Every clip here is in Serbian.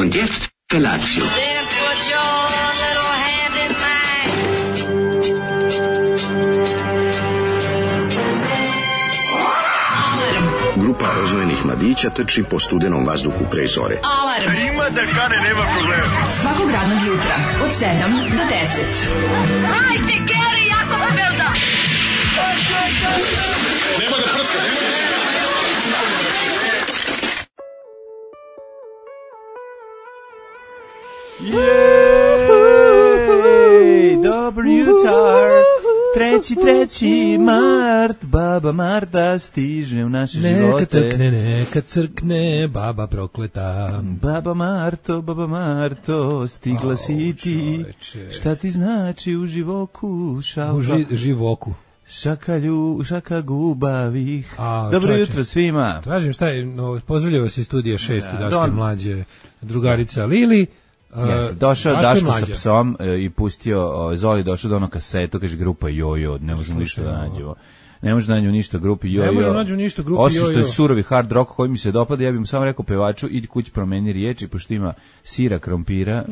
Und jetzt Felatio. Then put your little hand in mine. Grupa oznojenih mladića trči po studenom vazduhu pre zore. Alarm. Ima da kane, nema problema. Svakog radnog jutra od 7 do 10. Hajde, Geri, jako se velda. Nema da prska, nema da... Jej, dobar jutar, 3. mart, baba Marta stiže u naše živote. Neka crkne, baba prokleta. Baba Marto, stigla si ti. Čoveče. Šta ti znači u živoku, šalka? U živoku. Šaka gubavih. Dobro čoveče. jutro svima. Tražim šta je, pozdravljava se iz studija 6 Daške mlađe, drugarica Lili. Jeste, došao Daško Daško mlađa. sa psom i pustio, Zoli došao do ono kasetu, kaže grupa Jojo, ne možemo ništa da nađemo. Ne možemo nađu ništa grupi Jojo. Ne možemo nađu ništa grupi Osim što je Jojo. surovi hard rock koji mi se dopada, ja bih mu samo rekao pevaču, idi kući promeni riječi, pošto ima sira, krompira,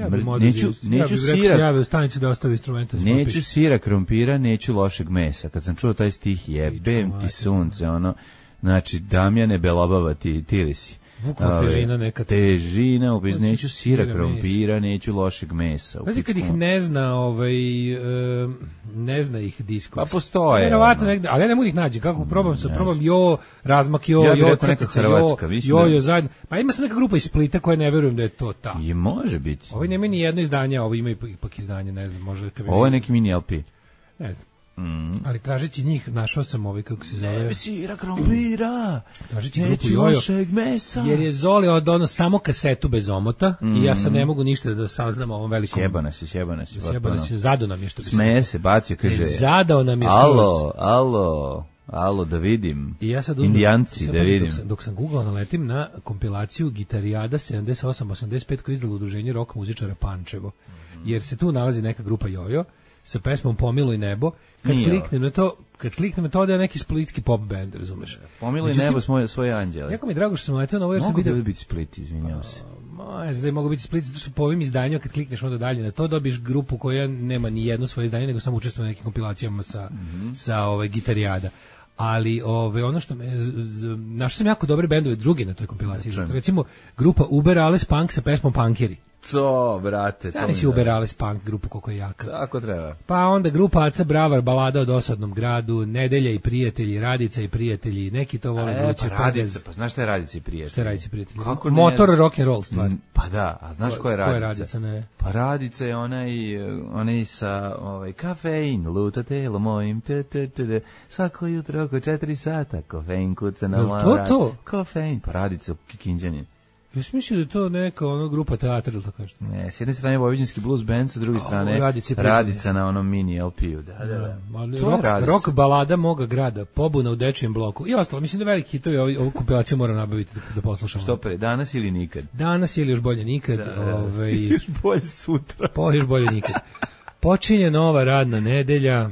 neću sira. Ja bih u stanici da ostavi instrumenta. Neću sira, krompira, neću lošeg mesa. Kad sam čuo taj stih, jebem ti sunce, ono, znači, Damjane Belobava, ti li si. Vukla težina neka. Težina, neću sira, sira, krompira, neću lošeg mesa. Pazi kad ih ne zna, ne zna ih Discogs. Pa postoje. Verovatno negde, ali ja ne mogu ih naći. Kako probam razmak Ja bih rekao neka crtica, Hrvatska, mislim da- zajedno. Pa ima se neka grupa iz Splita koja ne verujem da je to ta. I može biti. Ovi nemaju ni jedno izdanje, a ovi imaju ipak izdanje, ne znam, možda kad Ovo je neki mini LP. ne znam. Ali tražeći njih našao sam kako se zove. Sira, krompira, Tražeći grupu neću Jojo. lošeg mesa. Jer je Zoli od samo kasetu bez omota i ja sad ne mogu ništa da saznam o ovom velikom. Sjebana si. Sjebana si, zadao nam je što bi Smeje se, bacio, kaže. Zadao nam je skroz. Alo, da vidim. I ja sad Indijanci, sad da vidim. Dok sam googlao, naletim na kompilaciju Gitarijada 78-85 koju je izdalo udruženje rock muzičara Pančevo. Jer se tu nalazi neka grupa Jojo sa pesmom Pomiluj nebo. Kad kliknem na to da je neki splitski pop band, razumeš? Pomiluj nebo svoje anđele. Jako mi je drago što sam naletio na ovo jer sam Mogu vidio. da biti Split, izvinjam se. Ne znam da je mogu biti Split, zato što po ovim izdanjima kad klikneš onda dalje na to dobiješ grupu koja nema ni jedno svoje izdanje, nego samo učestvuje u nekim kompilacijama sa Gitarijada. Ali ono što našao sam jako dobre bendove drugi na toj kompilaciji. Recimo grupa Uber Alles Punk sa pesmom Punkeri. To, brate. Sada si Uber Alles Punk grupu koliko je jaka. Tako treba. Pa onda grupa Aca Bravar, balada o dosadnom gradu, Nedelja i prijatelji, Radica i prijatelji, neki to vole vruće Radica, pa znaš šta je Radica i prijatelji? Šta je Radica i prijatelji? Kako Motor rock and roll stvar. Pa da, a znaš ko je Radica? Ko je Radica, ne? Pa Radica je onaj sa kafein, luta telo mojim, svako jutro oko 4 sata, kofein kuca na moja vrata. To? Kofein, pa Radica Kikinđanin. Ja sam mislio da je to neka grupa teatra ili tako nešto. Ne, s jedne strane Vojvođanski blues band, sa druge strane Radica na onom mini LP-u. Da. Rock balada moga grada, pobuna u dečijem bloku i ostalo. Mislim da veliki hitovi ovu kompilaciju moram nabaviti da poslušamo. Što pre, danas ili nikad? Danas ili još bolje nikad. Još bolje sutra. Još bolje nikad. Počinje nova radna nedelja.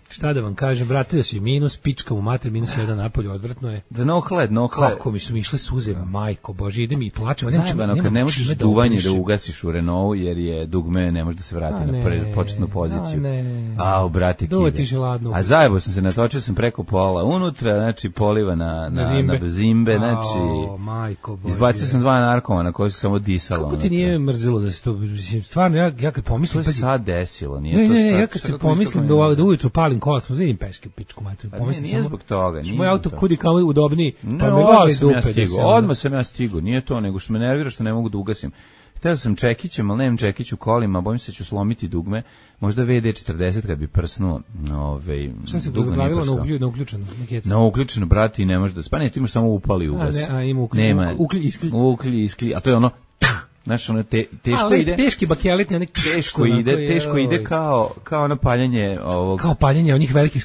Šta da vam kažem, vratio se minus, pička u mater, -1 napolju, odvrtno je. Da no hled. Kako mi su mi išle suze, majko Bože, idem i plačem. Zajebano, kad ne možeš duvanje da ugasiš u Renault, jer je dugme, ne može da se vrati na početnu poziciju. A, brate, kide. A zajebo sam se, natočio sam preko pola unutra, znači poliva na zimbe, znači, izbacio sam 2 narkomana koji su samo disalo. Kako ti nije mrzelo da se to, stvarno, ja kad pomislim... To je sad desilo, nije to sad. Ne, ja kad se pomislim da ujutru palim kola, smo vidim peške pičku mater. Nije zbog toga. Moj auto kudi kao udobniji, pa me vali dupe. Odmah sam ja stigao, nije to, nego što me nervira što ne mogu da ugasim. Hteo sam čekićem, ali nemam čekić u kolima, bojim se da ću slomiti dugme, možda VD40 kad bi prsnuo. Šta se to zapravilo na uključeno? Na uključeno, brati, i ne može da spane, ti imaš samo upali ugas. Ima uklji, iskli, a to je ono... Znaš, ono teško ide. Teški bakelit, teško ide kao ono paljenje ovog. Kao paljenje onih velikih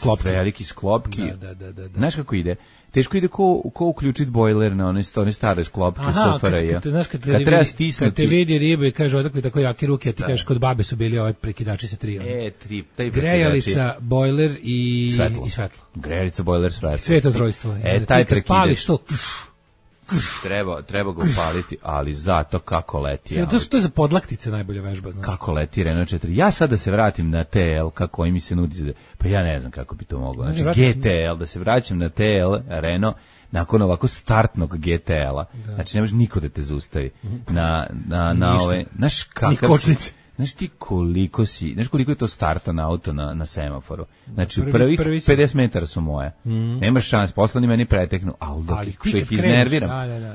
sklopki. Da. Znaš kako ide? Teško ide ko uključiti bojler na one stare sklopke SFRJ. Kad treba stisnuti. Kad te vidi ribe i kaže odakle tako jake ruke, a ti kažeš kod babe su bili ove prekidači sa 3. Grejalica, bojler i svetlo. Grejalica, bojler, svetlo. Sveto trojstvo. Taj prekidač. Pališ to. treba ga upaliti, ali zato kako leti. To je za podlaktice najbolja vežba, znači. Kako leti Renault 4. Ja sad da se vratim na TL, kako mi se nudi, pa ja ne znam kako bi to moglo. Znači GTL, da se vraćam na TL Renault nakon ovako startnog GTL-a. Znači ne može niko da te zaustavi. Na ove, znaš kakav Znaš ti koliko je to startan auto na semaforu? Znači, prvih 50 metara su moje. Nemaš šans, posle oni meni preteknu. Što ih iznerviram.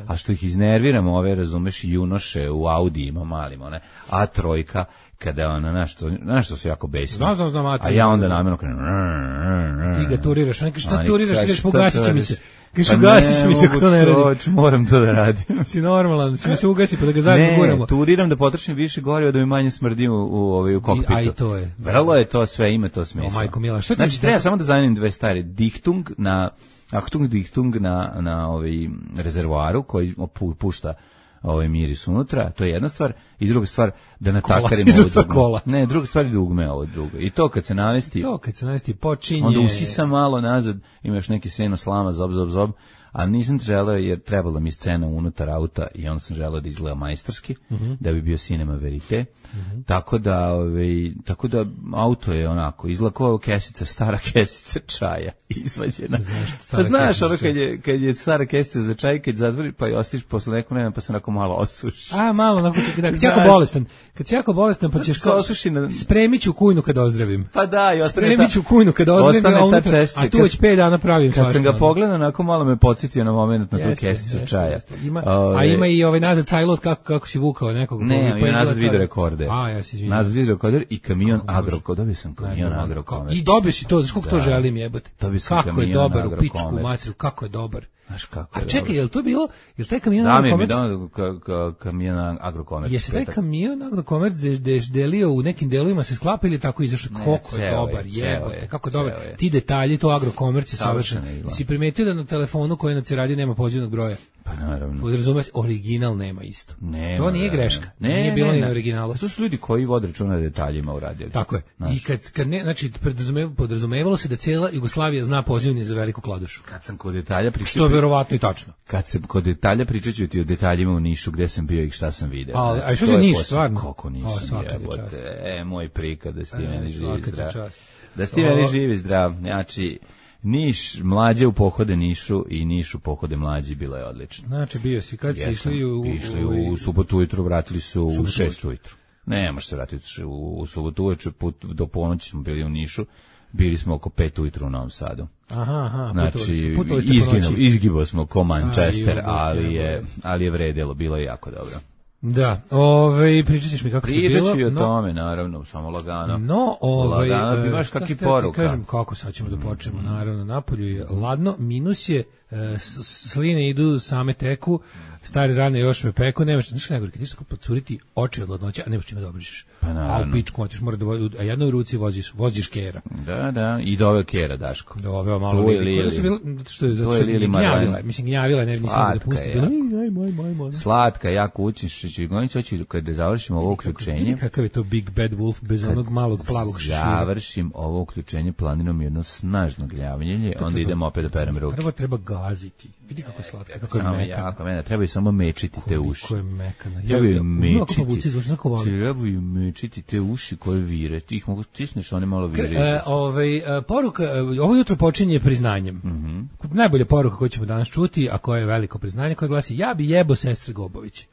A što ih iznerviram, ove, razumeš, junoše u Audijima malim, one, A3, kada ona, nešto su jako besni. Znam, a ja onda namjerno krenem. Ti ga turiraš, šta turiraš, ideš pogasit će mi se. Kažu, ugasiš mi se ako to ne radi. Moram to da radim. Si normalan, će mi se ugasi pa da ga zajedno guramo. Ne, turiram da potrošim više goriva da mi manje smrdim u kokpitu. A i to je. Vrlo je to sve, ima to smisla. Majko mila, što ti znači, treba samo da zanimim dve stvari. Dichtung na rezervoaru koji pušta miris unutra, to je jedna stvar, i druga stvar da natakarim ovo dugme. Ne, druga stvar je dugme ovo drugo. I to kad se navesti počinje. Onda usisam malo nazad, imaš neki seno slama, zob, a nisam želeo jer trebalo mi scena unutar auta i onda sam želeo da izgleda majstorski, da bi bio cinema verite. Tako da auto je onako izlako kesica, stara kesica čaja izvađena. Znaš ono kad je stara kesica za čaj, kad zatvori pa i ostiš posle nekog vremena pa se onako malo osuši. Malo onako kad si jako bolestan pa ćeš spremit ću kujnu kad ozdravim. Pa da, i spremit ću kujnu kad ozdravim, a tu već 5 dana pravim. Kad sam ga pogledao, onako malo me podsjetio na moment na tu kesicu čaja. Ima i nazad sajlot kako si vukao nekog. Ne, ima nazad video rekorde. Ja se izvinjam. Nazad video rekorder i kamion Agrokomer. Dobio sam kamion Agrokomer. I dobio si to, znaš koliko to želim jebati. Kako je dobar u pičku materiju, kako je dobar. A čekaj, je li to bilo, je li taj kamion Agrokomer? Kamion Agrokomer. Je se taj kamion Agrokomer delio u nekim delovima se sklapa ili tako izašao? Koliko je dobar, jebote, kako je dobar. Ti detalji, to Agrokomer je savršen. Si primetio da na telefonu koji na radi nema pozivnog broja? Pa naravno. Podrazumeš, original nema isto. To nije greška. Nije bilo ni na originalu. To su ljudi koji vode računa detaljima u radiju. Tako je. I kad ne, znači podrazumevalo se da cijela Jugoslavija zna pozivni za Veliku Kladušu. Kad sam kod detalja pričao, što je verovatno i tačno. Kad sam kod detalja pričaću ti o detaljima u Nišu, gde sam bio i šta sam video. A što je Niš, stvarno? Kako nisam, jebote. Moj prikad da ste meni živi zdrav. Da ste meni živi zdrav. Znači, Niš, mlađe u pohode Nišu i Niš u pohode mlađi, bilo je odlično. Znači, bio si, kad si išli u subotu ujutru, vratili su u 6 ujutru. Ne, može se vratiti u subotu ujutru, do ponoći smo bili u Nišu, bili smo oko 5 ujutru u Novom Sadu. Aha, znači, izgibao smo ko Manchester, ali je vredilo, bilo je jako dobro. Da, pričat ćeš mi kako se bilo. Pričat ću i o tome, naravno, samo lagano. Lagano, imaš kakvi poruka. Kažem, kako sad ćemo da počnemo, naravno, napolju je ladno, minus je, sline idu, same teku, stari rane još me peku, nemaš, znaš najgore, kad ćeš podcuriti oči od ladnoća, a nemaš čime da obrišeš. A u pičku, a jednoj ruci voziš kera. Da, i dove kera, Daško. Dove, malo gnjavila, ne, nisam da pusti. Slatka, jako učiš, hoću kada završimo ovo uključenje. Kakav je to Big Bad Wolf bez onog malog plavog šešira. Završim ovo uključenje, planiram jedno snažno gnjavljenje, onda idemo opet da perem ruke. Prvo treba gaziti. Vidi kako je slatka, kako je mekana. Treba samo mečiti te uši. Koliko je mekana. Trebaju mečiti te uši koje vire. Ti ih mogu stisneš, one malo vire. Poruka, ovo jutro počinje priznanjem. Najbolja poruka koju ćemo danas čuti, a koja je veliko priznanje, koja glasi: ja bi jebo sestre Gobović.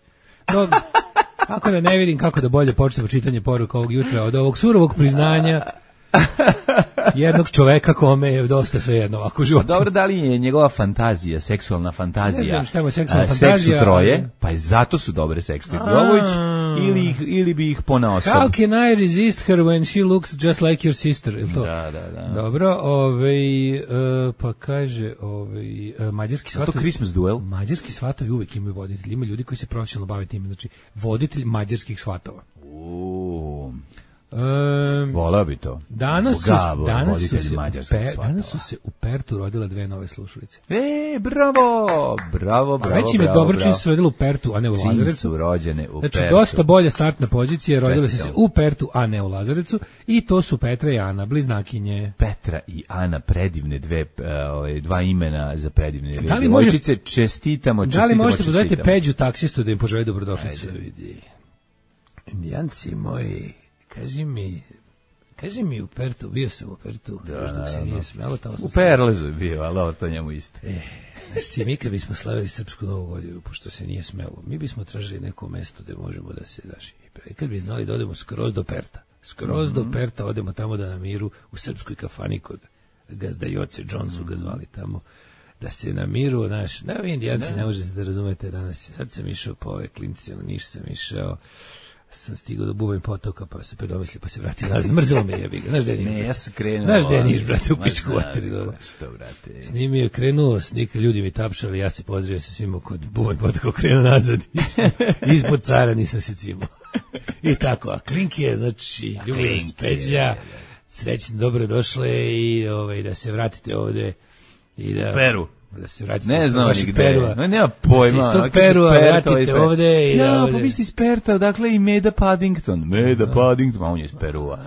Ako da ne vidim kako da bolje počnemo čitanje poruka ovog jutra od ovog surovog priznanja jednog čoveka kome je dosta svejedno ovako u životu. Dobro, da li je njegova fantazija, seksualna fantazija, ne znam šta je seksualna fantazija, seksu troje, pa je zato su dobre seksne Gobović, ili bi ih ponaosob. How can I resist her when she looks just like your sister? Ili to? Da. Dobro, pa kaže, mađarski svatovi. To Christmas duel. Mađarski svatovi uvek imaju voditelji, ima ljudi koji se profesionalno bave time, znači voditelj mađarskih svatova. Voleo bi to. Danas su se u Pertu rodile 2 nove slušalice. Bravo. Već im je dobro čim su se rodile u Pertu, a ne u Lazarevcu. Su rođene u Pertu. Znači, dosta bolja startna pozicija, rodile su se u Pertu, a ne u Lazarevcu. I to su Petra i Ana, bliznakinje. Petra i Ana, predivne dva imena za predivne djevojčice. Čestitamo. Da li možete pozvati Peđu taksistu da im poželi dobrodošlicu? Indijanci moji, kaži mi u Pertu, bio sam u Pertu, dok se nije smelo, tamo sam... U Perlezu je bio, ali to njemu isto. Znači, mi kad bismo slavili Srpsku Novu godinu, pošto se nije smelo, mi bismo tražili neko mesto gde možemo da se daši. I kad bi znali da odemo skroz do Perta, do Perta odemo tamo da na miru u srpskoj kafani kod gazda Joce Johnsu ga zvali tamo, da se na miru, vi Indijanci ne možete da razumete danas. Sad sam išao po ove klince, u Niš sam išao, sam stigao do Bubanj potoka, pa se predomislio, pa se vratio nazad. Mrzelo me jebi ga. Znaš gde je Niš? Ne, ja sam krenuo. Znaš gde je Niš, brate, u pičku vatri. Što, brate? Snimio je, krenuo, ljudi mi tapšali, ja se pozdravio sa svima kod Bubanj potoka, krenuo nazad. Ispod cara nisam se cimao. I tako, a Klinki je, znači, Ljubomir Speđa, srećno, dobro došle i da se vratite ovde. Peru. Da se vratite ne znam ni gde. Nema pojma. Da se iz tog Perua vratite ovde. Pa vi ste iz Perta, dakle i Meda Paddington. On je iz Perua.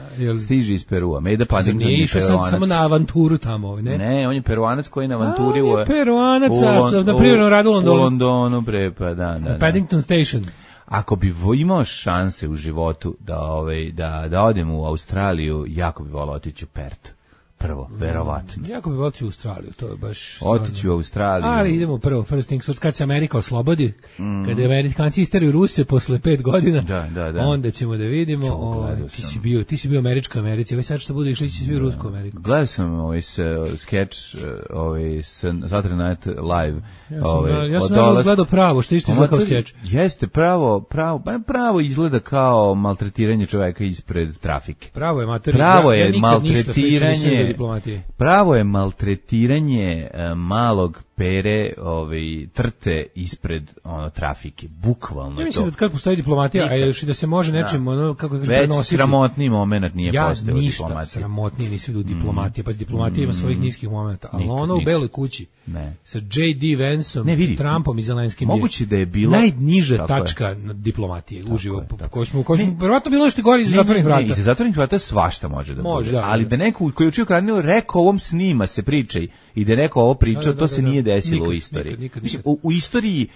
Stiže iz Perua. Meda Paddington nije išao sam samo na avanturu tamo, ne? Ne, on je Peruanac koji na avanturi on je Peruanac, na privrednom radu u Londonu. U Londonu, pa da. Paddington Station. Ako bi imao šanse u životu da odem u Australiju, jako bi volao otići u Pert. Prvo, verovatno. Jako bi volio u Australiju, to je baš... Otići u Australiju. Ali idemo prvo, first things first, kad se Amerika oslobodi, kada Amerikanci isteraju Ruse posle 5 godina, onda ćemo da vidimo. Ti si bio američka Americi, ovaj sad što bude išli će svi u Rusku Ameriku. Gledao sam skeč sa Saturday Night Live. Ja sam gledao pravo, što isto izgleda kao skeč. Jeste, pravo izgleda kao maltretiranje čoveka ispred trafike. Pravo je maltretiranje. Pravo je maltretiranje malog Pere, trte ispred trafike, bukvalno. Ja mislim da kad postoji diplomatija, a još i da se može nečim kako kažeš prenositi. Već sramotni moment nije postao diplomatija. Ništa sramotnije nisi vidio diplomatije, pa diplomatija ima svojih niskih momenta, ali ono u Beloj kući sa J.D. Vanceom, Trumpom i Zelenskim moguće da je bilo najniža tačka diplomatije uživo, koju smo verovatno bilo nešto gore iza zatvorenih vrata. Iza zatvorenih vrata svašta može da bude, ali da neko koji je učio Karnilo rekao ovom snima se pričaj i da neko ovo pričao, to se nije desilo u istoriji. U istoriji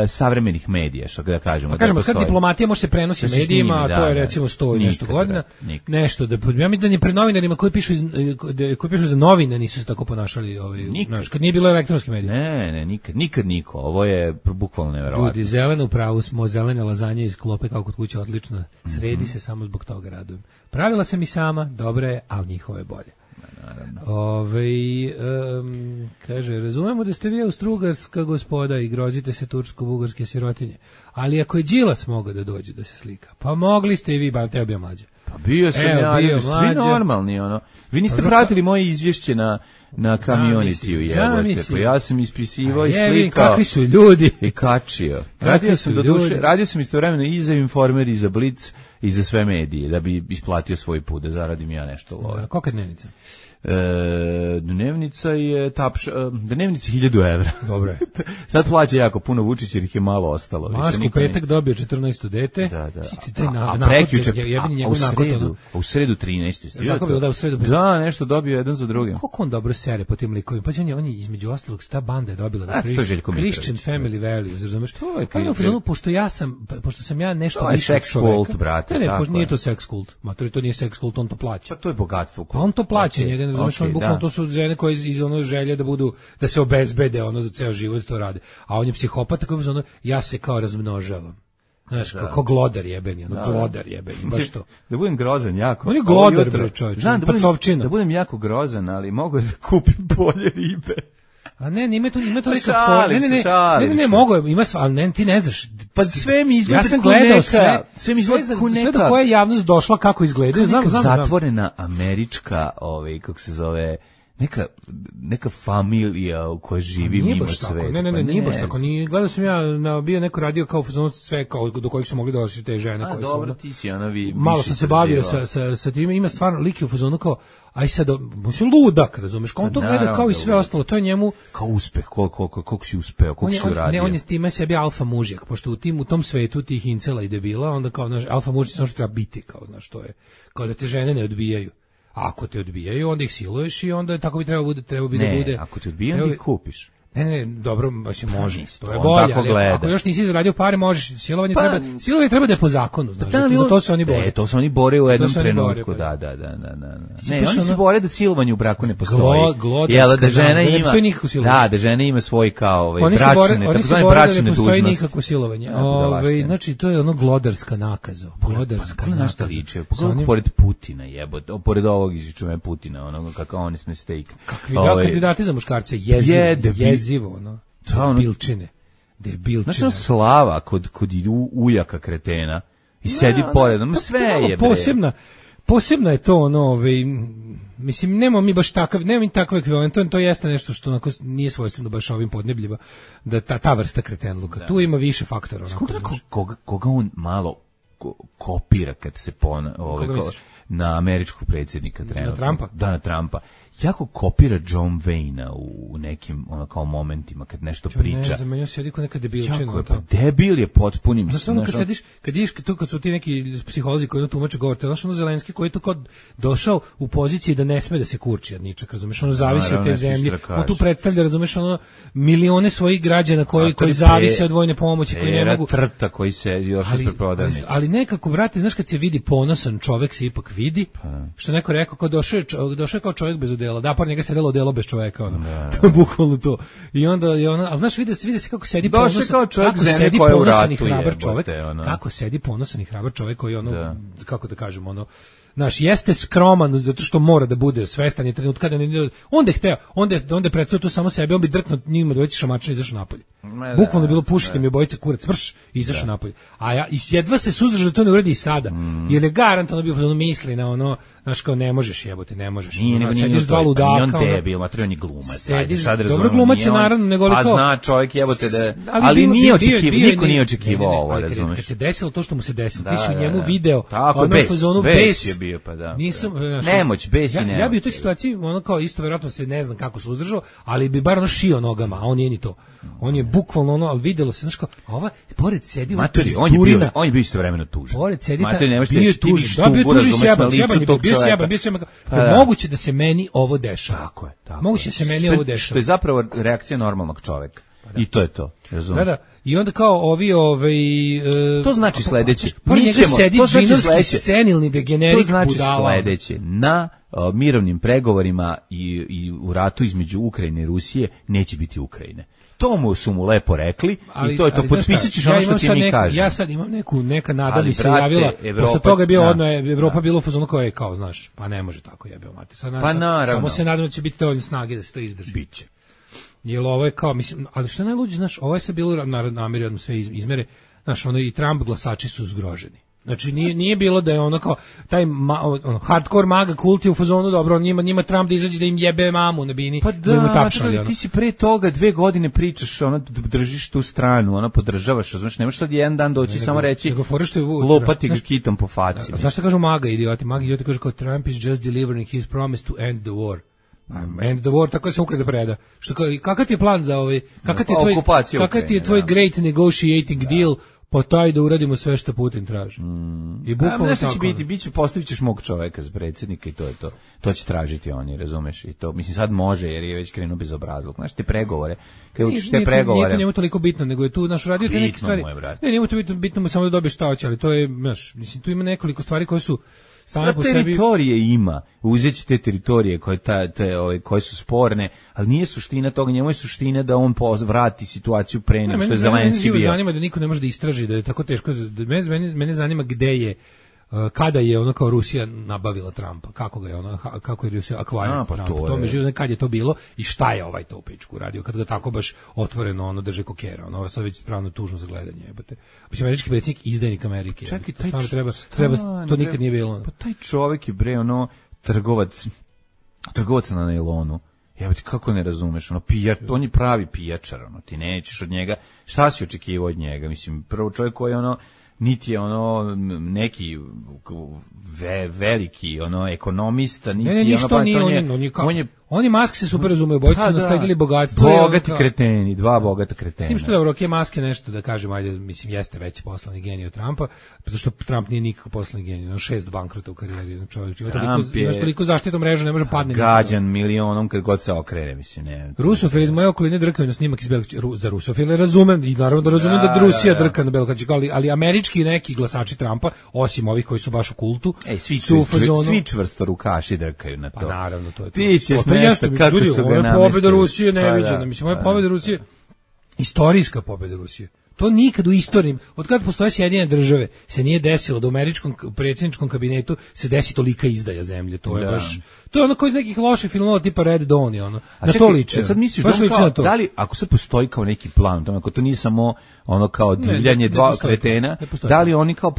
savremenih medija, što da kažemo. Pa kažemo, kad diplomatija može se prenosi medijima, to je recimo 100 i nešto godina, nešto da ja mislim da ni pred novinarima koji pišu za novine nisu se tako ponašali, kad nije bilo elektronske medije. Ne, nikad niko. Ovo je bukvalno neverovatno. Ljudi, zeleno u pravu smo, zelene lazanje iz klope kao kod kuće, odlično. Sredi se, samo zbog toga radujem. Pravila sam i sama, dobro je, ali njihovo je bolje. Kaže, razumemo da ste vi austrougarska gospoda i grozite se tursko-bugarske sirotinje, ali ako je Đilas mogao da dođe da se slika, pa mogli ste i vi, ba teo bio mlađe. Pa bio sam vi normalni, vi niste pratili moje izvješće na Community-u, jebote, pa ja sam ispisivao i slikao. Kakvi su ljudi. I kačio. Radio sam istovremeno i za Informer, i za Blitz, i za sve medije, da bi isplatio svoj put, da zaradim ja nešto love. Kolika je dnevnica? Dnevnica je dnevnica 1000 evra. Dobro je. Sad plaća jako puno Vučić jer ih je malo ostalo. Mašku petak dobio 14. dete. Da. A prekjuče, u sredu 13. Tako bilo da u sredu. Da, nešto dobio jedan za drugim. Kako on dobro sere po tim likovima. Pa on je između ostalog ta banda je dobila Christian Family Values, razumeš? Pošto sam ja nešto više sex kult, brate. Ne, nije to sex kult. Matori, to nije sex kult, on to plaća. Pa to je bogatstvo. Pa on to plaća, njega ne razumeš, on bukvalno to su žene koje iz ono želje da se obezbede za ceo život to rade. A on je psihopata koji ja se kao razmnožavam. Znaš, kako glodar jebeni, glodar jebeni, baš to. Da budem grozan jako. On je glodar, bre, čovječ. Znam da budem jako grozan, ali mogu da kupim bolje ribe. A ne, ima to neka forma. Ne, mogu, ima sva, ali ne, ti ne znaš. Pa sve mi izgleda ja sam gledao sve do koje je javnost došla kako izgledaju. Znam. Zatvorena američka, kako se zove, neka familija u kojoj živi mimo sve. Ne, nije baš tako. Gledao sam ja bio neko radio kao sve kao do kojih su mogli doći te žene koje su. Dobro, ti si malo sam se bavio sa tim, ima stvarno lik u fazonu kao aj sad, mislim ludak, razumeš, kao on to gleda kao i sve ostalo, to je njemu kao uspeh, koliko si uspeo, koliko si uradio. Ne, on je time sebi alfa mužjak, pošto u tom svetu tih incela i debila, onda kao, znaš, alfa mužjak samo što treba biti, kao, znaš, to je, kao da te žene ne odbijaju. A ako te odbijaju, onda ih siluješ i onda tako bi trebalo da bude. Ne, ako te odbijaju, onda ih kupiš. Ne, dobro, mislim, može. To je bolje, ali ako još nisi zaradio pare, možeš. Silovanje treba da je po zakonu, znaš. Za to se oni bore. To se oni bore u jednom trenutku, da. Ne, oni se bore da silovanje u braku ne postoji. Jel da žena ima. Da žena ima svoj kao bračne, takozvane bračne dužnosti. Ne postoji nikakvo silovanje. Znači to je ono glodarska nakaza. Glodarska nakaza. Pogledaj pored Putina, jebote, pored ovog izvičujem Putina, onoga kako oni sme steak. Kakvi kandidati za muškarce jezivo, ono, debilčine. Znači, slava kod ujaka kretena i sedi pored, sve je posebna je to, ono, mislim, nemamo mi baš takav ekvivalent, to jeste nešto što onako nije svojstveno baš ovim podnebljima, da ta vrsta kretenluka, tu ima više faktora. Koga on malo kopira kad se na američkog predsjednika trenutno. Na Trumpa? Da, na Trumpa. Jako kopira John Wayne-a u nekim kao momentima kad nešto priča. Ne znam, meni sjedi ko neka debilčina. Jako je, pa debil je potpunim. Znaš, ono kad su ti neki psiholozi koji tumače govor, znaš, ono Zelenski koji je tu kod došao u poziciji da ne sme da se kurči od ničeg, razumeš, ono zavisi od te zemlje. On tu predstavlja, razumeš, ono milione svojih građana koji zavise od vojne pomoći, koji ne mogu. Trta koji se još ispred prodavnice. Ali nekako, brate, znaš, kad se vidi ponosan čovek, se ipak vidi, što neko rekao, kao došao kao čovjek bez odela. Da, par njega sedelo odelo bez čoveka, ono. To je bukvalno to. I onda je ona, al znaš, vidi se kako sedi ponosan, kako sedi ponosan i hrabar čovek, kako sedi ponosan i hrabar čovek koji ono, kako da kažem, ono, znaš, jeste skroman zato što mora da bude svestan je trenutka da ne, onda je hteo, onda predstavio tu samo sebe, on bi drknuo njima dvojici šamačina i izašao napolje. Bukvalno je bilo pušite mi obojica kurac, mrš, i izašao napolje. A ja jedva se suzdržao da to ne uradi i sada. Jer je garantovano bio ono misli na ono, znaš, kao ne možeš jebote, ne možeš. Sediš dva ludaka. On debil, on je glumac. Dobro glumac je naravno, nego a zna čovjek jebote da, ali nije očekivao, niko nije očekivao ovo, razumeš. Kad se desilo to što mu se desilo, ti si u njemu video, tako bes je bio, pa da. Nisam, nemoć, bes i nemoć. Ja bi u toj situaciji, ono kao isto verovatno se ne znam kako se uzdržao, ali bi bar ono šio nogama, a on nije ni to. On je bukvalno ono, al videlo se, znaš kao, a ova pored sedi Maturi, on je bio istovremeno tužan. Pored sedi bio tužan, da bio tužan bio sjeban. Moguće da se meni ovo dešava. Tako je. Moguće da se meni ovo dešava. Što je zapravo reakcija normalnog čoveka. I to je to, razumiješ? Da. I onda kao to znači sledeće. To znači senilni degenerik. To znači sledeće. Na mirovnim pregovorima i u ratu između Ukrajine i Rusije neće biti Ukrajine. To su mu lepo rekli i to je to, potpisat ćeš ono što ti mi kažeš. Ja sad imam neka nada mi se javila, posle toga je bio Evropa bilo u fazonu kao znaš, pa ne može tako jebeo mate. Samo se nadam da će biti dovoljno snage da se to izdrži. Biće. Jer ovo je kao, mislim, ali što je najluđe, znaš, ovo je sad bilo nameri odmah sve izmere, znaš, ono i Trump glasači su zgroženi. Znači nije bilo da je ono kao taj hardcore maga kult je u fazonu dobro, njima Trump da izađe da im jebe mamu na bini, pa da mu tapšali. Ti si pre toga 2 godine pričaš, ono držiš tu stranu, ono podržavaš, znači nemaš sad jedan dan doći samo reći lopati ga kitom po faci. Znaš šta kažu maga idioti kažu kao Trump is just delivering his promise to end the war. End the war, tako se Ukrajina preda. Što kakav ti je plan za kakav ti je tvoj great negotiating deal? Pa taj da uradimo sve što Putin traži. I bukvalno tako. Biće postavit ćeš mog čoveka za predsjednika i to je to. To će tražiti oni, razumeš? I to, mislim, sad može jer je već krenuo bezobrazluk. Znaš, te pregovore, kada učiš te pregovore... Nije to njemu toliko bitno, nego je tu, naš radio te neke stvari... Ne, njemu to bitno mu samo da dobiješ šta hoće, ali to je, znaš, mislim, tu ima nekoliko stvari koje su same po sebi... Teritorije ima, uzeći te teritorije koje su sporne, ali nije suština toga, njemu je suština da on vrati situaciju pre nego što je Zelenski bio. Mene zanima da niko ne može da istraži, da je tako teško, mene zanima gde je, kada je ono kao Rusija nabavila Trumpa, kako je Rusija acquired Trumpa, to me živo kad je to bilo i šta je ovaj to u pičku radio, kad ga tako baš otvoreno ono drže kokera, ono sad već pravno tužno za gledanje, jebote. Mislim, američki predsjednik izdajnik Amerike. Čekaj, treba, to nikad nije bilo. Pa taj čovjek je bre ono trgovac na nailonu. Ja ti kako ne razumeš, on je pravi pijačar, ti nećeš od njega, šta si očekivao od njega, mislim, prvo čovjek koji niti je neki veliki ekonomista, niti ne, ništa nije, oni Maske se super razumeju, bojice su nasledili bogatstvo. Bogati kreteni, dva bogata kretena. S tim što dobro, Maske nešto da kažem, ajde, mislim, jeste veći poslovni genij od Trumpa, zato što Trump nije nikakav poslovni genij, 6 bankrota u karijeri, čovjek ima toliko zaštitnu mrežu, ne može padne. Gađan milionom kad god se okrene, mislim, ne. Rusofil iz moje okoline drkaju na snimak iz Belog. Za Rusofile razumem, i naravno da razumem da Rusija drka na Belog, ali američki neki glasači Trumpa, osim ovih koji su baš u kultu, svi čvrstorukaši drkaju na to. Pa naravno, to je to. Ti ćeš nešto, kako su ga namestili. Ovo je pobjeda Rusije neviđena, mislim, ovo je pobjeda Rusije, istorijska pobjeda Rusije. To nikad u istoriji, od kada postoje Sjedinjene države, se nije desilo da u američkom predsjedničkom kabinetu se desi tolika izdaja zemlje. To je baš, to je ono kao iz nekih loših filmova tipa Red Dawn i ono. Na to liče. Sad misliš da li, ako sad postoji kao neki plan, ako to nije samo ono kao divljanje dva kretena, da li oni kao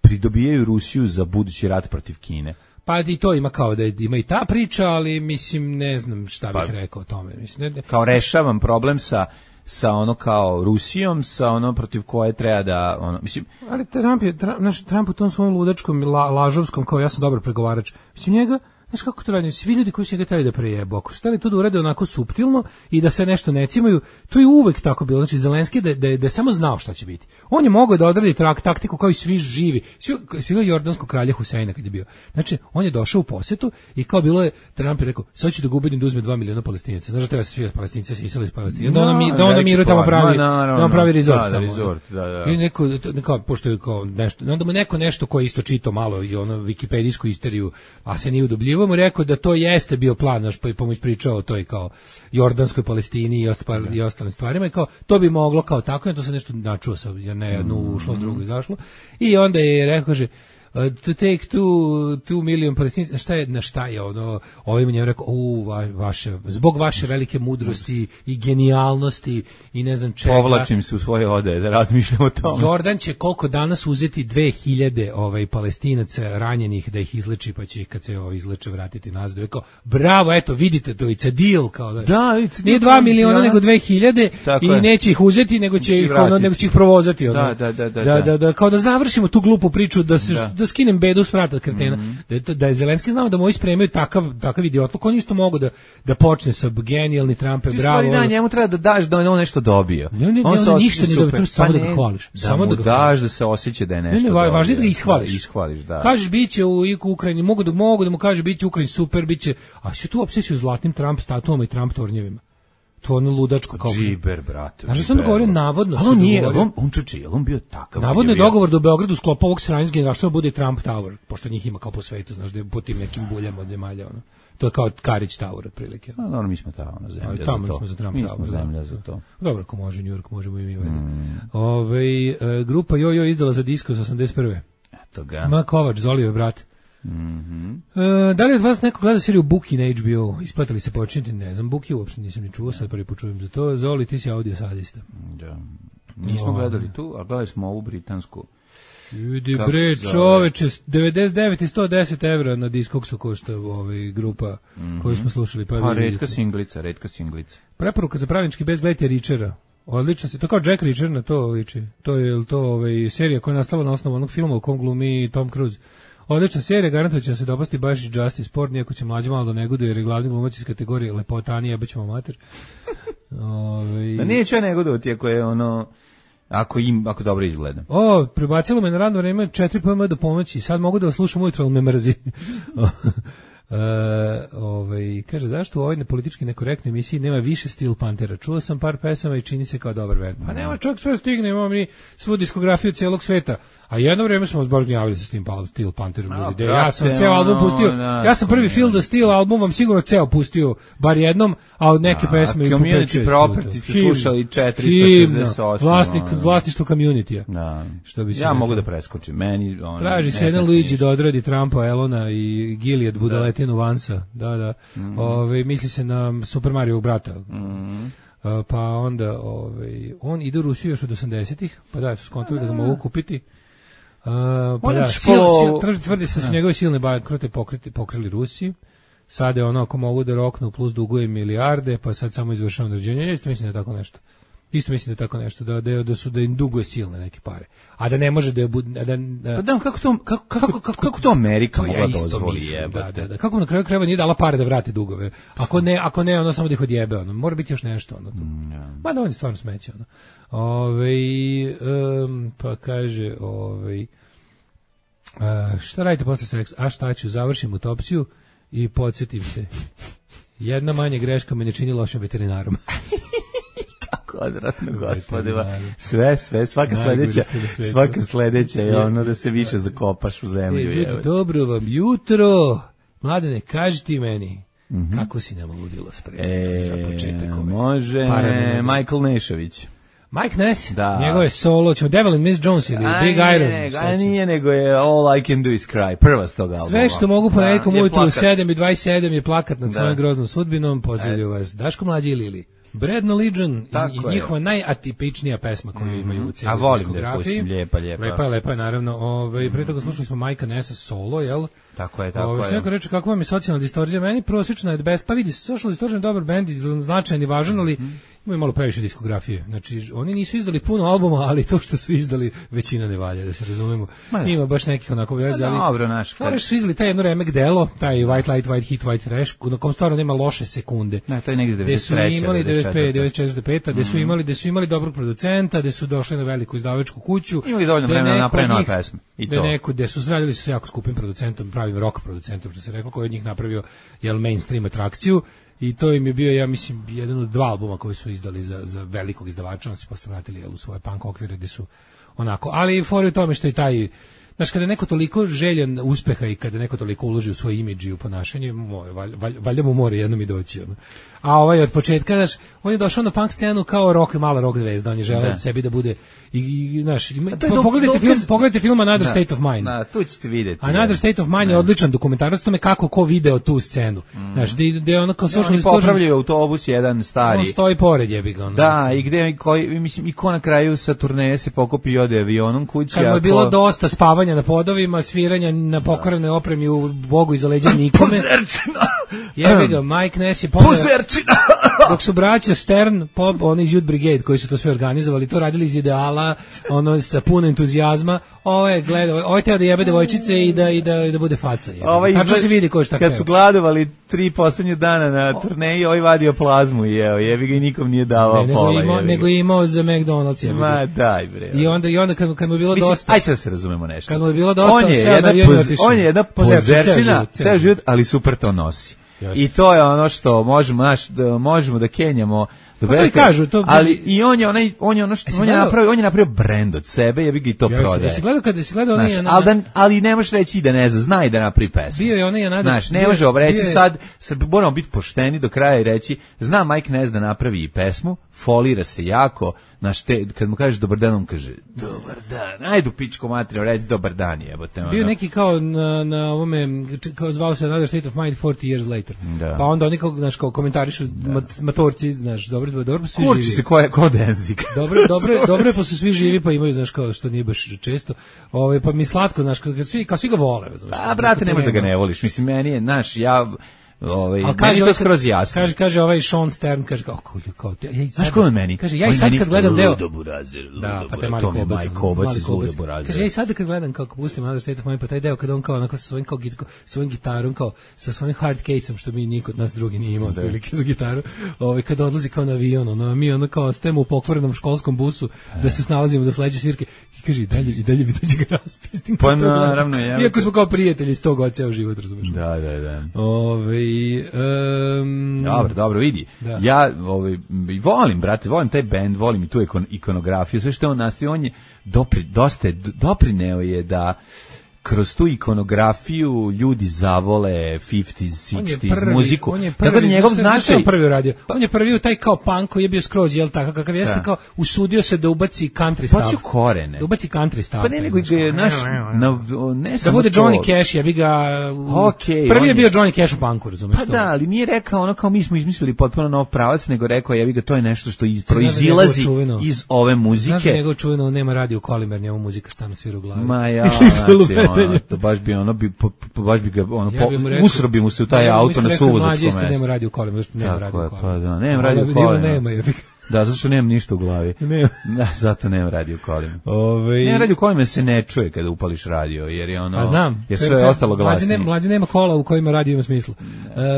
pridobijaju Rusiju za budući rat protiv Kine? Pa i to ima kao da ima i ta priča, ali mislim ne znam šta bih rekao o tome. Mislim, kao rešavam problem sa kao Rusijom, sa protiv koje treba da mislim. Ali Trump u tom svom ludačkom lažovskom kao ja sam dobar pregovarač. Mislim njega, znaš kako to radi, svi ljudi koji su ga hteli da prejebu, ako su hteli to da urade onako suptilno i da se nešto ne cimaju, to je uvek tako bilo. Znači Zelenski da je samo znao šta će biti. On je mogao da odradi taktiku kao i svi živi. Svi jordanskog kralja Huseina kad je bio. Znači on je došao u posetu i kao bilo je, Trump je rekao, sad ću da gubedim da uzme 2 miliona Palestinaca. Znaš da treba se svi Palestinci se iseli iz Palestine. Da ono miru tamo pravi resort. Da. I neko pošto je kao nešto, onda mu neko nešto ko isto čitao malo i ono wikipedijsku isteriju, a se nije udubljivo, mu rekao da to jeste bio plan, naš pa mu ispričao to i kao Jordanskoj Palestini i ostalim stvarima i kao to bi moglo kao tako, ja to se nešto načuo sa jedno ušlo, drugo izašlo i onda je rekao, kaže to take 2 million Palestinaca, šta je ono, ovim njemu rekao, zbog vaše velike mudrosti i genijalnosti i ne znam čega. Povlačim se u svoje ode da razmišljam o tome. Jordan će koliko danas uzeti 2000 Palestinaca ranjenih da ih izleči, pa će ih kad se izleče vratiti nazad. Rekao, bravo, eto, vidite, to it's a deal, kao da. Nije 2 miliona nego 2000 i neće ih uzeti, nego će ih provozati. Da, kao da završimo tu glupu priču da skinem bedu s vrata kretena. Da je Zelenski znao da mu spremaju takav idiotluk, on isto mogu da počne sa genijalni Trump je bravo. Da, njemu treba da daš da on nešto dobio. On se ništa ne dobio, samo da ga hvališ. Samo da daš da se osjeća da je nešto dobio. Važno da ga ishvališ. Da. Kažeš biće u Ukrajini, mogu da mu kaže biće u Ukrajini super, biće, a sve tu obsesiju zlatnim Trump statuama i Trump tornjevima. To ono ludačko kao džiber, brate. Znači sam govorio navodno. Ali on nije, on bio takav. Navodno je dogovor da u Beogradu sklopa ovog sranja generalštva bude Trump Tower, pošto njih ima kao po svetu, znaš da je po tim nekim buljama od zemalja ono. To je kao Karić Tower otprilike. No, mi smo tamo na zemlji za to. Tamo smo za Trump Tower. Mi smo zemlja za to. Dobro, ako može New York, možemo i mi. Grupa Jojo izdala za disko za 81. Eto ga. Ma Kovač, Zolijev brat. Da li od vas neko gleda seriju Buki na HBO? Isplatili se počiniti, ne znam, Buki uopšte nisam ni čuo, sad prvi počujem za to. Zoli, ti si audio sadista. Da. Nismo gledali tu, a gledali smo ovu britansku. Vidi bre, čoveče, 99 i 110 evra na Discogsu košta grupa koju smo slušali. Pa retka singlica. Preporuka za pravnički bez gledajte Richera. Odlično se, to kao Jack Reacher na to liči. To je serija koja je nastala na osnovu onog filma u kom glumi Tom Cruise. Odlična serija, garantujem će se dopasti baš i Justice Sport, nijako će mlađe malo da negoduje, jer je glavni glumac iz kategorije lepotani, jebećemo mater. Da neću ja negodovati ako je ono, ako dobro izgleda. Prebacilo me na radno vreme 4 PM do pomoći, sad mogu da vas slušam ujutro, ali me mrzi. Kaže, zašto u ovoj politički nekorektnoj emisiji nema više Steel Panthera? Čuo sam par pesama i čini se kao dobar band. Pa nema čovjek sve stigne, imamo mi svu diskografiju cijelog sveta. A jedno vrijeme smo zbaš gnjavili sa Steel Pantherom. Ja sam ceo album pustio, ja sam prvi Feel the Steel album vam sigurno ceo pustio, bar jednom, a od neke pesme i po 5-6 Property ste slušali 468. Vlasništvo Community-a. Ja mogu da preskočim. Traži se jedan Luigi da odradi Trumpa, Elona i Gilead Budaletinu Vansa. Da. Misli se na Super Mario brata. Pa onda on ide u Rusiju još od 80-ih, pa da, su skontali da ga mogu kupiti. Pa da, tvrdi se da su njegove silne bankrote pokrili Rusiji. sad je ono, ako mogu da roknu plus dugujem milijarde, pa sad samo izvršavam naređenje. Isto mislim da je tako nešto. Isto mislim da je tako nešto, da im duguje silne neke pare. A da ne može da je... Pa da, kako to Amerika mogla dozvoli jebate? Da. Kako na kraju krajeva nije dala pare da vrati dugove? Ako ne, ono samo da ih odjebe, ono. Mora biti još nešto, ono. Ma da, on je stvarno smeće, ono. Pa kaže, šta radite posle seksa? A šta ću, završim utopciju i podsjetim se. Jedna manja greška me ne čini lošim veterinarom. Odvratno, gospodima. Sve, svaka sledeća je ono da se više zakopaš u zemlju. Ljudi, dobro vam jutro. Mladene, kaži ti meni, kako si nam ludilo spremno za početak ove? Može, Michael Nešović. Mike Ness, njegove solo, ćemo Devil and Miss Jones ili Big Iron. Nije, nego je All I Can Do Is Cry, prva s tog albuma. Sve što mogu ponedjeljkom ujutru u 7:27 je plakat nad svojom groznom sudbinom. Pozdravljaju vas Daško Mlađi i Lili. Bad Religion i njihova najatipičnija pesma koju imaju u cijeloj diskografiji. Lijepa. Lepa je, naravno. Pre toga slušali smo Majka Nessa solo, jel? Tako je. Neko reče, kako vam je socijalna distorzija? Meni prosječna je best. Pa vidi, Social Distortion je dobar bend, značajan i važan, ali imaju malo previše diskografije. Znači, oni nisu izdali puno albuma, ali to što su izdali, većina ne valja, da se razumemo. Ima baš nekih onako veze, ali... Dobro, Fore su izdali taj jedno remek delo, taj White Light, White Heat, White Trash, na kom stvarno nema loše sekunde. Ne, to je negdje 93. Gde su imali 95, gde su imali dobrog producenta, gde su došli na veliku izdavačku kuću. Imali dovoljno vremena napraviti nove pesme. Gde su radili su se jako skupim producentom, pravim rock producentom, što se reklo, koji od njih napravio mainstream atrakciju. I to im je bio, ja mislim, jedan od 2 albuma koji su izdali za velikog izdavača, oni se posle vratili u svoje punk okvire gde su onako, ali fora u tome što je taj, znaš, kada je neko toliko željan uspeha i kada neko toliko uloži u svoj imidž i u ponašanje, valjda mu mora jednom i doći. Ono. A od početka, znaš, on je došao na punk scenu kao mala rock zvezda, on je želeo sebi da bude, i znaš, pogledajte film Another State of Mind. Tu ćete vidjeti. Another State of Mind je odličan dokumentarac o tome kako ko video tu scenu. Znaš, gde ono kao social distortion. On popravljaju autobus jedan stari. On stoji pored jebi ga. Da, i gde, mislim, i ko na kraju sa turneje se pokopi i ode avionom kući. Kad mu je bilo dosta spavanja na podovima, sviranja na pokvarenoj opremi u Bogu iza leđa nikome. Jebi ga, Mike Ness je dok su braća Stern, oni iz Youth Brigade koji su to sve organizovali, to radili iz ideala, ono sa puno entuzijazma. Ovo je teo da jebe devojčice i da bude faca. Tačno se vidi ko šta kad su gladovali 3 poslednje dana na turneji, ovaj vadio plazmu i jebi ga i nikom nije davao pola. Nego je imao za McDonald's. Ma daj bre. I onda kad mu je bilo dosta. Aj sad se razumemo nešto. Kad mu je bilo dosta, on je jedna pozerčina, ceo život, ali super to nosi. I to je ono što možemo da kenjamo. Ali i on je napravio brend od sebe, jebi ga i to prodaje. Jesi gledao ali ne možeš reći da ne zna i da napravi pesmu. Bio je onaj Another. Znaš, ne možemo reći sad moramo biti pošteni do kraja i reći, zna Mike Ness da napravi i pesmu, folira se jako, kad mu kažeš dobar dan, on kaže dobar dan, ajde u pičku materiju, reći dobar dan, jebote. Bio neki kao na ovome, kao zvao se Another State of Mind 40 years later. Pa onda oni kao komentarišu matorci, znaš, dobro pa svi živi. Kurči se ko denzik. Dobro je pa su svi živi, pa imaju, znaš, kao što nije baš često. Pa mi slatko, znaš, kao svi ga vole. A brate, ne možeš da ga ne voliš. Mislim, meni je, znaš, meni to skroz jasno. Kaže ovaj Sean Stern, kaže kao znaš ko on meni? Kaže, ja i sad kad gledam deo... Da, pa taj Mali Kobac iz Ludo Burazer. Kaže, ja i sad kad gledam kako pustim Another State of Mind, pa taj deo kada on kao onako sa svojim gitarom, kao sa svojim hard case-om, što mi niko od nas drugi nije imao otprilike za gitaru, kada odlazi kao na avion, mi ono kao stajemo u pokvarenom školskom busu da se snalazimo do sledeće svirke i kaže, i dalje bi dođe ga raspustim. Pa naravno, ja. Iako smo kao prijatelji 100 godina ceo život, razumeš? Da. Dobro, vidi. Da. Ja volim, brate, volim taj bend, volim i tu ikonografiju, sve što on nastavi, on je doprineo je da kroz tu ikonografiju ljudi zavole 50s, 60s muziku. On je prvi uradio. On je prvi u taj kao punk koji je bio skroz, jel tako, kakav jeste, kao usudio se da ubaci country stav. Hoću korene. Da ubaci country stav. Pa ne, nego je naš... Da bude Johnny Cash, ja bi ga... Prvi je bio Johnny Cash u punku, razumiješ to? Pa da, ali nije rekao ono kao mi smo izmislili potpuno nov pravac, nego rekao, ja bi ga, to je nešto što proizilazi iz ove muzike. Znaš da njegov čuveno nema radio kolimer, njemu muzika stano svira u glavi. Ma ja, to baš bi ono usrobi mu se u taj auto na suvozačkom mestu. Mlađe nema radio kolima, nema radio kolima. Pa da, nema radio kolima. Da, zato što nemam ništa u glavi. Da, zato nemam radio kolima. Ne, radio kolima se ne čuje kada upališ radio, jer je ono... A znam. Jer sve je ostalo glasnije. Mlađe nema kola u kojima radio ima smisla.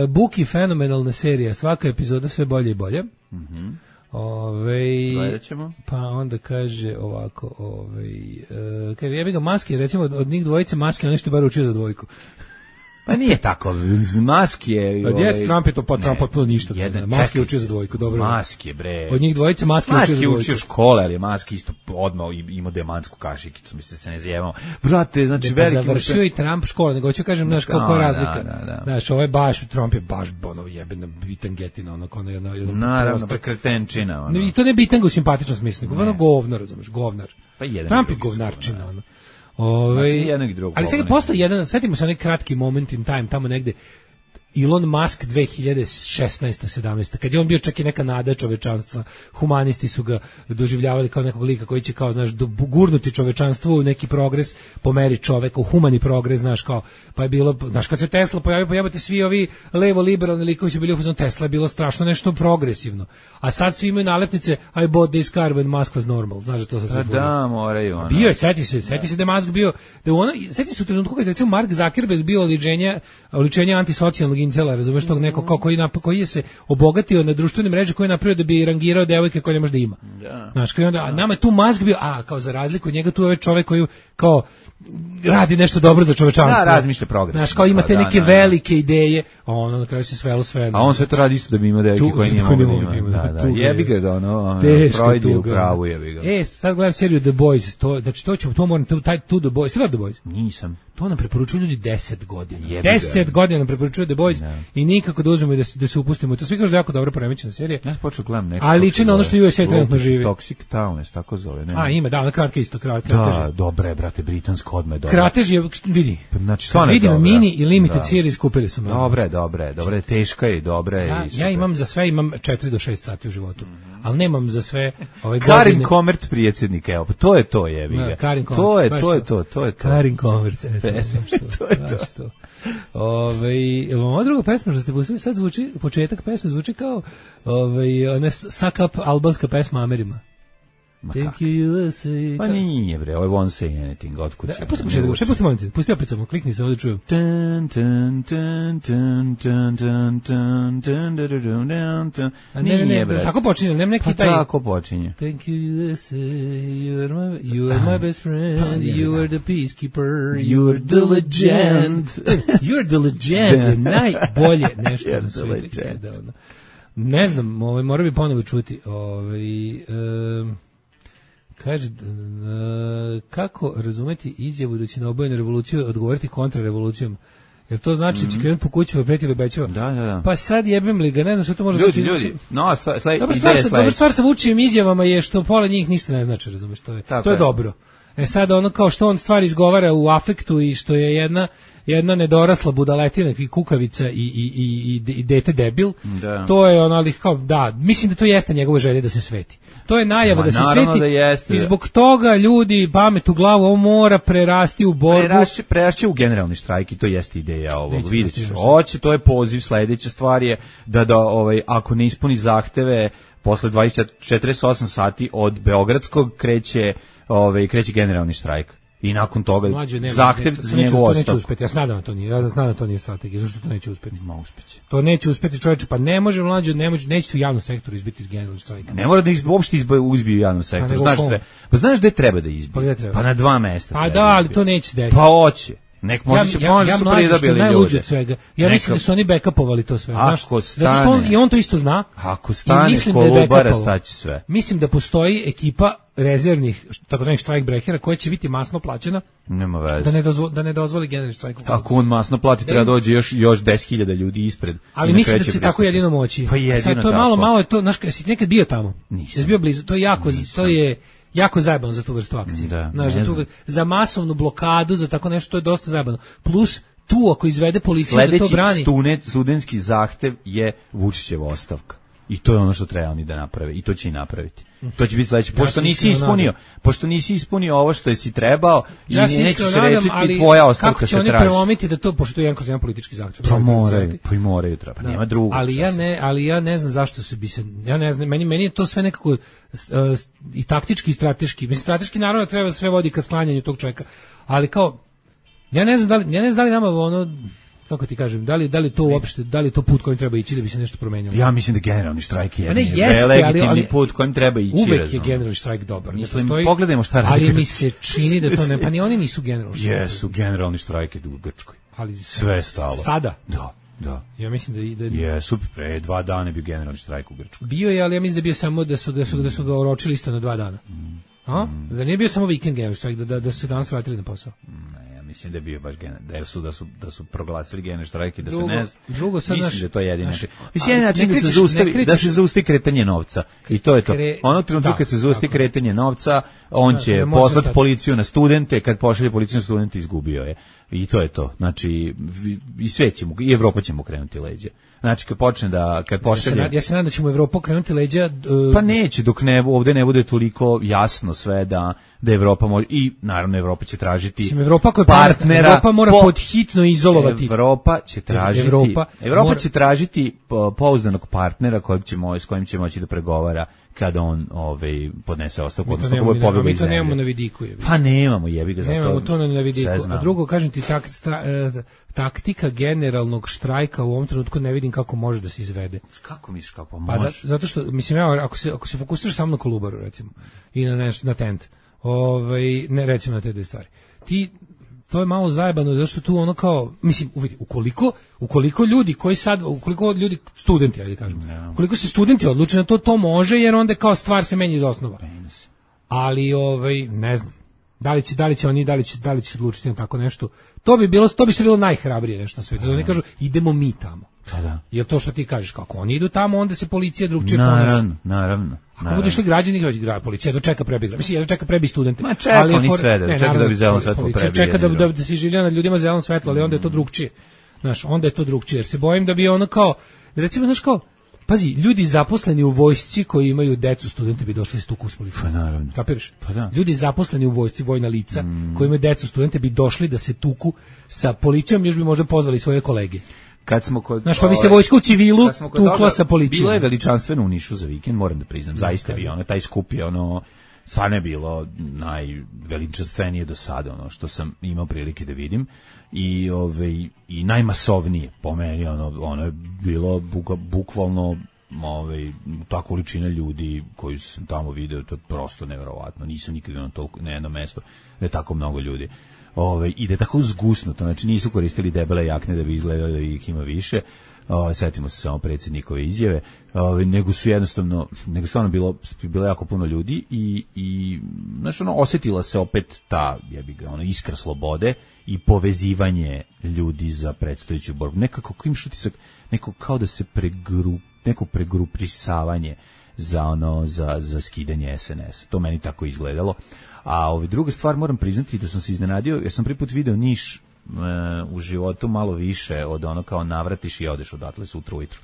Buki fenomenalna serija, svaka epizoda sve bolje i bolje. Gledat ćemo. Pa onda kaže ovako, kaže, ja bih ga Maski, recimo od njih dvojice Maski, on nešto bar učio za dvojku. Pa nije tako, Maski je... Od jest Trump je to potpuno ništa. Maski je učio za dvojku, dobro. Maski je, bre. Od njih dvojice Maski učio za dvojku. Maski učio škole, ali je Maski isto odmah imao demansku kašikicu, mislim se ne zjevamo. Brate, znači veliki... Završio i Trump škole, nego ću kažem, znaš, koliko je razlika. Znaš, ovo je baš, Trump je baš ono jebena bitangetina, ono. Naravno, prekretenčina, ono. I to ne bitanga u simpatičnom smislu, nego ono govnar, razumeš, govnar. Trump je govnarčina, ono. Ali sad postoji jedan, setimo se onaj kratki moment in time, tamo negde, Elon Musk 2016. 17. kad je on bio čak i neka nada čovečanstva, humanisti su ga doživljavali kao nekog lika koji će kao, znaš, gurnuti čovečanstvo u neki progres po meri čoveka, u humani progres, znaš, kao, pa je bilo, znaš, kad se Tesla pojavite svi ovi levo-liberalni likovi su bili u fazonu, Tesla je bilo strašno nešto progresivno, a sad svi imaju nalepnice I bought this car when Musk was normal, znaš da to sad svi da, moraju ono. Bio je, seti se da je Musk bio, seti se u trenutku kada je recimo Mark Zuckerberg bio oličenje antisocijalnog incela, razumeš, tog nekog kao koji je se obogatio na društvenim mrežama, koji je napravio da bi rangirao devojke koje ne može da ima. Znaš, koji onda, a nama je tu Musk bio, kao za razliku od njega tu je ovaj čovjek koji kao radi nešto dobro za čovečanstvo. Da, razmišlja progres. Znaš, kao ima te neke velike ideje, a ono na kraju se svelo sve. A on sve to radi isto da bi imao devojke koje nije mogu da ima. Da, jebi ga da ono, Freud je u pravu, jebi ga. Sad gledam seriju The Boys, znači to moram, taj The Boys, si gledao The Boys? Nisam. To nam preporučuju ljudi 10 godina. 10 godina nam preporučuju The Boys i nikako da uzmemo i da se upustimo. To svi kažu da je jako dobro poremećena serija. Ja počeo gledam neko. Ali liči na ono što USA trenutno živi. Toxic Town, tako zove. Ima, da, ona kratka isto, kratež. Da, dobre, brate, britansko odme, dobro. Kratež je, vidi. Znači, stvarno je dobro. Vidimo mini i limited series kupili su me. Dobre, teška je, dobra je. Ja imam za sve, imam 4 do 6 sati u životu. Ali nemam za sve ove godine. Karin Komerc predsjednik, evo, to je to, jebi ga. To je to. Karin Komerc, to. Ovo druga pesma što ste pustili sad zvuči, početak pesme zvuči kao ona suck up albanska pesma Amerima. Thank you USA. Pa nije bre, ovo je Won't Say Anything, otkud se. Pusti opet samo, klikni se, ovdje čujem. Ne, tako počinje, nema neki taj... Pa tako počinje. Thank you USA, you are my best friend, you are the peacekeeper, you are the legend. You are the legend, najbolje nešto na svijetu. Ne znam, mora bi ponovo čuti. Kaže, kako razumeti izjavu da će na obojenu revoluciju odgovoriti kontrarevolucijom? Jer to znači da će krenuti po kućima, pretili obećava. Da. Pa sad jebem li ga, ne znam što to može znači. Ljudi, no, dobra stvar sa Vučićevim izjavama je što pola njih ništa ne znači, razumeš, to je dobro. Sad ono kao što on stvari izgovara u afektu i što je jedna nedorasla budaletina i kukavica i dete debil, to je ono, ali kao, da, mislim da to jeste njegova želja da se sveti. To je najava da se sveti i zbog toga ljudi pamet u glavu, ovo mora prerasti u borbu. Prerašće u generalni štrajk i to jeste ideja ovog, vidjet ćeš. Hoće, to je poziv, sledeća stvar je da ako ne ispuni zahteve, posle 48 sati od Beogradskog kreće generalni štrajk. I nakon toga zahtev za njegovu ostavku. Ja znam da to nije strategija. Zašto to neće uspeti? Uspeće. To neće uspeti, čovječe. Pa ne može mlađe, neće u javnom sektoru izbiti iz generalnog štrajka. Ne mora da uopšte uzbiju u javnom sektoru. Znaš gde treba da izbiju? Pa na 2 mesta. Pa da, ali to neće se desiti. Pa hoće. Može su pridobili ljude. Ja mislim da su oni backupovali to sve. Ako stane. I on to isto zna. Ako stane Kolubara, staće sve. Mislim da postoji ekipa rezervnih, takozvanih štrajkbrehera, koja će biti masno plaćena. Nema veze. Da ne dozvoli generalni štrajk. Ako on masno plati, treba dođe još 10.000 ljudi ispred. Ali mislim da će tako jedino moći. Pa jedino sad to je malo je to, znaš, jesi nekad bio tamo? Nisam. Jesi bio blizu? To je jako zajebano za tu vrstu akcije. Za masovnu blokadu, za tako nešto, to je dosta zajebano. Plus, tu ako izvede policija da to brani. Sledeći studentski zahtev je Vučićeva ostavka. I to je ono što treba oni da naprave i to će i napraviti. To će biti sledeće. Pošto nisi ispunio ovo što si trebao i nećeš rečiti tvoja ostavka se traži. Kako će oni prelomiti da to, pošto je jedan politički zahtev. Pa moraju treba, nema drugog. Ali ja ne znam zašto ja ne znam, meni je to sve nekako i taktički i strateški. Mislim, strateški naravno treba sve vodi ka sklanjanju tog čovjeka, ali kao, ja ne znam da li nama ono, kako ti kažem, da li to uopšte, da li to put kojim treba ići da bi se nešto promenilo? Ja mislim da generalni štrajk je legitimni put kojim treba ići. Uvek je generalni štrajk dobar. Mislim, pogledajmo šta radi. Ali mi se čini da to ne, pa ni oni nisu generalni štrajk. Jesu, generalni štrajk je u Grčkoj. Ali sve je stalo. Sada? Da. Ja mislim da jesu, pre 2 dana bio generalni štrajk u Grčkoj. Bio je, ali ja mislim da je bio samo da su ga oročili isto na 2 dana. Da nije bio samo vikend generalni štrajk, da su se danas vratili na posao. Mislim da je bio baš da su proglasili generalni štrajk i da se ne drugo sad mislim da to je jedini način. Mislim način da se zaustavi kretanje novca i to je to. Onog trenutka kad se zaustavi kretanje novca, on će poslati policiju na studente, kad pošalje policiju na studente izgubio je. I to je to. Znači i sve ćemo, i Evropa će mu krenuti leđa. Znači kad pošalje ja se nadam da ćemo Evropu krenuti leđa pa neće dok ovde ne bude toliko jasno sve da Evropa može i naravno Evropa će tražiti partnera. Evropa mora podhitno izolovati. Evropa će tražiti pouzdanog partnera s kojim će moći da pregovara kada on podnese ostavku, odnosno kako je pobegao iz zemlje. Mi to nemamo na vidiku. Pa nemamo, jebi ga za to. Nemamo to na vidiku. A drugo, kažem ti, taktika generalnog štrajka u ovom trenutku ne vidim kako može da se izvede. Kako misliš kako može? Pa zato što, mislim, ako se fokusiraš samo na Kolubaru, recimo, i na tent, ne recimo na te dve stvari, to je malo zajebano, zato što tu ono kao, mislim, ukoliko ljudi, studenti, ajde kažemo, ukoliko se studenti odluče na to može, jer onda kao stvar se menja iz osnova. Ali, ne znam, da li će odlučiti na tako nešto, to bi se bilo najhrabrije nešto na svijetu, da oni kažu, idemo mi tamo. Jer to što ti kažeš, kako oni idu tamo, onda se policija drugčije ponaša. Naravno. Ako budu išli građani, policija dočeka prebi. Mislim, dočeka prebi studente. Ma čeka oni sve, čeka da bi zeleno svetlo prebije. Čeka da se življa nad ljudima zeleno svetlo, ali onda je to drugčije. Znaš, onda je to drugčije, jer se bojim da bi ono kao, recimo, znaš kao, pazi, ljudi zaposleni u vojsci koji imaju decu, studente bi došli s tuku s policijom. Pa naravno. Kapiraš? Pa da. Ljudi zaposleni u vojsci, vojna lica, koji imaju decu, studente bi došli da se tuku sa policijom, još bi možda pozvali svoje kolege. Kad smo kod pa bi se vojska u civilu tukla sa policijom. Bilo je veličanstveno u Nišu za vikend, moram da priznam. Zaista je bio taj skup je stvarno je bilo najveličanstvenije do sada, što sam imao prilike da vidim i najmasovnije po meni, ono je bilo bukvalno ta količina ljudi koju sam tamo video, to je prosto neverovatno. Nisam nikad na jedno mesto da je tako mnogo ljudi. I da je tako zgusnuto, znači nisu koristili debele jakne da bi izgledali da ih ima više, setimo se samo predsjednikove izjave, nego stvarno bilo jako puno ljudi i znači osjetila se opet ta iskra slobode i povezivanje ljudi za predstojeću borbu. Nekako klimš utisak, neko kao da se neko pregruprisavanje za skidanje SNS. To meni tako izgledalo. A druga stvar, moram priznati da sam se iznenadio, jer sam prvi put video Niš u životu malo više od kao navratiš i odeš odatle sutra ujutru.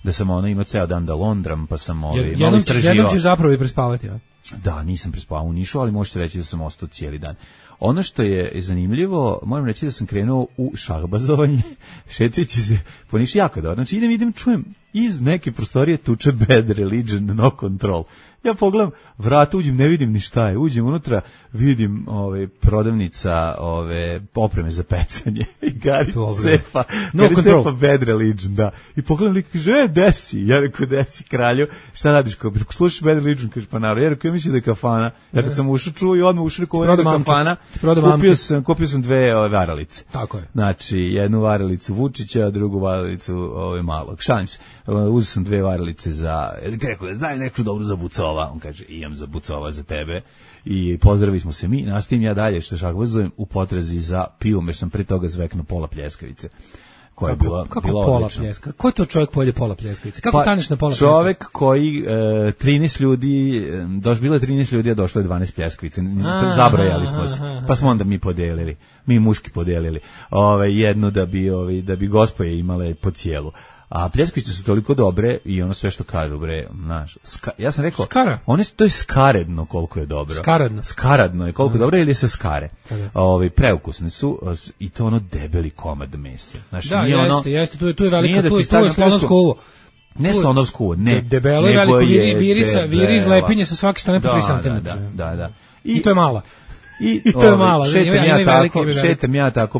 Da sam imao ceo dan da londram, pa sam malo istraživao. Jednom ćeš zapravo i prespavati, ja? Da, nisam prespavao u Nišu, ali možete reći da sam ostao cijeli dan. Ono što je zanimljivo, moram reći da sam krenuo u šahbazovanje, šetajući se po Nišu jako dobro. Znači idem, čujem iz neke prostorije tuče Bad Religion, No Control. Ja pogledam vrata, uđem, ne vidim ni šta je. Uđem unutra, vidim prodavnica opreme za pecanje i Gari cepa, cepa Bad Religion, da. I pogledam lik, kaže, desi. Ja rekao, desi kralju, šta radiš? Slušaš Bad Religion, kaže, pa naravno. Ja rekao, ja mislim da je kafana. Ja kad sam ušao, čuo i odmah ušao, rekao, ovo je kafana. Kupio sam 2 varalice. Tako je. Znači, jednu varalicu Vučića, drugu varalicu Malog. Šalim se. Uzeo sam 2 varalice za, rekao, znaju neku dobru za Bucova. On kaže, imam za Bucova za tebe. I pozdravili smo se mi. Nastavim ja dalje što šahbazujem u potrazi za pivom, jer sam pre toga zveknuo pola pljeskavice. Koja je bila pola pljeska? Ko je to čovjek pojede pola pljeskavice? Kako staneš na pola pljeskavice? Čovjek koji 13 ljudi, bilo je 13 ljudi, a došlo je 12 pljeskavice. Zabrojali smo se. Pa smo onda mi podelili. Mi muški podelili. Jednu da bi gospoje imale po cijelu. A pljeskavice su toliko dobre i ono sve što kažu, bre, znaš. Ja sam rekao, skara. To je skaredno koliko je dobro. Skaradno je koliko je dobro ili se skare. Preukusne su i to ono debeli komad mesa. Znači, da, jeste, tu je velika, tu je slonovsko uvo. Ne slonovsko uvo, ne. Debelo je veliko, viri iz lepinje sa svake strane po 3 cm. Da. I to je mala. I to je malo. Šetam ja tako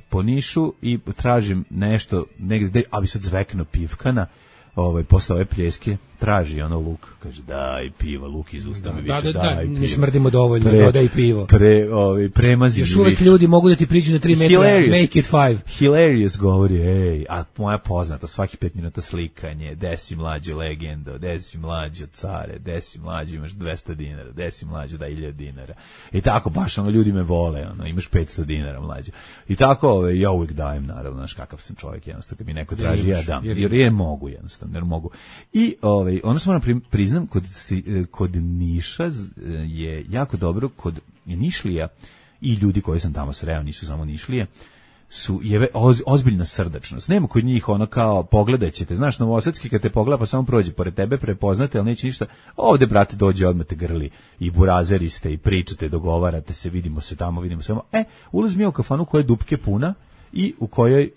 po Nišu i tražim nešto negde, a bi sad zvekno pivkana, posle ove pljeske, traži ono luk, kaže daj pivo, luk iz usta mi više, daj pivo. Ne smrdimo dovoljno, dodaj pivo. Premazi mi još uvek ljudi mogu da ti priđu na 3 metra, make it 5. Hilarious govori, a moja poznata, svaki 5 minuta slikanje, desi mlađo legendo, desi mlađo care, desi mlađo imaš 200 dinara, desi mlađo da 1000 dinara. I tako, baš ljudi me vole, imaš 500 dinara mlađo. I tako, ja uvijek dajem, naravno, znaš kakav sam čovjek, jednostavno, kad mi neko traži, ja dam, jer je mogu, jednostavno, jer mogu. I, ono što moram priznam, kod Niša je jako dobro, kod Nišlija i ljudi koji sam tamo sreo, nisu samo Nišlije, je ozbiljna srdačnost. Nema kod njih ono kao pogledat ćete, znaš, novosadski kad te pogleda pa samo prođe pored tebe, prepoznate, ali neće ništa. Ovde, brate, dođe odmah te grli i burazeri ste i pričate, dogovarate se, vidimo se tamo, vidimo se. Ulazim ja u kafanu koja je dupke puna i u kojoj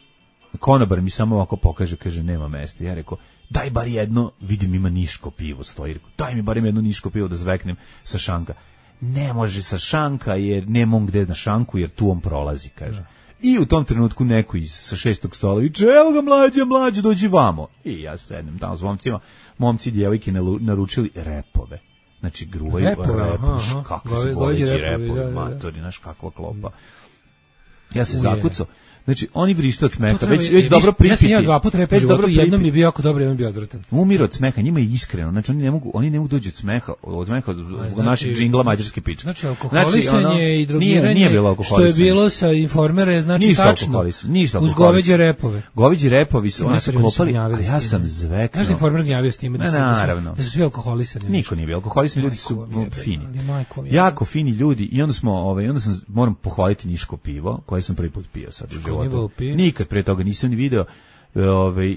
konobar mi samo ovako pokaže, kaže, nema mesta. Ja rekao, daj bar jedno, vidim ima niško pivo stoji, daj mi barem jedno niško pivo da zveknem sa šanka. Ne može sa šanka jer nema on gde na šanku jer tu on prolazi, kaže. I u tom trenutku neko sa 6. stola viče, evo ga mlađe, dođi vamo. I ja sednem tamo s momcima, momci i djevojke naručili repove. Znači gruvaju repuš, kakvi su goveći repovi, matori, znaš kakva klopa. Ja se zakucao. Znači, oni vrište od smeha, već dobro pripiti. Ja sam jeo 2 puta repa u životu, jednom mi je bio jako dobro, jednom mi je bio odvratan. Umir od smeha, njima je iskreno, znači oni ne mogu doći od smeha od naših džingla mađarske piče. Znači, alkoholisanje i drogiranje, što je bilo sa Informere, znači tačno, uz goveđe repove. Goveđi repovi su, oni su klopali, a ja sam zveknuo. Znaš da Informer gnjavio s time da su svi alkoholisani? Niko nije bio alkoholisani, ljudi su fini. Jako fini ljudi i onda sam, moram pohvaliti niško pivo, koje sam prvi put pio sad u životu. Nikad pre toga nisam ni video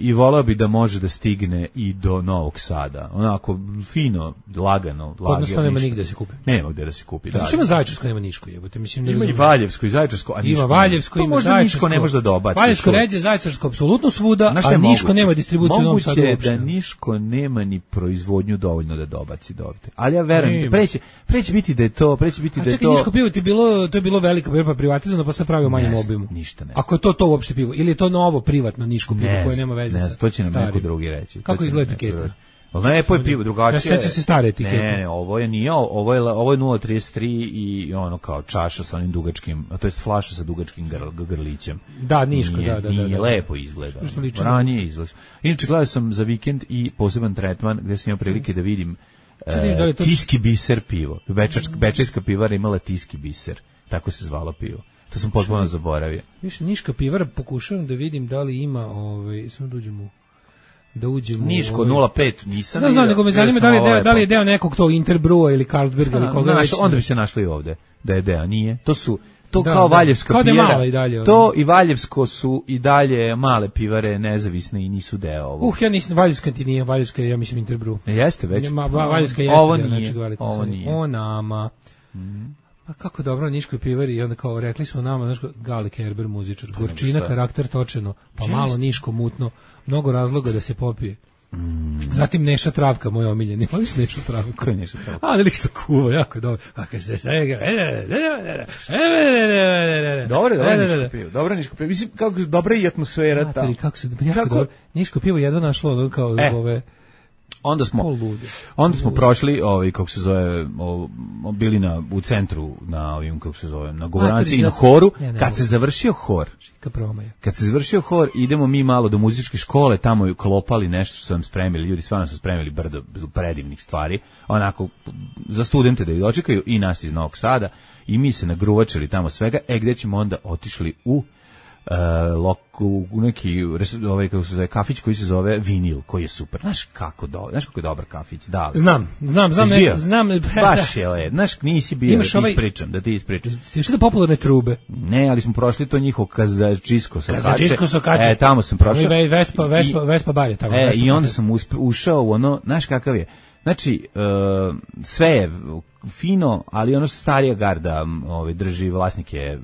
i volao bi da može da stigne i do Novog Sada. Onako fino, lagano. Kod nas to nema nigde da se kupi. Nema gde da se kupi. Znači ima Zaječarsko, nema Niško, jebote. Ima i Valjevsko i Zaječarsko, a Niško. Ima Valjevsko, ima Zaječarsko. Niško ne može da dobaci. Valjevsko ređe, Zaječarsko apsolutno svuda, a Niško nema distribuciju u Novom Sadu uopšte. Moguće da Niško nema ni proizvodnju dovoljno da dobaci dovde. Ali ja verujem, preće biti da je to, čekaj, Niško pivo to je bilo velika pivo privatizovano, pa se pravi u manjem obimu. Ništa ne. Ako je to uopšte pivo ili je to novo privatno Niško pivo koje nema veze sa. To će nam neko drugi reći. Kako izgleda etiketa? Lepo je pivo, drugačije. Ja sećam se stare etikete. Ne, ovo je 0,33 i ono kao čaša sa onim dugačkim, to jest flaša sa dugačkim grlićem. Da, Niško, da. Nije lepo izgleda. Ranije izgleda. Inače, gledao sam za vikend i poseban tretman gde sam imao prilike da vidim Tiski biser pivo. Bečejska pivara imala Tiski biser. Tako se zvalo pivo. To sam potpuno zaboravio. Više Niška pivara, pokušavam da vidim da li ima, samo da uđemo Niško 0,5 nisam. Znam, nego me zanima da li je deo nekog tog Interbrua ili Carlsberga ili koga već. Onda bi se našli ovde da je deo, nije. To kao Valjevska pivara. To i Valjevsko su i dalje male pivare, nezavisne i nisu deo ovo. Ja nisam, Valjevska ti nije, Valjevska je, ja mislim, Interbrew. Jeste već. Valjevska jeste. Ovo nije. O nama. A kako dobro Niškoj pivari i onda kao rekli smo nama, znaš, Gali Kerber muzičar, gorčina, karakter točeno, pa malo Niško mutno, mnogo razloga da se popije. Zatim Neša Travka, moj omiljeni. Voliš Nešu Travku? Ko je Neša Travka? A, da što kuva, jako je dobro. A kad se dobro Niško pivo. Mislim, kako dobra i atmosfera tamo. Niško pivo jedno našlo, kao ove... Onda smo prošli, kako se zove, bili u centru na govoranci i na horu. Kad se završio hor, idemo mi malo do muzičke škole, tamo je klopali nešto što su nam spremili, ljudi stvarno su spremili brdo predivnih stvari, onako za studente da ih dočekaju i nas iz Novog Sada i mi se nagruvačili tamo svega, gde ćemo onda otišli u u neki kako se zove kafić koji se zove Vinil, koji je super. Znaš kako je dobar kafić. Da. Znam. Baš je, znaš, nisi bio, da ti ispričam. Ste išli do popularne trube? Ne, ali smo prošli to njihov Kazačisko Sokače. Tamo sam prošao. Vespa bar je tamo. I onda sam ušao u ono, znaš kakav je. Znači, sve je fino, ali ono starija garda drži, vlasnik je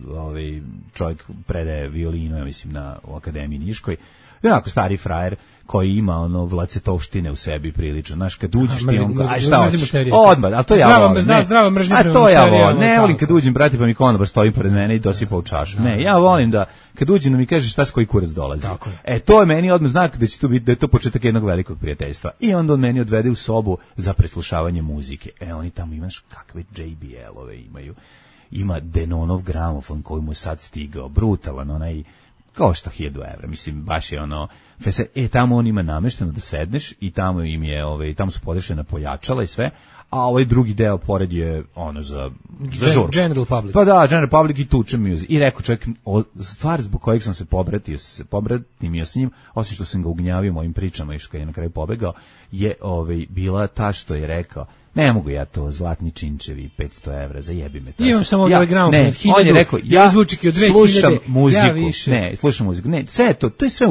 čovjek predaje violinu, ja mislim, u Akademiji Niškoj. I onako stari frajer koji ima ono vlacetovštine u sebi prilično. Znaš, kad uđeš ti on kaže, aj šta hoćeš? Odmah, ali to ja volim. Zdrava mržnja prema mušterijama. A to ja volim. Ne volim kad uđem, brati, pa mi konobar stoji pored mene i dosipa u čašu. Ne, ja volim da kad uđem da mi kaže šta s koji kurac dolazi. To je meni odmah znak da će to biti, da je to početak jednog velikog prijateljstva. I onda on meni odvede u sobu za preslušavanje muzike. Oni tamo imaš kakve JBL-ove imaju. Ima Denonov gramofon koji mu je sad stigao, brutalan, onaj kao što 1000 evra, mislim, baš je ono, tamo on ima namešteno da sedneš i tamo im je, tamo su podešena pojačala i sve, a ovaj drugi deo pored je ono za žurku. General Public. Pa da, General Public i tuče music. I rekao čovjek, stvar zbog kojeg sam se pobratio s njim, osim što sam ga ugnjavio mojim pričama i što je na kraju pobegao, je bila ta što je rekao, ne mogu ja to, zlatni činčevi, 500 evra, zajebi me to. Imam samo ovaj gramofon, 1000, on je rekao, ja zvučike od 2000, slušam muziku, slušam muziku, sve to je sve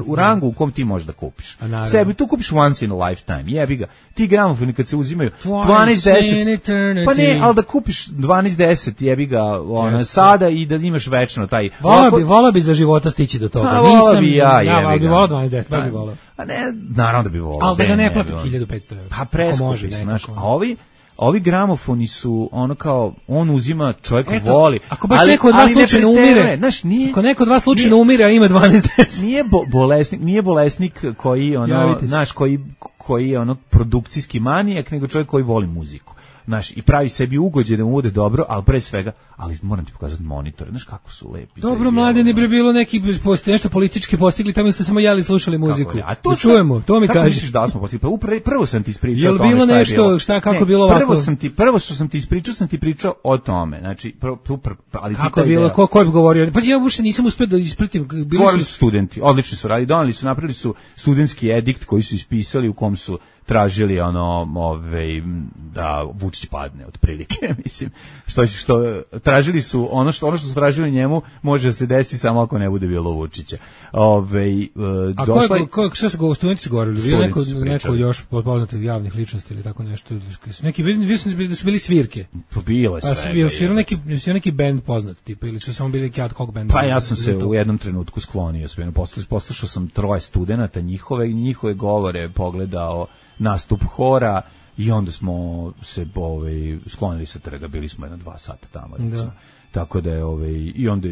u rangu u kom ti možeš da kupiš. Sebi, tu kupiš once in a lifetime, jebi ga. Ti gramofoni kad se uzimaju 12-10, pa ne, ali da kupiš 12-10, jebi ga, sada i da imaš večno taj... Volao bi za života stići do toga. Volao bi ja, jebi ga. Ali bi volao 12-10, baš bi volao. A ne, naravno da bi volao. Ali da ga ne plati 1500 evra. Pa preskupi su, znaš, a ovi gramofoni su ono kao, on uzima, čovjek voli. Ako baš neko od vas slučajno umire, ako neko od vas slučajno umire, a ima 12-10. Nije bolesnik koji, znaš, koji je ono produkcijski manijak, nego čovjek koji voli muziku. Znaš, i pravi sebi ugođe da mu bude dobro, ali pre svega, ali moram ti pokazati monitore, znaš kako su lepi. Dobro, mlade, ne bi bilo neki nešto politički postigli, tamo ste samo jeli slušali muziku. A to čujemo, to mi kažeš. Kako misliš da smo postigli? Pa prvo sam ti ispričao o tome bilo nešto, kako bilo ovako? Prvo što sam ti ispričao, sam ti pričao o tome. Znači, ali kako je bilo, ko je govorio? Pa ja uopšte nisam uspeo da ispratim. Govorili su studenti, odlično su radili, doneli su, napravili su studentski edikt koji su ispisali u kom su tražili da Vučić padne otprilike, mislim, što tražili su ono što su tražili njemu može se desiti samo ako ne bude bilo Vučića. Što su studenti su govorili? Neko još poznatih javnih ličnosti ili tako nešto? Neki da su bili svirke. Pa bilo je sve. Svirao neki bend poznat tipa ili su samo bili neki ad hoc bend? Pa ja sam se u jednom trenutku sklonio, poslušao sam 3 studenata njihove govore, pogledao nastup hora i onda smo se sklonili sa trga, bili smo 2 sata tamo, recimo. Tako da je i onda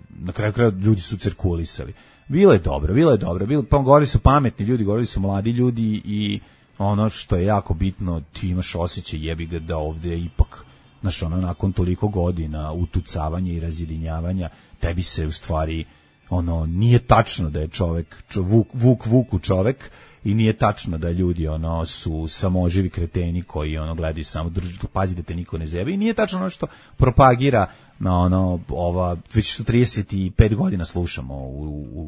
na kraju kraja ljudi su cirkulisali. Bilo je dobro, pa govorili su pametni ljudi, govorili su mladi ljudi i ono što je jako bitno, ti imaš osjećaj, jebi ga, da ovde ipak, znaš, nakon toliko godina utucavanja i razjedinjavanja, tebi se u stvari nije tačno da je čovek Vuku čovek, i nije tačno da ljudi su samoživi kreteni koji gledaju samo pazi da te niko ne zebe, i nije tačno ono što propagira već 35 godina slušamo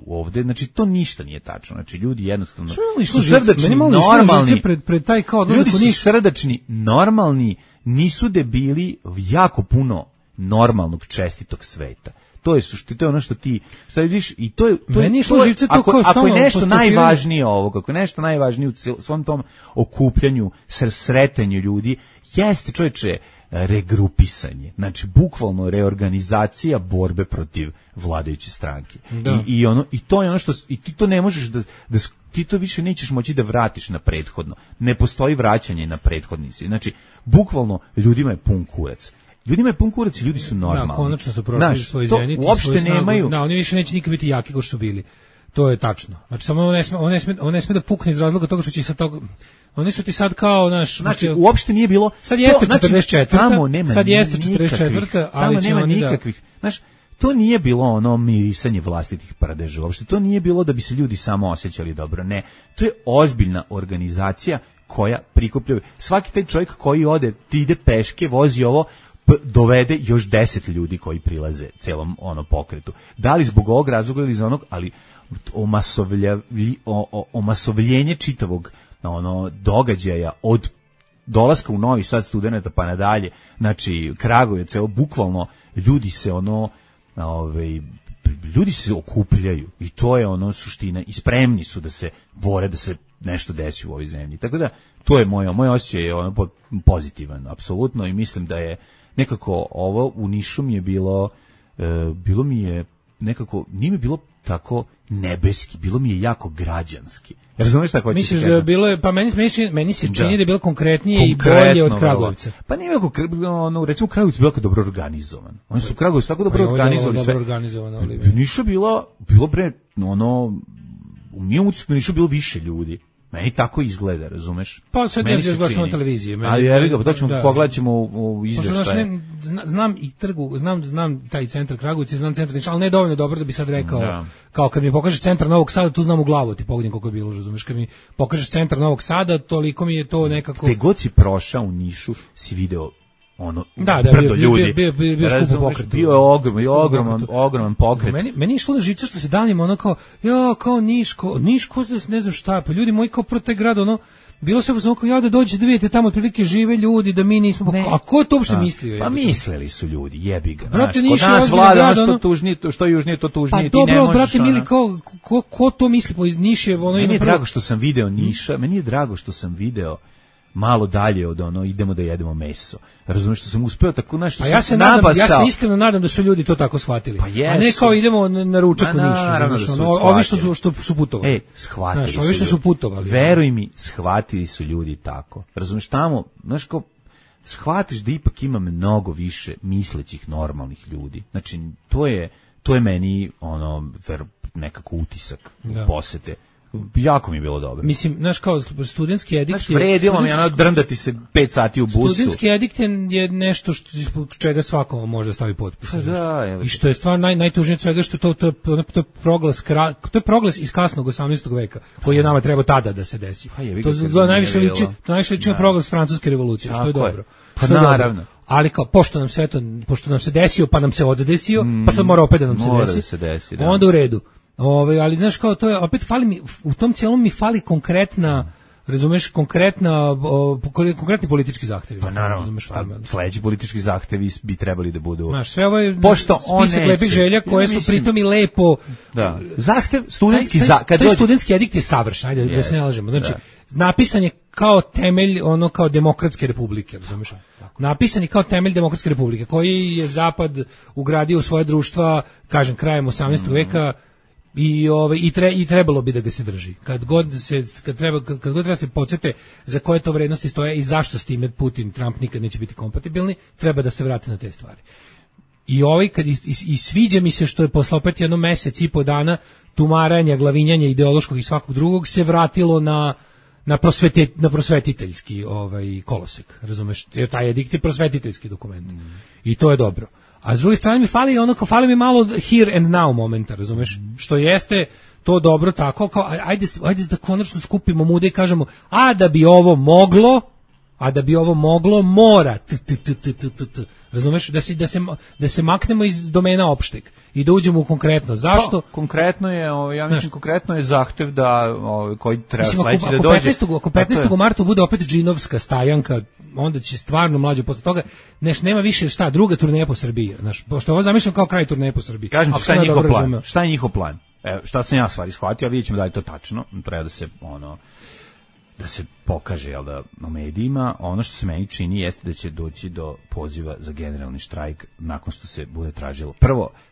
ovde, znači to ništa nije tačno, znači ljudi jednostavno su srdačni, normalni, ljudi su srdačni, normalni, nisu debili, jako puno normalnog čestitog sveta. To je ono što ti vidiš, i to je ako je nešto najvažnije ovo, ako je nešto najvažnije u svom tom okupljanju, sretanju ljudi, jeste, čovječe, regrupisanje, znači bukvalno reorganizacija borbe protiv vladajuće stranke. I to je ono što, i ti to ne možeš da ti to više nećeš moći da vratiš na prethodno. Ne postoji vraćanje na prethodnici. Znači, bukvalno ljudima je pun kurac. Ljudima je pun kurac i ljudi su normalni. Da, konačno su prošli svoj zenit. Uopšte nemaju. Da, oni više neće nikad biti jaki kao što su bili. To je tačno. Znači, samo on ne sme da pukne iz razloga toga što će sad toga... Oni su ti sad kao, znači, uopšte nije bilo... Sad jeste 44. Sad jeste 44. Ali će oni nikakvih, znaš, to nije bilo mirisanje vlastitih prdeža. Uopšte to nije bilo da bi se ljudi samo osjećali dobro. Ne, to je ozbiljna organizacija koja prikuplja. Svaki taj čovjek koji ode, ti ide peške, vozi ovo, dovede još 10 ljudi koji prilaze celom pokretu. Da li zbog ovog razloga ili iz onog, ali omasovljenje čitavog događaja od dolaska u Novi Sad studenata pa nadalje, znači Kragujevac, bukvalno ljudi se ljudi se okupljaju i to je suština i spremni su da se bore da se nešto desi u ovoj zemlji. Tako da to je moj osjećaj je pozitivan apsolutno i mislim da je nekako ovo u Nišu mi je bilo mi je nekako, nije mi bilo tako nebeski, bilo mi je jako građanski. Razumeš šta hoćeš? Misliš da je bilo, pa meni se čini da je bilo konkretnije i bolje od Kragovca. Pa nije bilo, recimo Kragovic je bilo dobro organizovan. Oni su Kragovic tako dobro organizovali sve. Niša bilo bre, mi u Nišu bilo više ljudi. Meni tako izgleda, razumeš? Pa sad ne znaš baš na televiziji. Ali evo ga, to ćemo pogledat u izveštaje. Znam i trgu, znam taj centar Kragujevac, znam centar Niša, ali ne dovoljno dobro da bi sad rekao, kao kad mi pokažeš centar Novog Sada, tu znam u glavu, ti pogledam koliko je bilo, razumeš? Kad mi pokažeš centar Novog Sada, toliko mi je to nekako... Gde god si prošao u Nišu, si video brdo ljudi. Bio skup pokret. Bio je ogroman pokret. Meni je išlo na živce što se danima kao Niš, ne znam šta, pa ljudi moji kao pro taj grad, bilo se kao da dođete da vidite tamo otprilike žive ljudi, da mi nismo... A ko je to uopšte mislio? Pa mislili su ljudi, jebi ga. Kod nas vlada što južnije, to tužnije, ti ne možeš... Pa dobro, brate mili, ko to misli? Niš je... Meni je drago što sam video Niša, meni je drago što sam video malo dalje od idemo da jedemo meso. Razumiješ što sam uspeo tako nešto ja se iskreno nadam da su ljudi to tako shvatili. Pa a ne kao idemo na ručak u Nišu. Ovi što su putovali. Shvatili su. Ovi što su putovali. Veruj mi, shvatili su ljudi tako. Razumiješ tamo, znaš kao shvatiš da ipak ima mnogo više mislećih normalnih ljudi. Znači to je meni nekako utisak posete. Jako mi je bilo dobro. Mislim, znaš, kao studentski edikt... Znaš, vredilo mi drndati se 5 sati u busu. Studentski edikt je nešto čega svako može stavi potpis. I što je stvar najtužnije od svega, što to je proglas iz kasnog 18. veka, koji je nama treba tada da se desi. To najviše liči na proglas francuske revolucije, što je dobro. Pa naravno. Ali kao, pošto nam se desio, pa nam se oddesio, pa sad mora opet da nam se desi, onda u redu. Ali znaš kao to je opet fali mi u tom cijelom mi fali konkretna, razumeš, konkretni politički zahtevi. Pa naravno, sledeći politički zahtevi bi trebali da budu. Znaš, sve ovo je spisak lepih želja koje su pritom i lepo. Da. Zahtev studentski studentski edikt je savršen, ajde da se ne lažemo. Znači, napisan je kao temelj kao demokratske republike, razumeš? Napisan je kao temelj demokratske republike koji je Zapad ugradio u svoje društva, kažem, krajem 18. veka. I trebalo bi da ga se drži. Kad god treba se podsjete za koje to vrednosti stoje i zašto s time Putin, Trump nikad neće biti kompatibilni, treba da se vrate na te stvari. I sviđa mi se što je posle opet jedno mesec i po dana tumaranja, glavinjanja ideološkog i svakog drugog se vratilo na prosvetiteljski kolosek, razumeš? Jer taj edikt je prosvetiteljski dokument. I to je dobro. A s druge strane mi fali mi malo here and now momenta, razumeš? Što jeste to dobro tako, kao ajde da konačno skupimo mude i kažemo, a da bi ovo moglo, mora. Razumeš? Da se maknemo iz domena opšteg i da uđemo u konkretno. Zašto? Konkretno je, ja mislim, konkretno je zahtev da koji treba sledeći da dođe. Ako 15. marta bude opet džinovska stajanka, onda će stvarno mlađe posle toga, nema više druga turneja po Srbiji, znaš, pošto ovo zamišljam kao kraj turneje po Srbiji. Kažem ti šta je njihov plan. Šta sam ja stvari shvatio, a vidjet ćemo da je to tačno, treba da se pokaže na medijima. Ono što se meni čini jeste da će doći do poziva za generalni štrajk nakon što se bude tražilo.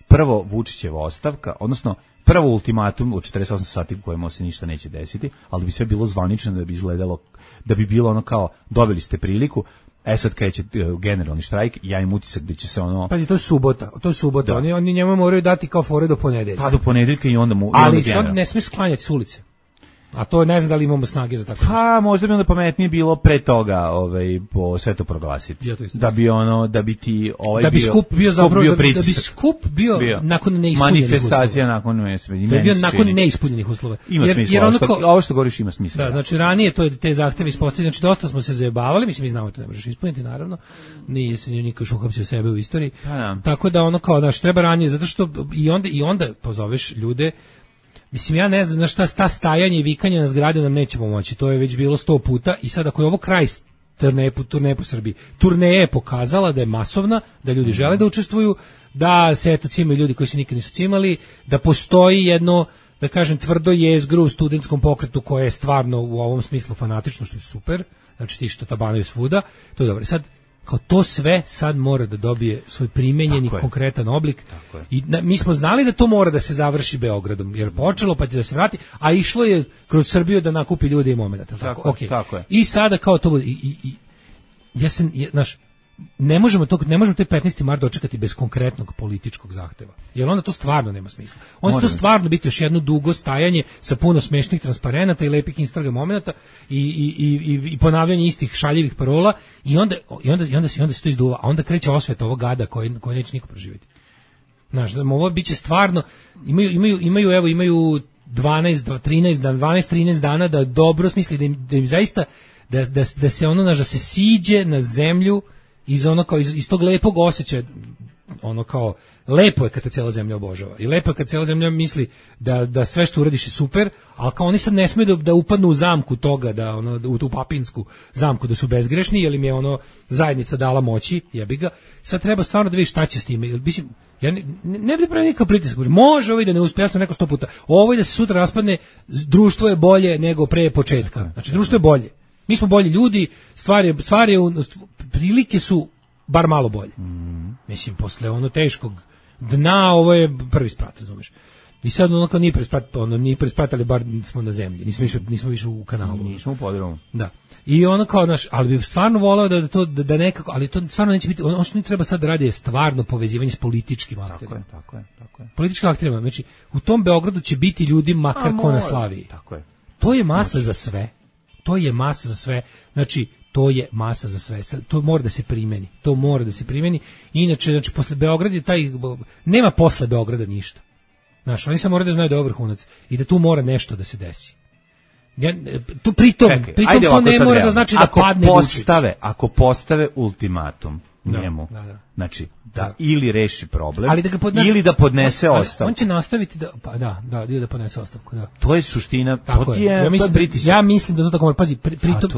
Prvo Vučićeva ostavka, odnosno prvo ultimatum od 48 sati u kojima se ništa neće desiti, ali da bi sve bilo zvanično, da bi izgledalo, da bi bilo kao dobili ste priliku, sad kreće generalni štrajk, ja im utisak da će se Pazi, to je subota. Oni njemu moraju dati kao fore do ponedeljka. Pa do ponedeljka i onda mu... Ali sad ne smiješ sklanjati s ulice. A to ne znam da li imamo snage za tako. Pa možda bi onda pametnije bilo pre toga, po sve to proglasiti. Ja to da bi ti da bi skup bio zapravo da bi skup bio nakon neispunjenih manifestacija nakon neispunjenih. Da bi bio nakon neispunjenih uslova. Ima smisla. Ovo što govoriš ima smisla. Da, znači ranije to te zahteve ispostavili, znači dosta smo se zajebavali, mislim mi znamo da ne možeš ispuniti naravno. Nije se niko uhapsio sebe u istoriji. Tako da ono kao da treba ranije zato što i onda pozoveš ljude. Mislim, ja ne znam na šta stajanje i vikanje na zgrade nam neće pomoći. To je već bilo 100 puta i sad ako je ovo kraj turneje po Srbiji. Turneja je pokazala da je masovna, da ljudi žele da učestvuju, da se eto cimaju ljudi koji se nikad nisu cimali, da postoji jedno, da kažem, tvrdo jezgro u studentskom pokretu koje je stvarno u ovom smislu fanatično, što je super. Znači ti što tabanaju svuda, to je dobro. Sad, kao to sve sad mora da dobije svoj primenjeni konkretan oblik i mi smo znali da to mora da se završi Beogradom, jer počelo pa će da se vrati, a išlo je kroz Srbiju da nakupi ljude i momenata. Tako je. I sada kao to bude ne možemo taj 15. mart dočekati bez konkretnog političkog zahteva. Jer onda to stvarno nema smisla. Onda to stvarno biti još jedno dugo stajanje sa puno smešnih transparenata i lepih Instagram momenata i ponavljanje istih šaljivih parola i onda se to izduva, a onda kreće osveta ovog gada koji neće niko proživjeti. Znaš, ovo biće stvarno imaju 12-13 dana da dobro smisli da im zaista da se ono da se siđe na zemlju iz tog lepog osjećaja, ono kao lepo je kad te cijela zemlja obožava i lepo je kad cijela zemlja misli da sve što uradiš je super, ali kao oni sad ne smiju da upadnu u zamku toga, da u tu papinsku zamku da su bezgrešni, jer im je zajednica dala moći, jebi ga. Sad treba stvarno da vidiš šta će s time. Mislim, ja ne bi pravio nikakav pritisak. Može ovo da ne uspe, ja sam rekao 100 puta. Ovo da se sutra raspadne, društvo je bolje nego pre početka. Znači, društvo je bolje. Mi smo bolji ljudi, prilike su bar malo bolje. Mislim, posle teškog dna, ovo je prvi sprat, razumeš. I sad kao nije prespratali, bar smo na zemlji, nismo više u kanalu. Nismo u podrumu. Da. I kao ali bi stvarno voleo da nekako, ali to stvarno neće biti, ono što ne treba sad da radi je stvarno povezivanje s političkim akterima. Tako je. Političkim akterima, znači u tom Beogradu će biti ljudi makar ko na Slaviji. Tako je. To je masa za sve. Znači, to je masa za sve. To mora da se primeni. Inače, znači, posle Beograda nema posle Beograda ništa. Znači, oni samo moraju da znaju da je vrhunac i da tu mora nešto da se desi. Pritom to ne mora da znači da padne Vučić. Ako postave ultimatum njemu, znači, da ili reši problem, ili da podnese ostavku. On će nastaviti ili da podnese ostavku, da. To je suština, to je pritisak. Ja mislim da to tako mora, pazi,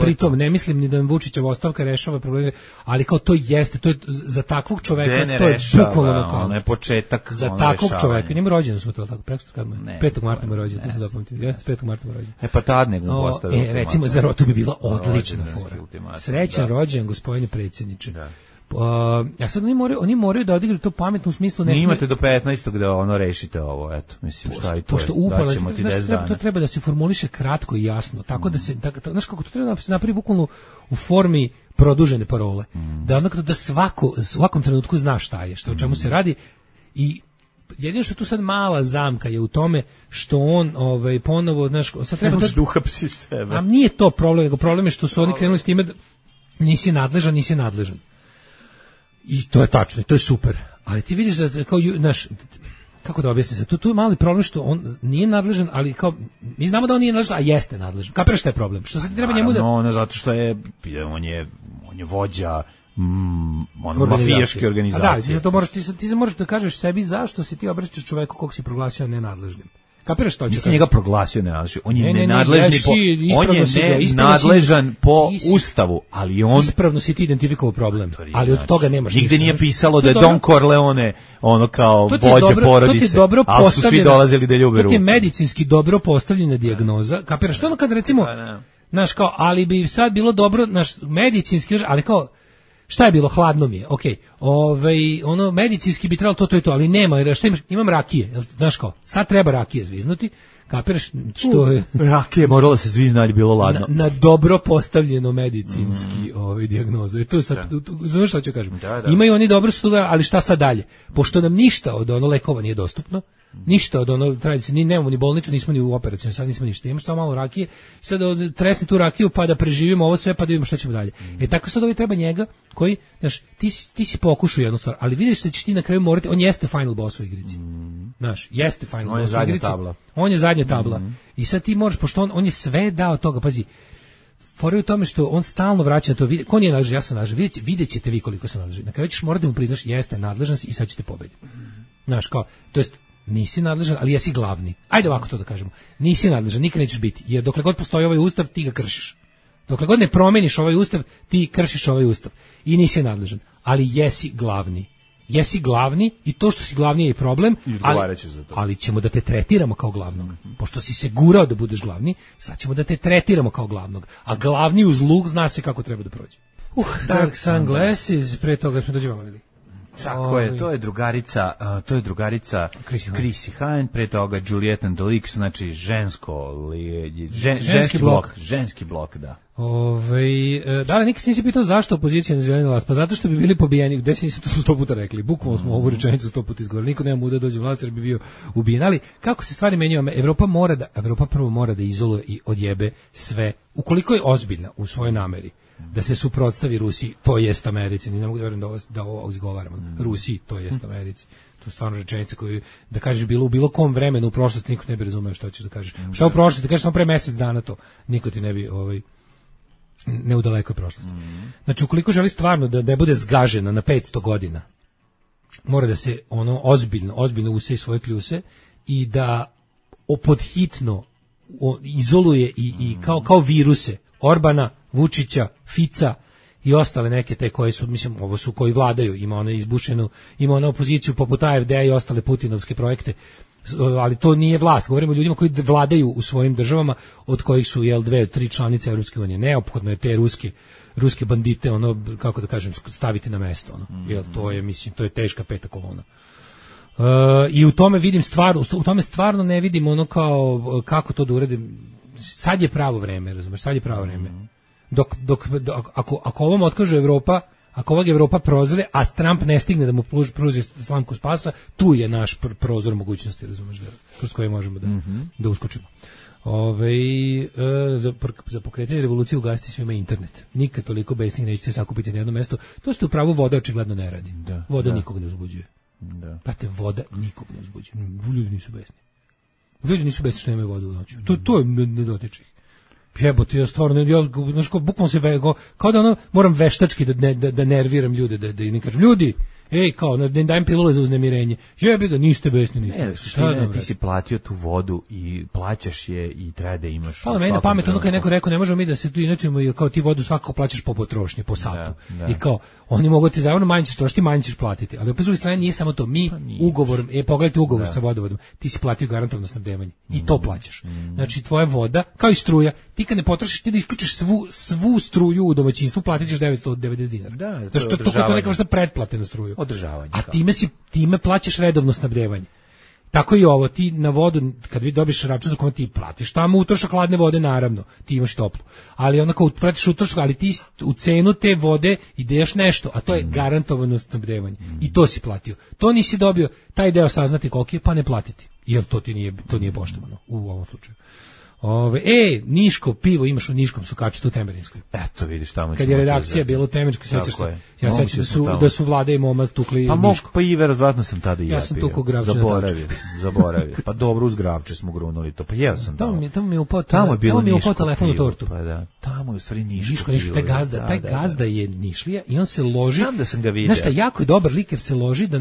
pritom ne mislim ni da Vučićeva ostavka rešava probleme, ali kao to jeste, to je za takvog čoveka, to je bukvalno kao. Ono je početak za takvog čoveka. Njemu rođendan smo to tako, preko kad mu 5. marta mu rođendan, to se zapamtim. Jeste 5. marta mu rođendan. Pa tad nego mu postavio. Recimo za to bi bila odlična fora. Srećan rođendan, gospodine predsjedniče. Ja sad oni moraju da odigraju to pametno u smislu. Imate do 15. da rešite ovo, eto, mislim, šta i to je, daćemo ti 10 dana. To treba da se formuliše kratko i jasno, tako da se, znaš kako to treba da se napravi bukvalno u formi produžene parole, da svakom trenutku zna šta je, o čemu se radi. I jedino što tu sad mala zamka je u tome što on ponovo, znaš, sad treba da uhapsi sebe. A nije to problem, nego problem je što su oni krenuli s time da nisi nadležan. I to je tačno, to je super. Ali ti vidiš da kao kako da objasnim se, tu je mali problem što on nije nadležan, ali kao mi znamo da on nije nadležan, a jeste nadležan. Kapiraš šta je problem? Što se treba njemu da zato što on je vođa mafijaške organizacije. Da, ti se moraš da kažeš sebi zašto si ti obraćaš čoveku kog si proglasio nenadležnim. Kapiraš što će? Nisi njega proglasio nenadležnim. On je nenadležan po Ustavu, ali on ispravno si ti identifikovao problem, ali od toga nemaš ništa. Nigde nije pisalo da je Don Corleone kao vođa porodice, ali su svi dolazili da ljube ruku. To je medicinski dobro postavljena dijagnoza. Kapiraš što kad recimo, znaš kao, ali bi sad bilo dobro, naš medicinski, ali kao šta je bilo, hladno mi je, okej, medicinski bi trebalo to, ali nema, jer šta imam rakije, znaš kao, sad treba rakije zviznuti, kapiraš što je... Rakije moralo se zvizna, ali bilo ladno. Na dobro postavljeno medicinski dijagnozu, i tu sad, znaš šta ću kažem, imaju oni dobro stuga, ali šta sad dalje, pošto nam ništa od lekova nije dostupno, Ništa od ono tradicije, ni nemamo ni bolnicu, nismo ni u operaciji, sad nismo ništa. Imamo samo malo rakije, sad tresni tu rakiju pa da preživimo ovo sve pa da vidimo šta ćemo dalje. Tako sad ovaj treba njega koji, znaš, ti si pokušao jednu stvar, ali vidiš da ćeš ti na kraju morati, on jeste final boss u igrici. Znaš, jeste final boss u igrici. On je zadnja tabla. I sad ti možeš, pošto on je sve dao toga, pazi, fora je u tome što on stalno vraća to, ko nije nadležan, ja sam nadležan, vidjet ćete vi koliko sam nadležan. Na kraju ćeš morati da mu priznaš, jeste nadležan i sad ćete pobediti. Znaš, kao, to jest, nisi nadležan, ali jesi glavni. Ajde ovako to da kažemo. Nisi nadležan, nikad nećeš biti, jer dokle god postoji ovaj ustav, ti ga kršiš. Dokle god ne promeniš ovaj ustav, ti kršiš ovaj ustav. I nisi nadležan, ali jesi glavni. Jesi glavni i to što si glavni je i problem, ali ćemo da te tretiramo kao glavnog. Pošto si se gurao da budeš glavni, sad ćemo da te tretiramo kao glavnog. A glavni uz luk zna se kako treba da prođe. Dark Sunglasses, pre toga smo dođevali. Tako je, to je drugarica Chrissy Hine, pre toga Juliette and the Leaks, znači ženski blok, da. Da li nikad si pitao zašto opozicija ne želi na vlast? Pa zato što bi bili pobijeni, gde se nisam to 100 puta rekli, bukvalno smo ovu rečenicu 100 puta izgovorili, niko nema muda dođe u vlast jer bi bio ubijen, ali kako se stvari menjaju, Evropa prvo mora da izoluje i odjebe sve, ukoliko je ozbiljna u svojoj nameri da se suprotstavi Rusiji, to jest Americi, ne mogu da verujem da ovo izgovaram, Rusiji, to jest Americi. To je stvarno rečenica koju, da kažeš bilo u bilo kom vremenu u prošlosti, niko ne bi razumeo što ćeš da kažeš. Šta u prošlosti, da kažeš samo pre mesec dana to, niko ti ne bi, ne u dalekoj prošlosti. Znači, ukoliko želi stvarno da ne bude zgažena na 500 godina, mora da se ono ozbiljno useje svoje kljuse i da podhitno izoluje i kao viruse Orbana, Vučića, Fica i ostale neke te koje su, mislim, ovo su koji vladaju, ima ona izbušenu, ima ona opoziciju poput AFD-a i ostale putinovske projekte, ali to nije vlast, govorimo o ljudima koji vladaju u svojim državama, od kojih su 2 od 3 članice Evropske unije. Neophodno je te ruske bandite, kako da kažem, staviti na mesto, jer to je, mislim, to je teška peta kolona. I u tome vidim stvarno ne vidim kao kako to da uredim. Sad je pravo vreme, razumeš, sad je pravo vreme. Ako ovom otkaže Evropa, ako ovog Evropa prozre, a Trump ne stigne da mu pruži slamku spasa, tu je naš prozor mogućnosti, razumeš, kroz koje možemo da uskočimo. Za pokretanje revolucije ugasiti svima internet. Nikad toliko besnih nećete sakupiti na jedno mesto. To ste u pravu, voda očigledno ne radi. Voda nikog ne uzbuđuje. Prate, voda nikog ne uzbuđuje. Ljudi nisu besni. Ljudi nisu besni što nemaju vodu u noću. To je ne dotiče ih. Jebote, ja stvarno, znaš, bukvalno se kao da moram veštački da nerviram ljude, da im kažem, ljudi, kao, ne dajem pilule za uznemirenje. Jebi ga, niste besni, ti si platio tu vodu i plaćaš je i treba da imaš. Hvala, meni na pamet, kad je neko rekao, ne možemo mi da se tu inačimo, kao ti vodu svakako plaćaš po potrošnji, po satu. I kao, oni mogu ti zajedno manje ćeš trošiti, manje ćeš platiti. Ali opet s druge strane nije samo to, mi ugovorom, pogledajte ugovor sa vodovodom, ti si platio garantovano snabdevanje i to plaćaš. Znači, tvoja voda, kao i struja, ti kad ne potrošiš, ti da isključiš svu struju u domaćinstvu, platit ćeš 990 dinara. Da, to je neka vrsta pretplate na struju. Održavanje. A time plaćaš redovno snabdevanje. Tako i ovo, ti na vodu, kad vi dobiš račun za kome ti platiš, tamo utrošak hladne vode, naravno, ti imaš toplu. Ali onako platiš utrošak, ali ti u cenu te vode ideš nešto, a to je garantovano snabdevanje. I to si platio. To nisi dobio, taj deo saznati koliki je, pa ne platiti. Jer to nije poštovano u ovom slučaju. Niško pivo imaš u Niškom Sukačitu u Temerinskoj. Eto vidiš tamo. Kad je redakcija bila u Temerinskoj, sećaš se. Ja sećam da su Vlada i Moma tukli Niško. Pa i verovatno sam tada i ja. Ja sam tukao Gravče. Zaboravio. Pa dobro, uz Gravče smo grunuli to. Pa jeo sam tamo. Tamo mi je upao telefon u tortu. Pa da. Tamo je u stvari Niško. Taj gazda je Nišlija i on se loži. Znam da sam ga vidio. Znaš šta, jako je dobar lik jer se loži da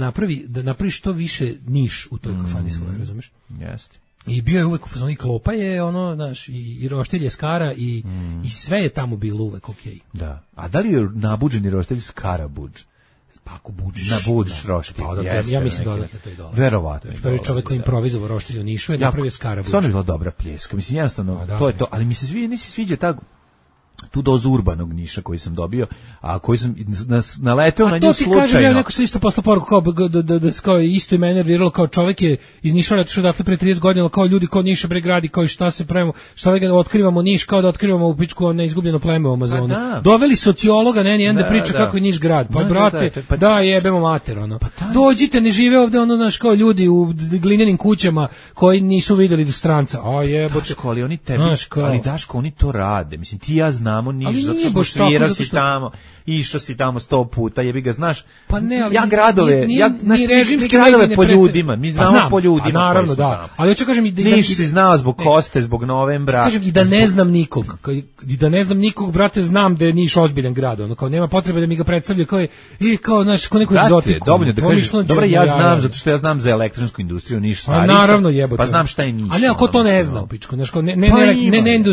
napravi što više Niš u toj kafani svojoj, razumeš? Jeste. I bio je uvek u fazonu, i klopa je znaš, i roštilj je skara i sve je tamo bilo uvek okej. Da. A da li je nabuđeni roštilj skara buđ? Pa ako buđiš. Nabuđiš roštilj. Ja mislim dodatno to i dolazi. Verovatno. Prvi čovjek koji improvizovao roštilj u Nišu je napravio skara buđ. Stvarno je bila dobra pljeska. Mislim, jednostavno, to je to. Ali mi se nisi sviđa ta tu dozu urbanog Niša koji sam dobio, a koji sam naleteo na nju slučajno. A to ti kažem, ja neko se isto poslao poruku kao isto i mene nerviralo, kao čovjek je iz Niša otišao dakle pre 30 godina, kao ljudi kao Niša bre gradi, kao šta se pravimo, šta ga otkrivamo Niš, kao da otkrivamo u pičku neizgubljeno pleme u Amazonu. Doveli sociologa, da priča kako je Niš grad. Pa brate, da jebemo mater ono. Dođite, ne žive ovde ono znaš kao ljudi u glinenim kućama koji nisu videli do stranca. A jebote. Ali oni tebi, ali Daško, oni to rade. Mislim ti ja znamo Niš, zato što svirao si tamo, išao si tamo 100 puta, jebi ga, znaš. Pa ne, ali ja gradove, ni režimski gradove po ljudima, mi znamo po ljudima. Naravno, da. Ali hoću kažem i da Niš si znao zbog Koste, zbog Novembra. Kažem i da ne znam nikog. I da ne znam nikog, brate, znam da je Niš ozbiljan grad, ono kao nema potrebe da mi ga predstavljaju kao znaš, kao neku egzotiku. Dovoljno da kažeš. Dobro, ja znam zato što ja znam za elektronsku industriju Niš stvari. Naravno, jebote. Pa znam šta je Niš. Ali ako to ne zna, pičko, znaš, ne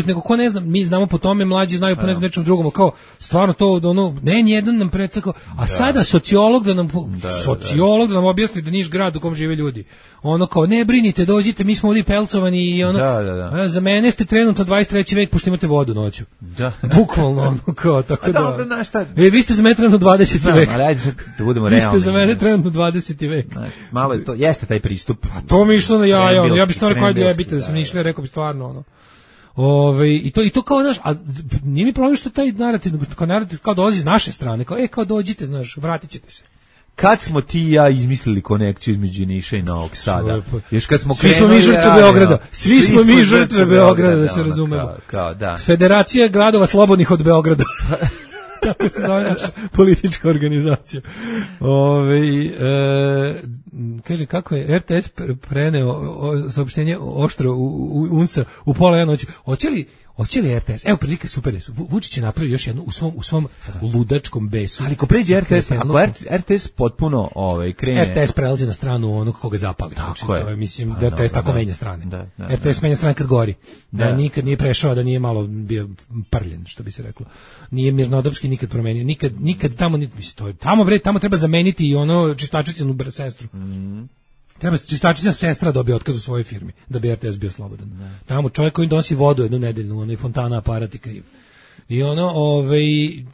nego ko ne zna, mi znamo po tome, mlađi znaju po nečem drugom, kao stvarno to ono jedan nam predstavlja, a sada sociolog da nam objasni da Niš grad u kom žive ljudi. Ono kao ne brinite, dođite, mi smo ovdje pelcovani i ono. Za mene ste trenutno 23. vek pošto imate vodu noću. Da. Bukvalno ono kao tako da. Dobro, znaš šta? Vi ste za mene trenutno 20. vek. Ali ajde sad da budemo realni. Vi ste za mene trenutno 20. vek. Malo je to, jeste taj pristup. A to mi išlo na ja bih stvarno rekao da jebite da sam išli, rekao bih stvarno ono. I to kao znaš, a nije mi problem što taj narativ kao dolazi iz naše strane, kao dođite, znaš, vratit ćete se. Kad smo ti i ja izmislili konekciju između Niša i Novog Sada? Još kad smo svi smo mi žrtve Beograda. Svi smo mi žrtve Beograda, da se razumemo. Da. Federacija gradova slobodnih od Beograda. Tako se zove naša politička organizacija. Kaže, kako je RTS preneo saopštenje oštro u UNSA u pola jedna noći. Hoće li RTS? Evo prilike super. Vučić je napravio još jednu u svom ludačkom besu. Ali ako pređe RTS, ako RTS potpuno krene... RTS prelazi na stranu onog koga zapali. Tako je. Mislim da RTS tako menja strane. RTS menja strane kad gori. Da nikad nije prešao, da nije malo bio prljen, što bi se reklo. Nije mirnodopski nikad promenio. Nikad tamo, mislim, tamo treba zameniti i ono čistačicinu sestru. Treba čistačica sestra dobije otkaz u svojoj firmi, da bi RTS bio slobodan. Tamo čovjek koji donosi vodu jednu nedeljnu, ono i fontana aparat i kriv. I ono,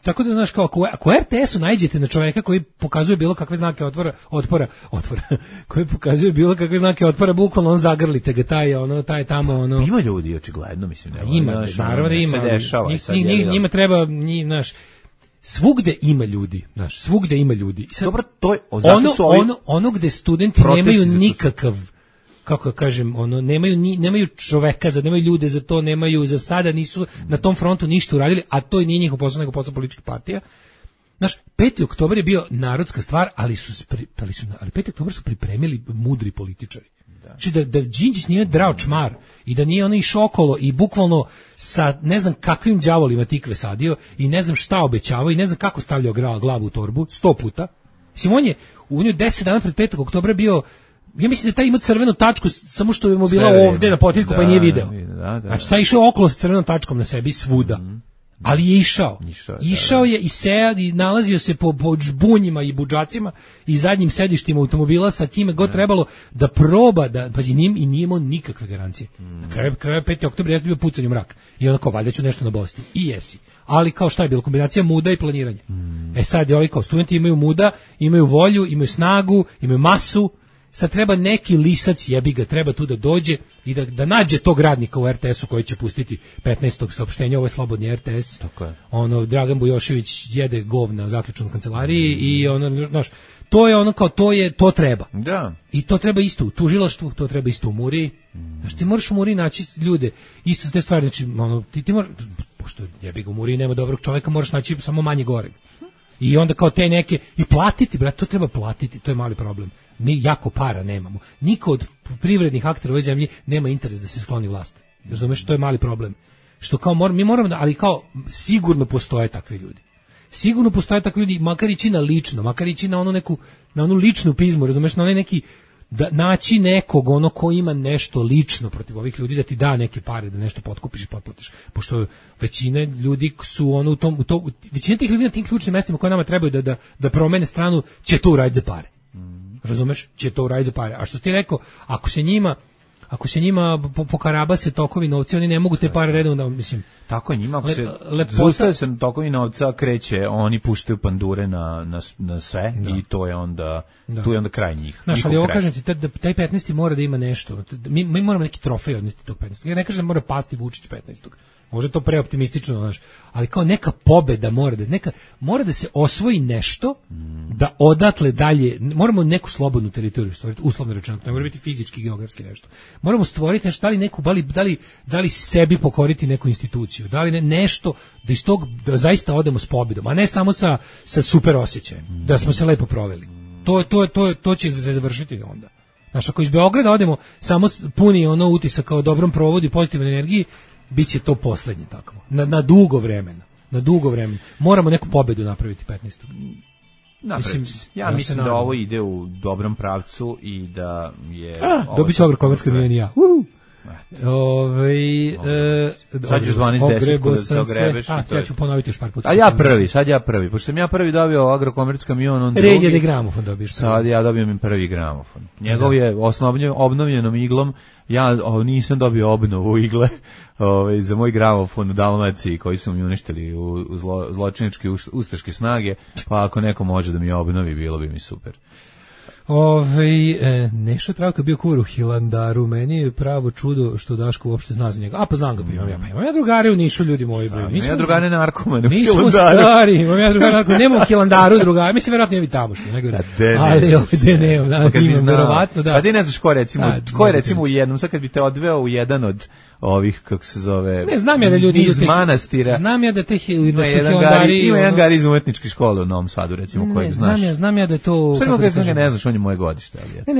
tako da znaš, kao ako RTS-u najđete na čovjeka koji pokazuje bilo kakve znake otpora, koji pokazuje bilo kakve znake otpora, bukvalno on zagrlite ga, taj tamo, ono. Ima ljudi, očigledno, mislim. Ima, naravno da ima. Njima treba, znaš, svugde ima ljudi, znaš, svugde ima ljudi. Sad, dobro, to je ono gde studenti nemaju nikakav, kako kažem, nemaju čoveka, nemaju ljude za to, nemaju za sada, nisu na tom frontu ništa uradili, a to i nije njihov posao, nego posao političkih partija. Znaš, 5. oktobar je bio narodska stvar, ali 5. oktobar su pripremili mudri političari. Znači da Đinđić nije drao čmar i da nije ono išao okolo i bukvalno sa ne znam kakvim đavolima tikve sadio i ne znam šta obećavao i ne znam kako stavljao glavu u torbu 100 puta. Mislim, on je 10 dana pred 5. oktobra bio, ja mislim da taj imao crvenu tačku samo što je mu bila ovde na potiljku pa nije video. Znači taj išao okolo sa crvenom tačkom na sebi svuda. Ali je išao je i sejad i nalazio se po žbunjima i budžacima i zadnjim sedištima automobila sa kime god trebalo da proba da, pazi, nije imao nikakve garancije. Na kraju 5. oktobra je bio pucanj u mrak i onda kao valjda ću nešto na Bosni i jesi. Ali kao šta je bilo, kombinacija muda i planiranja. Sad je kao studenti imaju muda, imaju volju, imaju snagu, imaju masu. Sad treba neki lisac, jebi ga, treba tu da dođe i da nađe tog radnika u RTS-u koji će pustiti 15. saopštenja, ovo je slobodni RTS. Tako je. Ono, Dragan Bujošević jede govna u zaključnoj kancelariji i ono, znaš, to je ono kao, to treba. Da. I to treba isto u tužilaštvu, to treba isto u Muri. Znaš, ti moraš u Muri naći ljude, isto te stvari, znači, ono, ti moraš, pošto jebi ga u Muri nema dobrog čovjeka, moraš naći samo manje goreg. I onda kao te neke, i platiti, brate, to treba platiti, to je mali problem. Mi jako para nemamo. Niko od privrednih aktera u ovoj zemlji nema interes da se skloni vlast. Razumeš, to je mali problem. Što kao mi moramo ali kao sigurno postoje takvi ljudi. Sigurno postoje takvi ljudi, makar ići na lično, makar ići na onu ličnu pizmu, razumeš, na onaj neki, da naći nekog ono ko ima nešto lično protiv ovih ljudi, da ti da neke pare, da nešto potkupiš i potplatiš. Pošto većina ljudi su ono većina tih ljudi na tim ključnim mestima koje nama trebaju da promene stranu, će to uraditi za pare. Razumeš? Će to uraditi za pare. A što ti rekao, ako se njima ako se njima pokarabase tokovi novca, oni ne mogu te pare redovno, mislim. Tako je, njima ako se zaustaje se tokovi novca, kreće, oni puštaju pandure na sve i to je onda, tu je onda kraj njih. Znaš, ali ovo kažem ti, taj 15. mora da ima nešto. Mi moramo neki trofej odnesti tog 15. Ja ne kažem da mora pasti Vučić 15. Možda je to preoptimistično, znaš, ali kao neka pobeda mora da se osvoji nešto, da odatle dalje, moramo neku slobodnu teritoriju stvoriti, uslovno rečeno, ne mora biti fizički, geografski nešto. Moramo stvoriti nešto, da li sebi pokoriti neku instituciju, da li nešto, da iz tog da zaista odemo s pobedom, a ne samo sa super osjećajem, da smo se lepo proveli. To će se završiti onda. Znaš, ako iz Beograda odemo samo puni ono utisaka o dobrom provodu i pozitivnoj energiji, biće to poslednje tako. Na dugo vremena. Moramo neku pobedu napraviti 15. Mislim da ovo ide u dobrom pravcu i da je... Dobit ću agrokomerska milion i ja. Sad ćeš 12-10 kuda se ogrebeš. Ja ću ponoviti još par puta. Sad ja prvi. Pošto sam ja prvi dobio agrokomerc kamion, on drugi. Red je da gramofon dobiješ. Sad ja dobijem im prvi gramofon. Njegov je obnovljenom iglom. Ja nisam dobio obnovu igle za moj gramofon u Dalmaciji koji su mi uništili u zločinačke ustaške snage, pa ako neko može da mi obnovi, bilo bi mi super. Nešo Travka bio kuvar u Hilandaru, meni je pravo čudo što Daško uopšte zna za njega. Pa znam ga, imam ja drugare u Nišu, ljudi moji. Ja drugare narkomane u Hilandaru. Mi smo stari, imam ja drugare narkomane, nema u Hilandaru drugare, mislim, verovatno je vi tamošnji. Ali ovdje nemam, imam verovatno, da. Pa ti ne znaš ko je recimo u jednom, sad kad bi te odveo u jedan od ovih, kako se zove, ne, znam ja da ljudi iz manastira. Znam ja da te Hilandari... Ima jedan gar iz umetničke škole u Novom Sadu, recimo, kojeg znaš. Znam ja da je to... Sve ima kada ne znaš, on je moje godište.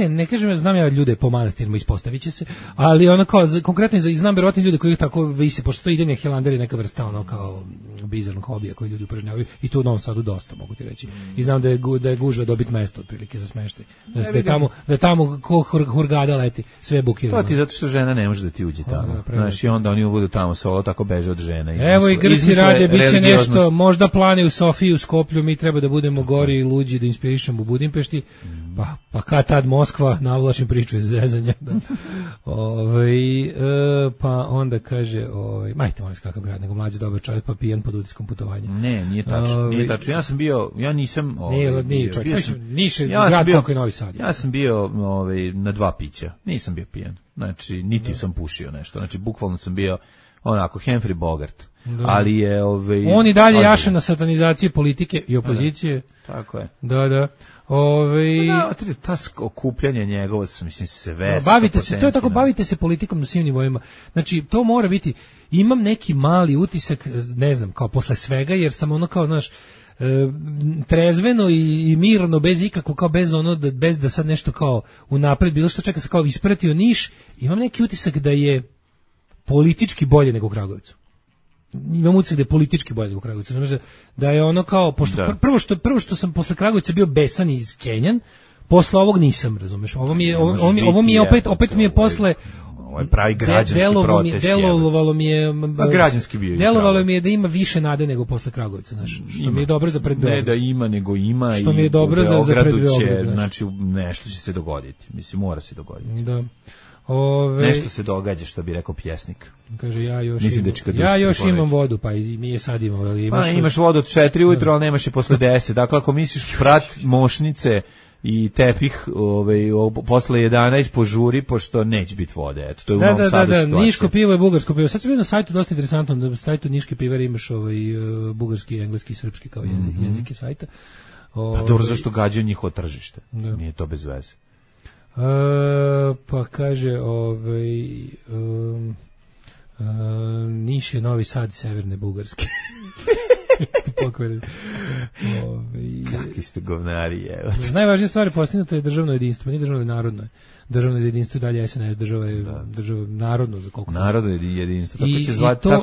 Ne kažem, znam ja ljude po manastirima, ispostavit će se, ali ono kao, konkretno znam verovatno ljude koji tako vise, pošto to ide na Hilandari neka vrsta, ono kao bizarnog hobija koji ljudi upražnjavaju, i tu u Novom Sadu dosta, mogu ti reći. I znam da je gužva dobiti mesto, otprilike, za smeštaj. Da je tamo ko hurgada leti, sve bukirano. To ti zato što žena ne može da ti uđe tamo. Znaš, i onda oni budu tamo solo, tako beže od žene. Evo i Grci rade, bit će nešto, možda plane u Sofiji, u Skoplju, mi treba da budemo gori i luđi, da inspirišemo u Budimpešti, pa kad tad Moskva, navlačim priču iz zezanja. Pa onda kaže, majte molim kakav grad, nego mlađi dobar čovjek, pa pijan pod utiskom putovanja. Ne, nije tačno. Ja nisam... Nije čovjek, Niš je grad kako je Novi Sad. Ja sam bio na 2 pića, nisam bio pijan. Znači, niti sam pušio nešto. Znači, bukvalno sam bio onako, Humphrey Bogart. Ali je... On i dalje jaše na satanizaciji politike i opozicije. Tako je. Da. Ta okupljanje njegovo, mislim, sve... Bavite se politikom na svim nivoima. Znači, to mora biti... Imam neki mali utisak, ne znam, kao posle svega, jer sam ono kao, znaš, trezveno i mirno, bez ikako, kao bez da sad nešto kao unapred bilo što čeka se kao ispratio Niš, imam neki utisak da je politički bolje nego u Kragujevcu. Imam utisak da je politički bolje nego u Kragujevcu. Da je ono kao, pošto prvo što sam posle Kragujevca bio besan i iskenjan, posle ovog nisam, razumeš. Ovo mi je opet mi je posle pravi građanski protest. Delovalo mi je građanski bio. Delovalo mi je da ima više nade nego posle Kragujevca, znači što mi je dobro za pred Beograd. Ne da ima, nego ima, što mi je dobro za pred Beograd. Znači nešto će se dogoditi. Mislim, mora se dogoditi. Da. Nešto se događa, što bi rekao pjesnik. Kaže, ja još imam vodu, pa i mi je sad imamo. Imaš vodu od 4 ujutro, ali nemaš je posle 10. Dakle, ako misliš prat mošnice i tepih posle 11 požuri, pošto neće biti vode. Eto, to je u Novom Sadu situacija. Niško pivo je bugarsko pivo. Sad sam vidio na sajtu dosta interesantno, na sajtu Niške pivare imaš bugarski, engleski i srpski kao jezike sajta. Pa dobro, zašto gađaju njihovo tržište? Nije to bez veze. Pa kaže Niš je Novi Sad severne Bugarske. Kakvi ste govnari, evo. Najvažnija stvar je postignuto je državno jedinstvo, nije državno, narodno je. Državno jedinstvo i dalje SNS, država je narodno za koliko. Narodno jedinstvo.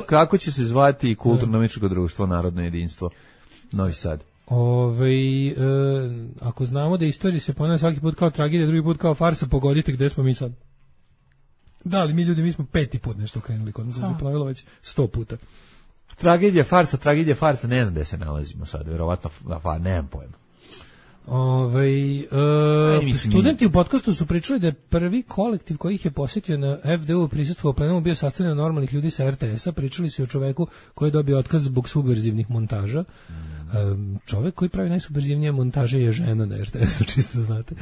Kako će se zvati kulturno-umetničko društvo Narodno jedinstvo Novi Sad? Ako znamo da istorija se ponavlja svaki put kao tragedija, drugi put kao farsa, pogodite gde smo mi sad. Da, ali mi smo 5. put nešto krenuli, kod nas se ponovilo već 100 puta. Tragedija, farsa, ne znam gde se nalazimo sad, verovatno, nemam pojma. Studenti u podcastu su pričali da je prvi kolektiv koji ih je posjetio na FDU prisustvo u plenumu bio sastavljen od normalnih ljudi sa RTS-a. Pričali su o čoveku koji je dobio otkaz zbog subverzivnih montaža. Čovek koji pravi najsubverzivnije montaže je žena na RTS-u, čisto znate.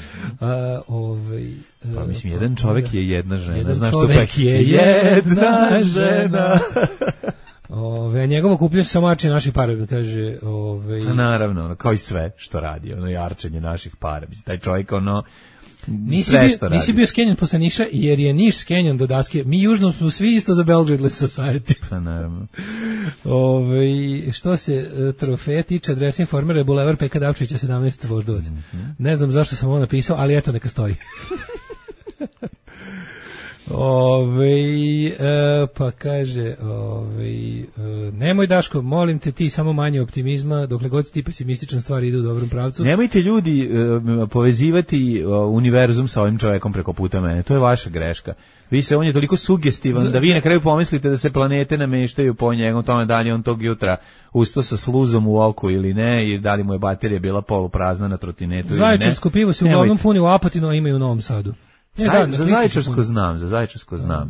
Pa mislim, jedan čovek je jedna žena. Jedan znaš čovek je jedna žena. Njegovo kupljenje samo arče naših para, kaže. Naravno, kao i sve što radi, arčenje naših para. Mislim, taj čovjek, Nisi bio skenjan posle Niša, jer je Niš skenjan do daske. Mi južno smo svi isto za Belgradless Society. Pa naravno. Što se trofeja tiče, adresa Informera je Bulevar Peka Davčića 17. Voždovac. Ne znam zašto sam ovo napisao, ali eto, neka stoji. Pa kaže nemoj Daško, molim te ti samo manje optimizma, dokle god si ti pesimističan stvari idu u dobrom pravcu. Nemojte ljudi povezivati univerzum sa ovim čovekom preko puta mene, to je vaša greška. On je toliko sugestivan da vi na kraju pomislite da se planete nameštaju po njegom tome, da li on tog jutra ustao sa sluzom u oku ili ne, i da li mu je baterija bila poluprazna na trotinetu. Zaječarsko pivo se uglavnom puni u Apatinu, a ima i u Novom Sadu. Za Zaječarsko znam.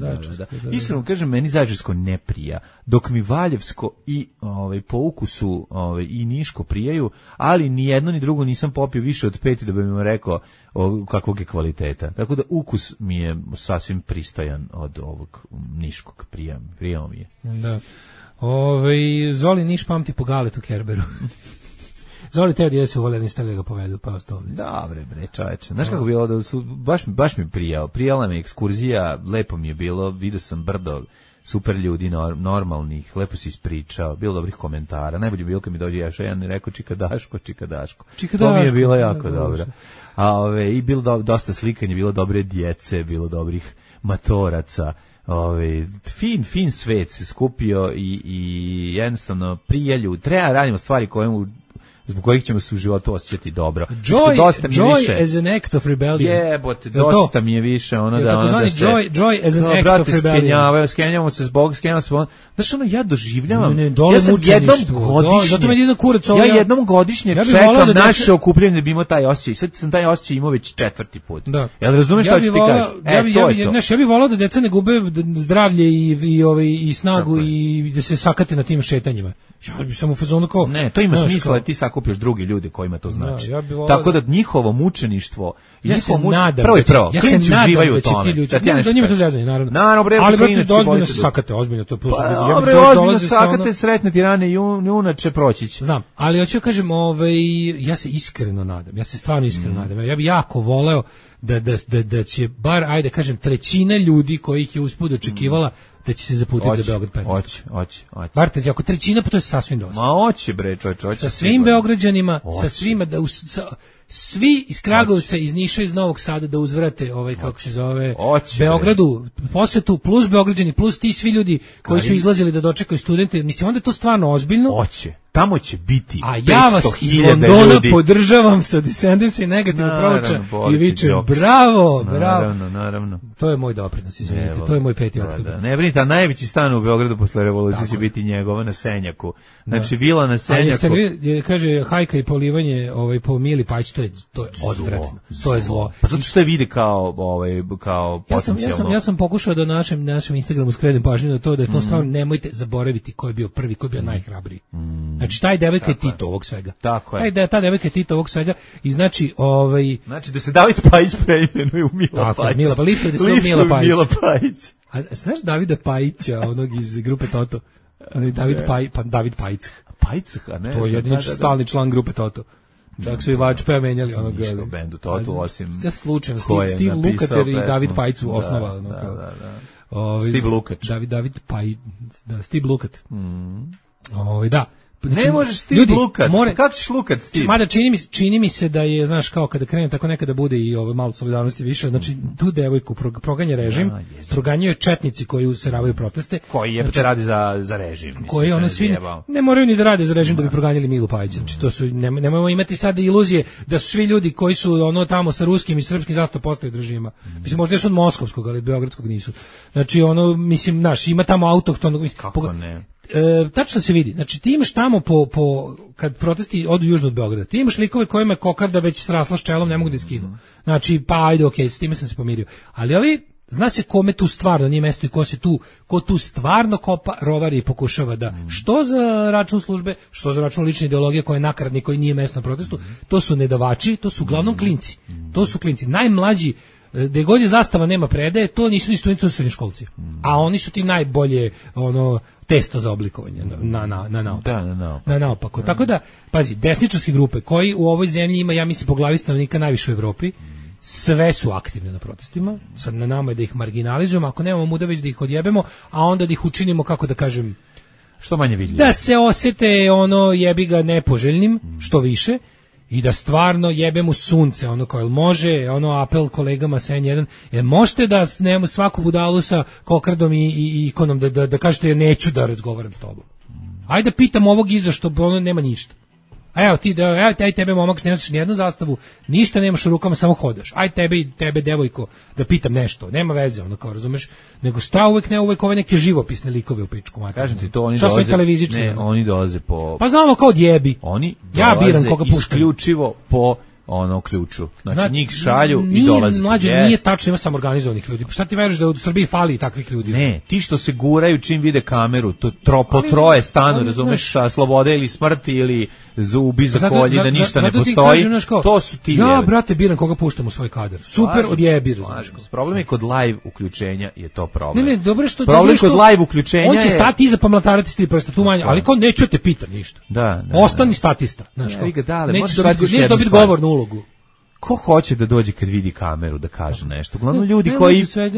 Iskreno kažem, meni Zaječarsko ne prija, dok mi Valjevsko i po ukusu i Niško prijaju, ali ni jedno ni drugo nisam popio više od 5 da bih vam rekao kakvog je kvaliteta. Tako da ukus mi je sasvim pristojan od ovog Niškog, prijao mi je. Da. Zoli Niš pamti po Galetu Kerberu. Zoli teo da se uvoljeni stali ga povedu, pa ostavljaju. Dobre, bre, čoveče. Znaš kako bilo da su, baš mi prijala mi ekskurzija, lepo mi je bilo, vidio sam brdo super ljudi, normalnih, lepo si ispričao, bilo dobrih komentara, najbolje bilo kad mi dođe jedan i rekao Čika Daško. To mi je bilo jako dobro. I bilo dosta slikanja, bilo dobre djece, bilo dobrih matoraca. Fin svet se skupio i jednostavno prijatelju, treba radimo stvari zbog kojih ćemo se u životu osjećati dobro. Joy as an act of rebellion. Jebote, dosta mi je više joy as an act of rebellion. Skenjamo se zbog. Znaš, ja doživljavam. Ja sam jednom godišnje čekam naše okupljanje da bi imao taj osjećaj. Sad sam taj osjećaj imao već 4. put. Jel razumeš šta ću ti kažeš? Ja bih volao da deca ne gube zdravlje i snagu i da se sakate na tim šetanjima. Ja bi sam u fazonu kao... Ne, to ima smisla da ti sakupljaš drugi ljude kojima to znači. Tako da njihovo mučeništvo... Ja se nadam da njima to zezanje, naravno. Ali ozbiljno se sakate, ozbiljno to. Ozbiljno sakate, sretne ti rane i unače proći. Znam, ali hoću kažem, ja se iskreno nadam, ja se stvarno iskreno nadam. Ja bih jako voleo da će bar, ajde kažem, trećina ljudi kojih je usput očekivala da će se zaputiti za Beograd 15. Hoće. Bar ako trećina, pa to je sasvim dosta. Ma hoće bre, čovječe. Sa svim Beograđanima, sa svima, svi iz Kragovca, iz Niša, iz Novog Sada da uzvrate kako se zove, Beogradu posetu, plus Beograđani, plus ti svi ljudi koji su izlazili da dočekaju studente. Mislim, onda je to stvarno ozbiljno. Hoće. Tamo će biti 500.000 ljudi. A ja vas iz Londona podržavam sa Descendants i negativno prouča i viče bravo. Naravno. To je moj doprinos, izvinite, to je moj 5. oktobar. Ne brinite, a najveći stan u Beogradu posle revolucije će biti njegova na Senjaku. Znači, vila na Senjaku. Kaže, hajka i polivanje po Mili Pajić, to je odvratno, to je zlo. Pa zato što je vidi kao potencijalno. Ja sam pokušao da našem Instagramu skrenem pažnju na to da je to stvarno, nemojte zaboraviti ko je bio prvi, ko je bio najhrabriji. Znači, taj devojka je Tito ovog svega. Tako je. Ta devojka je Tito ovog svega i znači, Znači, da se David Pajić preimenuje u Mila Pajić. Tako, Mila Pajić. A znaš Davida Pajića, onog iz grupe Toto? David Pajić. Pajcah, ne? To je jedini stalni član grupe Toto. Čak su i Vačpeja menjali onog bendu Toto, osim slučajno Steve Lukather i David Pajić su osnovali. Steve Lukač. Steve Lukat. Da. Ne možeš Steve Lukat. Kako ćeš Lukat Steve? Mada čini mi se da je, znaš, kao kada krene tako nekada bude i malo solidarnosti više, znači tu devojku proganja režim, proganjaju četnici koji useravaju proteste. Koji je radi za režim. Koji one svi ne moraju ni da rade za režim da bi proganjali Milu Pajića. Znači to su, nemojmo imati sad iluzije da su svi ljudi koji su tamo sa ruskim i srpskim zastavom postali od režima. Mislim, možda još od moskovskog, ali beogradskog nisu. Znači mislim, znaš, ima tamo autohtonog. Kako ne? tačno se vidi, znači ti imaš tamo kad protesti odu južno od Beograda, ti imaš likove kojima je kokarda već srasla s čelom, ne mogu da skinu. Znači, pa ajde, okej, s time sam se pomirio. Ali ovi, zna se kome tu stvarno nije mesto i ko tu stvarno kopa, rovari i pokušava da, što za račun službe, što za račun lične ideologije koja je nakaradni, koji nije mesto na protestu, to su nedavači, to su uglavnom klinci. To su klinci, najmlađi, gde god je zastava nema predaje, to nisu ni studenti, to su srednjoškolci. A oni su ti najbolje testo za oblikovanje na naopako. Tako da, pazi, desničarske grupe koji u ovoj zemlji ima, ja mislim, po glavi stanovnika najviše u Evropi, sve su aktivne na protestima. Sad na nama je da ih marginalizujemo, ako nemamo muda već da ih odjebemo, a onda da ih učinimo, kako da kažem, što manje vidljivo. Da se osete jebi ga nepoželjnim, što više, i da stvarno jebemo sunce, kao može, apel kolegama sa N1, možete da nemamo svaku budalu sa kokardom i ikonom da kažete ja neću da razgovaram s tobom. Ajde da pitam ovog iza što nema ništa. A evo ti, tebe momak ne nosiš nijednu zastavu, ništa nemaš u rukama, samo hodaš. Aj tebe devojko da pitam nešto, nema veze, kao razumeš, nego sta uvek ove neke živopisne likove u pičku mater. Kažem ti to, oni dolaze po... Pa znamo kao odjebi. Oni ja biram koga puštam. Isključivo po ključu. Znači njih šalju i dolaze. Mlađe, nije tačno, ima sam organizovanih ljudi. Šta ti veriš da u Srbiji fali takvih ljudi? Ne, ti što se guraju čim vide kameru, po troje stanu, razumeš, slobode ili smrti ili zubi za kolji, da ništa ne postoji, to su ti ja, brate, biram koga puštam u svoj kadar. Super, odjebi. Problem je kod live uključenja, je to problem. Ne, dobro što... Problem kod live uključenja on će stati iza pa mlatarati s 3 prsta, tu manje, ali kao neću te pitam ništa. Ostani statista. Nećeš dobiti govornu ulogu. Ko hoće da dođe kad vidi kameru da kaže nešto? Uglavnom ljudi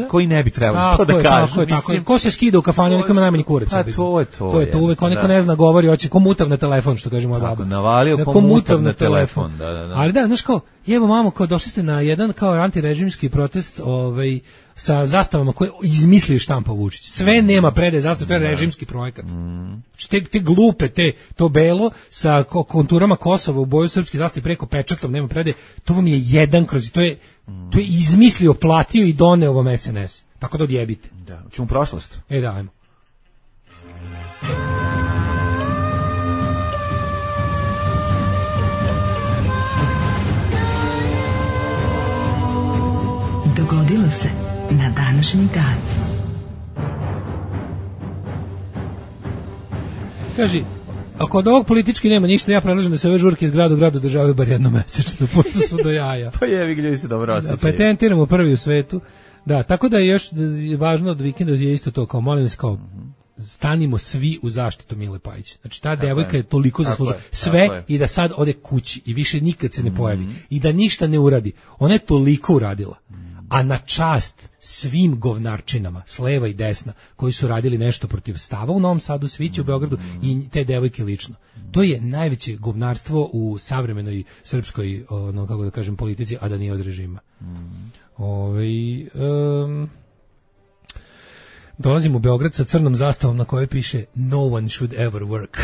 koji ne bi trebali to da kažu. Ko se skida u kafanu, neka ima najmanji kurac. To je to. Uvek onako ne zna, govori, hoće ko mutav na telefon, što kaže moja baba. Navalio ko mutav na telefon. Ali da, znaš kao, jevo mamo, kao došli ste na jedan kao antirežimski protest, sa zastavama koje izmislio štampa Vučić. Sve nema predaje zastave, to je režimski projekat. Te glupe, to belo sa konturama Kosova u boju srpski zastavi preko pečatom, nema predaje, to vam je jedan kroz, to je izmislio, platio i doneo vam SNS. Tako da odjebite. Da, ćemo prošlost. Da, ajmo. Dogodilo se na današnji dan. Kaži, ako od ovog politički nema ništa, ja predlažem da se ove žurke iz grada u gradu održavaju bar jednomesečno, pošto su do jaja. Pa jevi, gdje se dobro osjećaju. Patentiramo prvi u svetu. Da, tako da je još važno od vikenda je isto to, kao molim se, kao stanimo svi u zaštitu Mile Pajića. Znači ta devojka je toliko zaslužila sve i da sad ode kući i više nikad se ne pojavi i da ništa ne uradi. Ona je toliko uradila. A na čast svim govnarčinama, s leva i desna, koji su radili nešto protiv stava u Novom Sadu, Sviće u Beogradu i te devojke lično. To je najveće govnarstvo u savremenoj srpskoj, kako da kažem, politici, a da nije od režima. Dolazim u Beograd sa crnom zastavom na kojoj piše No one should ever work.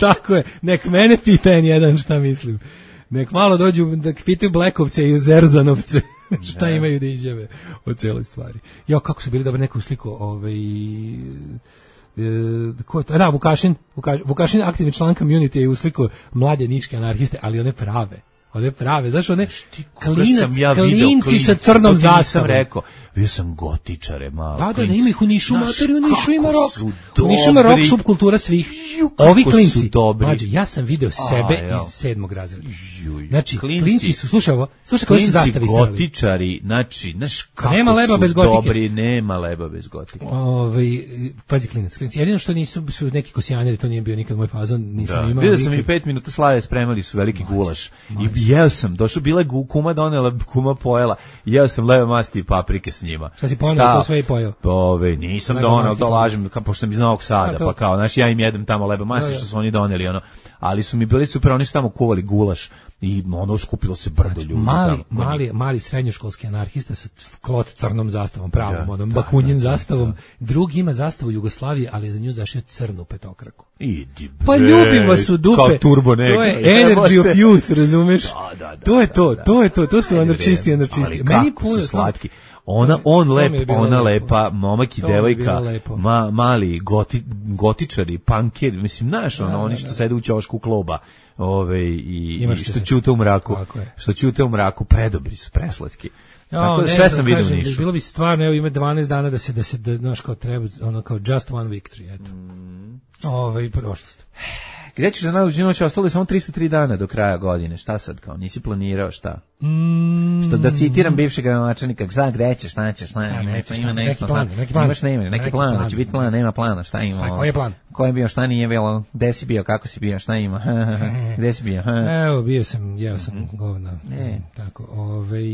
Tako je, nek mene pita N1 šta mislim. Nek malo dođu da pitaju Blekovce i Zerzanovce šta imaju da izjave o cijeloj stvari. Jo, kako su bili dobro neku sliku, ko je to? Da, Vukašin aktivni član community je usliko mlade niške anarhiste, ali one prave, znaš, one klinci sa crnom zastavom. Bio sam gotičare malo. Da, ima ih u Nišu, materi, u Nišu ima rock. U Nišu ima rock subkultura svih. Ovi klinci, mađo, ja sam video sebe iz 7. razreda. Znači, klinci su, slušaj koji su zastavi stavili. Klinci gotičari, znači, kako nema leba bez su gotike. Dobri, nema leba bez gotike. Pazi, klinci. Jedino što su neki kosijanjeri, to nije bio nikad moj fazon, nisam imao. Vidio sam i 5 minuta slave, spremali su veliki gulaš. I jeo sam, došao, bila kuma donela, kuma pojela, jeo sam leve masti i paprike s njima. Šta si poneo, to sve i pojeo? Nisam donao, to lažem, pošto sam iz Novog Sada, pa kao, znaš, ja im jedem tamo lebe masti što su oni doneli, ali su mi bili super, oni su tamo kuvali gulaš i skupilo se brdo ljudi. Mali srednjoškolski anarhista sa klot crnom zastavom, pravom, bakunjen zastavom, drugi ima zastavu Jugoslavije, ali je za nju zašio crnu petokraku. Pa ljubim vas u dupe. Kao turbo neka. To je energy of youth, razumeš? To je to su anarčisti. Ali kako su slatki. On lep, ona lepa, momak i devojka, mali gotičari, punkeri, mislim, znaš, oni što sede u ćošku kluba, i što ćute u mraku, predobri su, preslatki. Tako da sve sam vidio u Nišu. Bilo bi stvarno, evo ima 12 dana da znaš, kao treba, ono kao just one victory, eto. Prošlost. Gdje ćeš za najluđu noć? Ostalo je samo 303 dana do kraja godine. Šta sad kao? Nisi planirao šta? Što da citiram bivšeg gradonačelnika, šta gde ćeš, šta ćeš, ima nešto. Neki plan, će biti plan, nema plana, šta ima? Koji je plan? Ko je bio, šta nije bilo, gde si bio, kako si bio, šta ima? Gde si bio? Evo, jeo sam govna. Tako,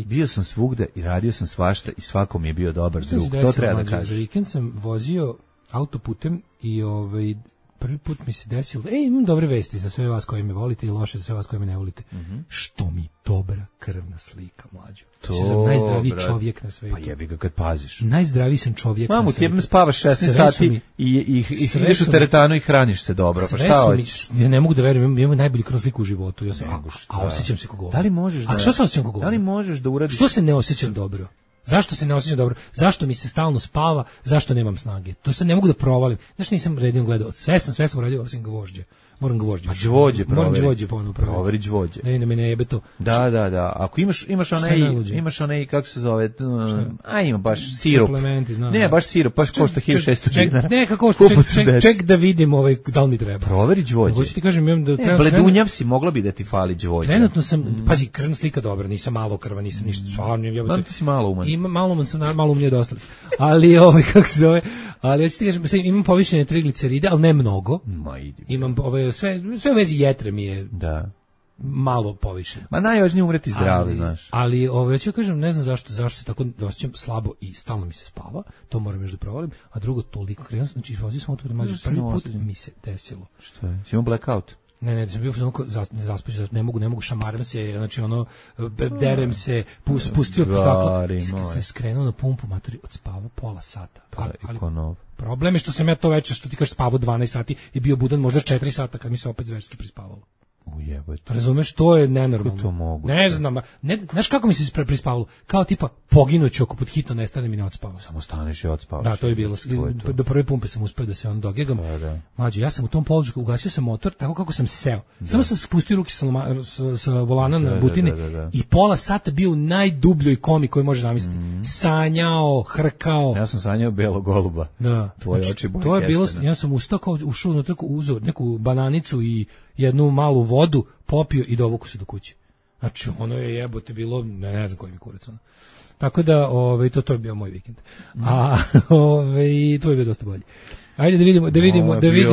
bio sam svugde i radio sam svašta i svakom je bio dobar drug. To treba da kažeš. Za vikend sam vozio autoputem i prvi put mi se desilo, imam dobre vesti za sve vas koji me volite i loše za sve vas koji me ne volite. Što mi dobra krvna slika, mlađo. To sam najzdraviji čovjek na svetu. Pa jebi ga kad paziš. Najzdraviji sam čovjek na svetu. Mamu, ti spavaš 16 sati i ideš u teretanu i hraniš se dobro. Pa šta hoćeš? Ja ne mogu da verujem, imam najbolju krvnu sliku u životu. A osjećam se kako. Da li možeš da? A što se osjećam kako? Da li možeš da uradiš? Što se ne osjećam dobro? Zašto se ne osjećam dobro? Zašto mi se stalno spava? Zašto nemam snage? To se ne mogu da provalim. Znaš, nisam redno gledao. Sve sam radio osim gvožđe. Moram gvožđe. A gvožđe proveri. Moram gvožđe ponovno proveri. Proveri gvožđe. Da me ne jebe to. Da. Ako imaš onaj, kako se zove, ima baš sirup. Ne, baš sirup, baš košta 1600 dinara. Neka košta, ček da vidim da li mi treba. Proveri gvožđe. Hoću ti kažem, da treba. Bledunjav si, mogla bi da ti fali gvožđe. Trenutno sam, pazi, krvna slika dobra, nisam malo krva, nisam ništa, stvarno. Ti si malo uman. Malo umnije dosta. Ali, kako se zove, ali hoću ti kažem, imam povišene trigliceride, ali ne mnogo. Imam sve u vezi jetre mi je malo povišeno. Ma najvažnije umreti zdravi, znaš. Ali ću kažem, ne znam zašto se tako osjećam slabo i stalno mi se spava, to moram još da provalim, a drugo toliko krenuo, znači vozio sam auto prvi put mi se desilo. Što je? Si imao blackout? Ne, sam bio zaspaćen, ne mogu, šamaram se, znači derem se, spustio staklo, sam skrenuo na pumpu, matori, odspavao pola sata. Ali problem je što sam ja to večer, što ti kažeš, spavao 12 sati i bio budan možda 4 sata kad mi se opet zverski prispavalo. Razumeš, to je nenormalno. To mogu. Ne znam, znaš kako mi se prispavalo? Kao tipa poginuću ako pod hitno nestane mi ne odspavao. Samo staneš i odspavaš. Da, to je bilo. Do prve pumpe sam uspeo da se dogegam. Mlađe, ja sam u tom položaju, ugasio sam motor tako kako sam seo. Samo sam spustio ruke sa volana na butine i pola sata bio u najdubljoj komi koju možeš zamisliti. Sanjao, hrkao. Ja sam sanjao belog goluba. Da. Tvoje oči boje. To je bilo, ja sam ustao kao ušao unutra, uzeo neku bananicu i jednu malu vodu, popio i dovuku se do kuće. Znači, ono je jebote bilo, ne znam koji mi kurac. Tako da, to je bio moj vikend. A, to je bio dosta bolji. Ajde da vidimo.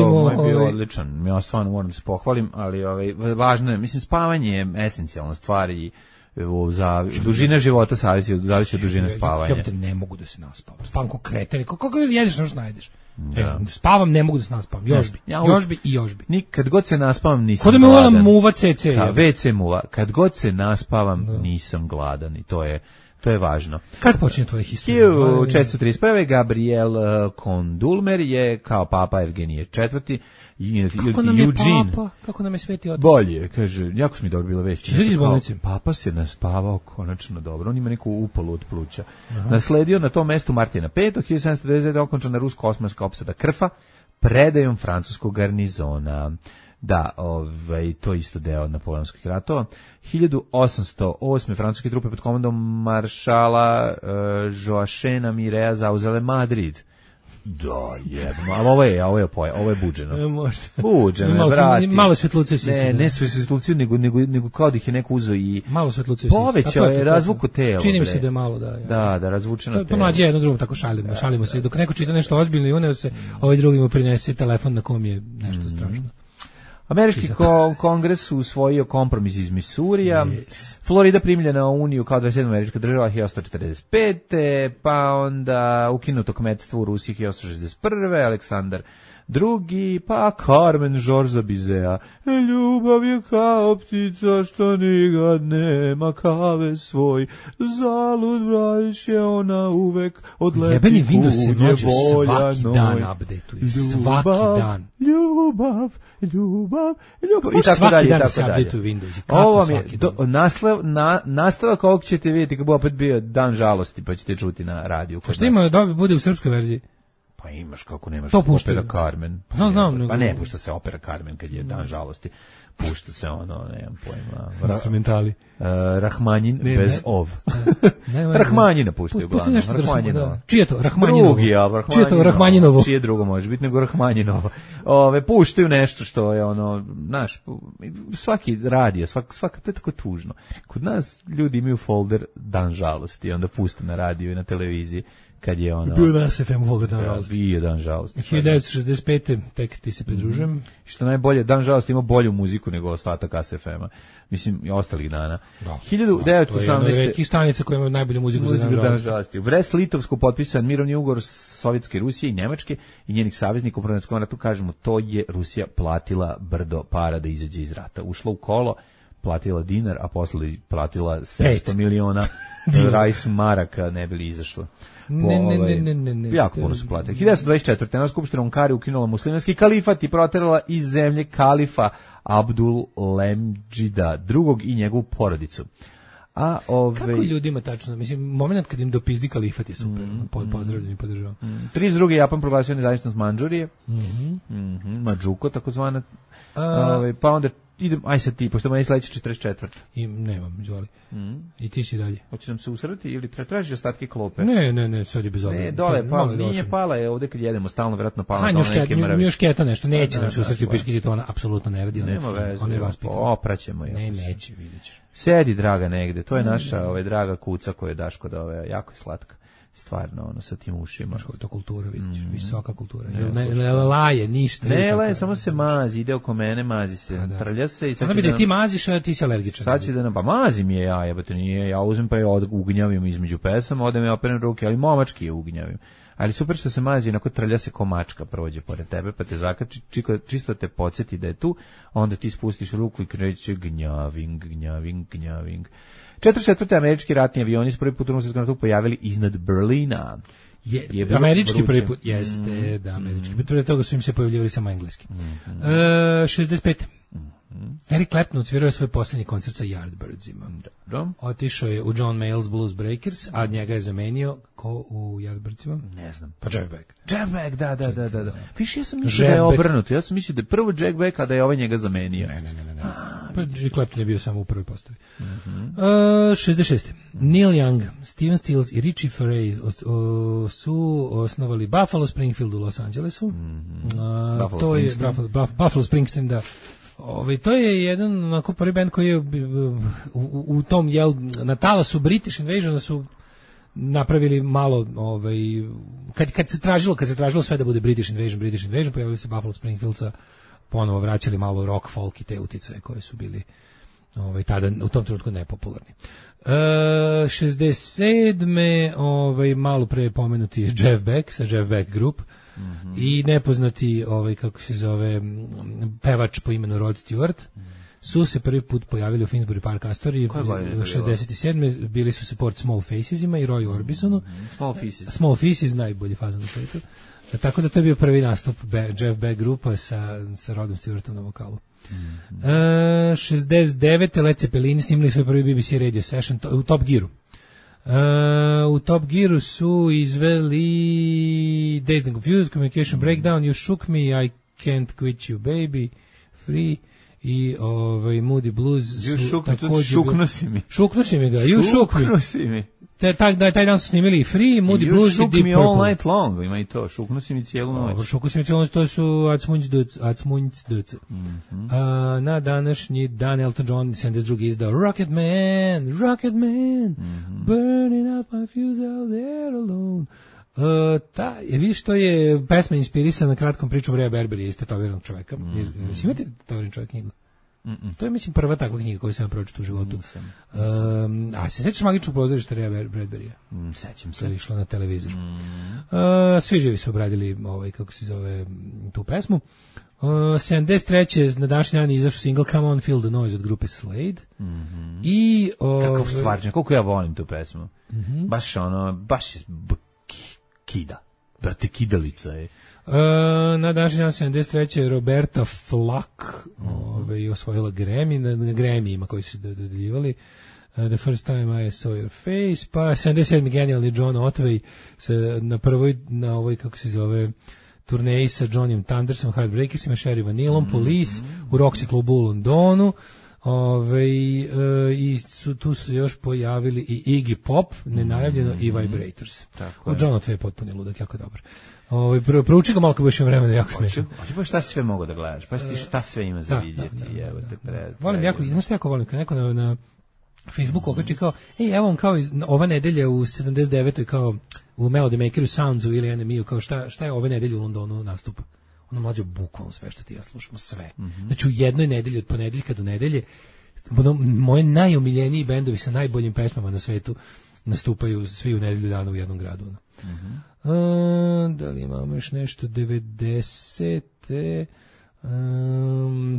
Moj bio odličan, ja stvarno moram da se pohvalim, ali važno je, mislim, spavanje je esencijalna stvar i za dužina života zavisi od dužine spavanja. Ja ne mogu da se naspavam. Spavam ko kreten. Kako jedeš, nešto najdeš? Spavam, ne mogu da se naspavam. Još bi. Kad god se naspavam nisam gladan. Kod da me muva CC. WC muva. Kad god se naspavam nisam gladan i to je važno. Kad počinje tvoja historija? 1631. Gabriel Kondulmer je kao papa Evgenije IV. Kako nam je papa? Kako nam je sveti otac? Bolje, kaže, jako su mi dobro bile vesti. Češ iz bolnice? Papa se naspavao konačno dobro, on ima neku upalu od pluća. Nasledio na tom mestu Martina V. 1799. okončana rusko-osmanska opsada Krfa predajom francuskog garnizona. Da, to je isto deo napoleonskih ratova. 1808. francuske trupe pod komandom maršala Joachena Mirea zauzele Madrid. Da, jedno, ali ovo je buđeno. Možda. Buđeno, brati. Malo svetluce si. Ne svetluce, nego kao da ih je neko uzeo i malo svetluce. Povećao je razvuku tela. Čini mi se da je malo, da. Da, razvučeno telo. To mlađe jedno drugom tako šalimo se. Dok neko čita nešto ozbiljno i uneo se, ovaj drugi mu prinese telefon na kom je nešto strašno. Američki kongres usvojio kompromis iz Misurija, Florida primljena u Uniju kao 27. američka država 1845. Pa onda ukinuto kmetstvo u Rusiji 1861. Aleksandar drugi, pa Carmen Žorza Bizea. Ljubav je kao ptica što nikad nema kave svoj, zalud brać je ona uvek odleti jebeni Windows se kuge volja svaki noj. dan updateuju, svaki dan. Ljubav i tako svaki dalje, dan tako se dalje. updateuju Windows. Ovo vam je nastavak ovog ćete vidjeti kako opet bio dan žalosti, pa ćete čuti na radiju. Pa šta ima da bude u srpskoj verziji? Pa imaš kako nemaš to opera Carmen. Znam, pa ne pušta se opera Carmen kad je dan žalosti. Pušta se ono, nemam pojma. Instrumentali. Rahmanjin bez ov. Rahmanjina puštaju uglavnom. Rahmanjinova. Čije to? Rahmanjinovo. Drugi, ja, čije to? Rahmanjinovo. Čije drugo može biti nego Rahmanjinovo. Puštaju nešto što je ono, znaš, svaki radio, svaka, to je tako tužno. Kod nas ljudi imaju folder dan žalosti, onda puste na radiju i na televiziji. Kad je ono... Bio nas FM folder dan žalosti. Bio dan žalosti. 1965. tek ti se pridružujem. Što najbolje, dan žalosti ima bolju muziku nego ostatak ASFM-a. Mislim, i ostalih dana. 1918. To je jedna od retkih stanica koja ima najbolju muziku za dan žalosti. U Brest-Litovsku potpisan mirovni ugovor Sovjetske Rusije i Njemačke i njenih saveznika u Prvom ratu, kažemo, to je Rusija platila brdo para da izađe iz rata. Ušla u kolo, platila dinar, a posle platila 700 miliona rajs maraka, ne bi li izašla. Ne. Jako puno su platili. 1924. na skupštinu Ankare ukinula muslimanski kalifat i proterala iz zemlje kalifa Abdul Lemđida II i njegovu porodicu. Kako ljudima tačno? Mislim, moment kad im dopizdi kalifat je super. Pozdravljam i podržavam. 32. Japan proglasio nezavisnost Mandžurije. Madžuko, takozvana. Pa onda idem, aj sad ti, pošto meni sledeće 44. I nemam, izvoli. I ti si dalje. Hoće nam se usrati ili tražiš ostatke klope? Ne, sad je bez obzira. Ne, dole, nije pala je ovde kad jedemo, stalno vjerojatno pala na neke mrve. Još keta nešto, neće nam se usrati u piškiti, to ona apsolutno ne radi. Nema veze, opraćemo je. Ne, neće, vidjet ćeš. Sedi, draga, negde, to je naša draga kuca koju daš kod ove, jako je slatka. Stvarno, ono, sa tim ušima. Što je to kultura, vidiš, visoka kultura. Ne laje, ništa. Ne laje, samo se mazi, ide oko mene, mazi se, trlja se i sad će da... Ti maziš, a ti si alergičan. Sad će da nam, pa mazim je ja, jebate nije, ja uzem pa je ugnjavim između pesama, odem ja operem ruke, ali momački je ugnjavim. Ali super što se mazi, onako trlja se ko mačka, prođe pored tebe, pa te zakači, čisto te podsjeti da je tu, onda ti spustiš ruku i kreće gnjaving. 44. američki ratni avioni su prvi put u Drugom svjetskom ratu pojavili iznad Berlina. Američki prvi put, jeste, da, američki. Prije toga su im se pojavljivali samo engleski. 65. Eric Clapton odsvirao svoj posljednji koncert sa Yardbirdsima. Otišao je u John Mayall's Blues Breakers, a njega je zamenio ko u Yardbirdsima? Ne znam. Pa Jeff Beck. Jeff Beck, da. Viš, ja sam mislio da je obrnuto. Ja sam mislio da je prvo Jeff Beck, a da je ovaj njega zamenio. Ne. Pa Clapton je bio samo u prvoj postavi. 66. Neil Young, Steven Stills i Richie Furay su osnovali Buffalo Springfield u Los Angelesu. To je Buffalo Springsteen, da. To je jedan onako prvi band koji je u tom na talasu British Invasion su napravili malo kad se tražilo sve da bude British Invasion pojavili se Buffalo Springfieldsa, ponovo vraćali malo rock, folk i te uticaje koje su bili tada u tom trenutku nepopularni. 67. Malo pre pomenuti je Jeff Beck sa Jeff Beck Group. I nepoznati kako se zove pevač po imenu Rod Stewart su se prvi put pojavili u Finsbury Park Astoria 67. Bili su support Small Facesima i Roy Orbisonu. Small Faces najbolji fazon na svijetu. Tako da to je bio prvi nastup Jeff Beck grupa sa Rodom Stewartom na vokalu. 69. Led Zeppelin snimili svoj prvi BBC radio session u Top Gearu. U Top Gearu su izveli Dazed and Confused, Communication Breakdown, You Shook Me, I Can't Quit You Baby, Free i Moody Blues su također... Šukno si mi ga, You Shook Me. Taj dan su snimili Free, Moody Blues i Deep Purple. You Shook Me All Night Long, ima i to, šukno si mi cijelu noć. Šukno si mi cijelu noć, to su Atsmunjc Dc. Na današnji dan Elton John 72. izdao Rocket Man, burning up my fuse out there alone. Vidiš, to je pesma inspirisana kratkom pričom Rea Berberi iz Tetoviranog čoveka. Imate Tetoviran čovek knjigu? To je, mislim, prva takva knjiga koju sam pročitao u životu. A se sećaš Magičnog pozorišta Rea Bradbury? Sećam se. To je išlo na televizor. Svi živi su obradili, kako se zove, tu pesmu. 73. na današnji dan izašao single Come On Feel the Noise od grupe Slade. I kakav stvarčan, koliko ja volim tu pesmu. Baš baš kida. Brate, kidalica je. Na današnji dan 73. Roberta Flack osvojila Grammy, na Grammyima koji su dodeljivali. The First Time I Saw Your Face, pa 77. genijalni John Otway na ovoj, kako se zove, turneji sa Johnnym Thundersom, Heartbreakersima, Sherry Vanillom, Police, u Roxy klubu u Londonu. I tu su još pojavili i Iggy Pop, nenajavljeno, i Vibrators. John Otway je potpuni ludak, jako dobar. Prouči ga malo kad budeš imao vremena, jako smiješno. Hoće pa šta sve mogu da gledaš, pa ti šta sve ima za vidjeti. Volim jako, znaš što jako volim, kad neko na Facebooku okači kao, evo vam kao ova nedelja u 79. kao u Melody Makeru, Soundsu ili NME-u, kao šta je ove nedelje u Londonu nastupa. Ono mlađo bukvalno sve što ti ja slušamo, sve. Znači u jednoj nedelji, od ponedeljka do nedelje, moje najomiljeniji bendovi sa najboljim pesmama na svetu nastupaju svi u nedelju dana u jednom gradu. Da li imamo još nešto? 90.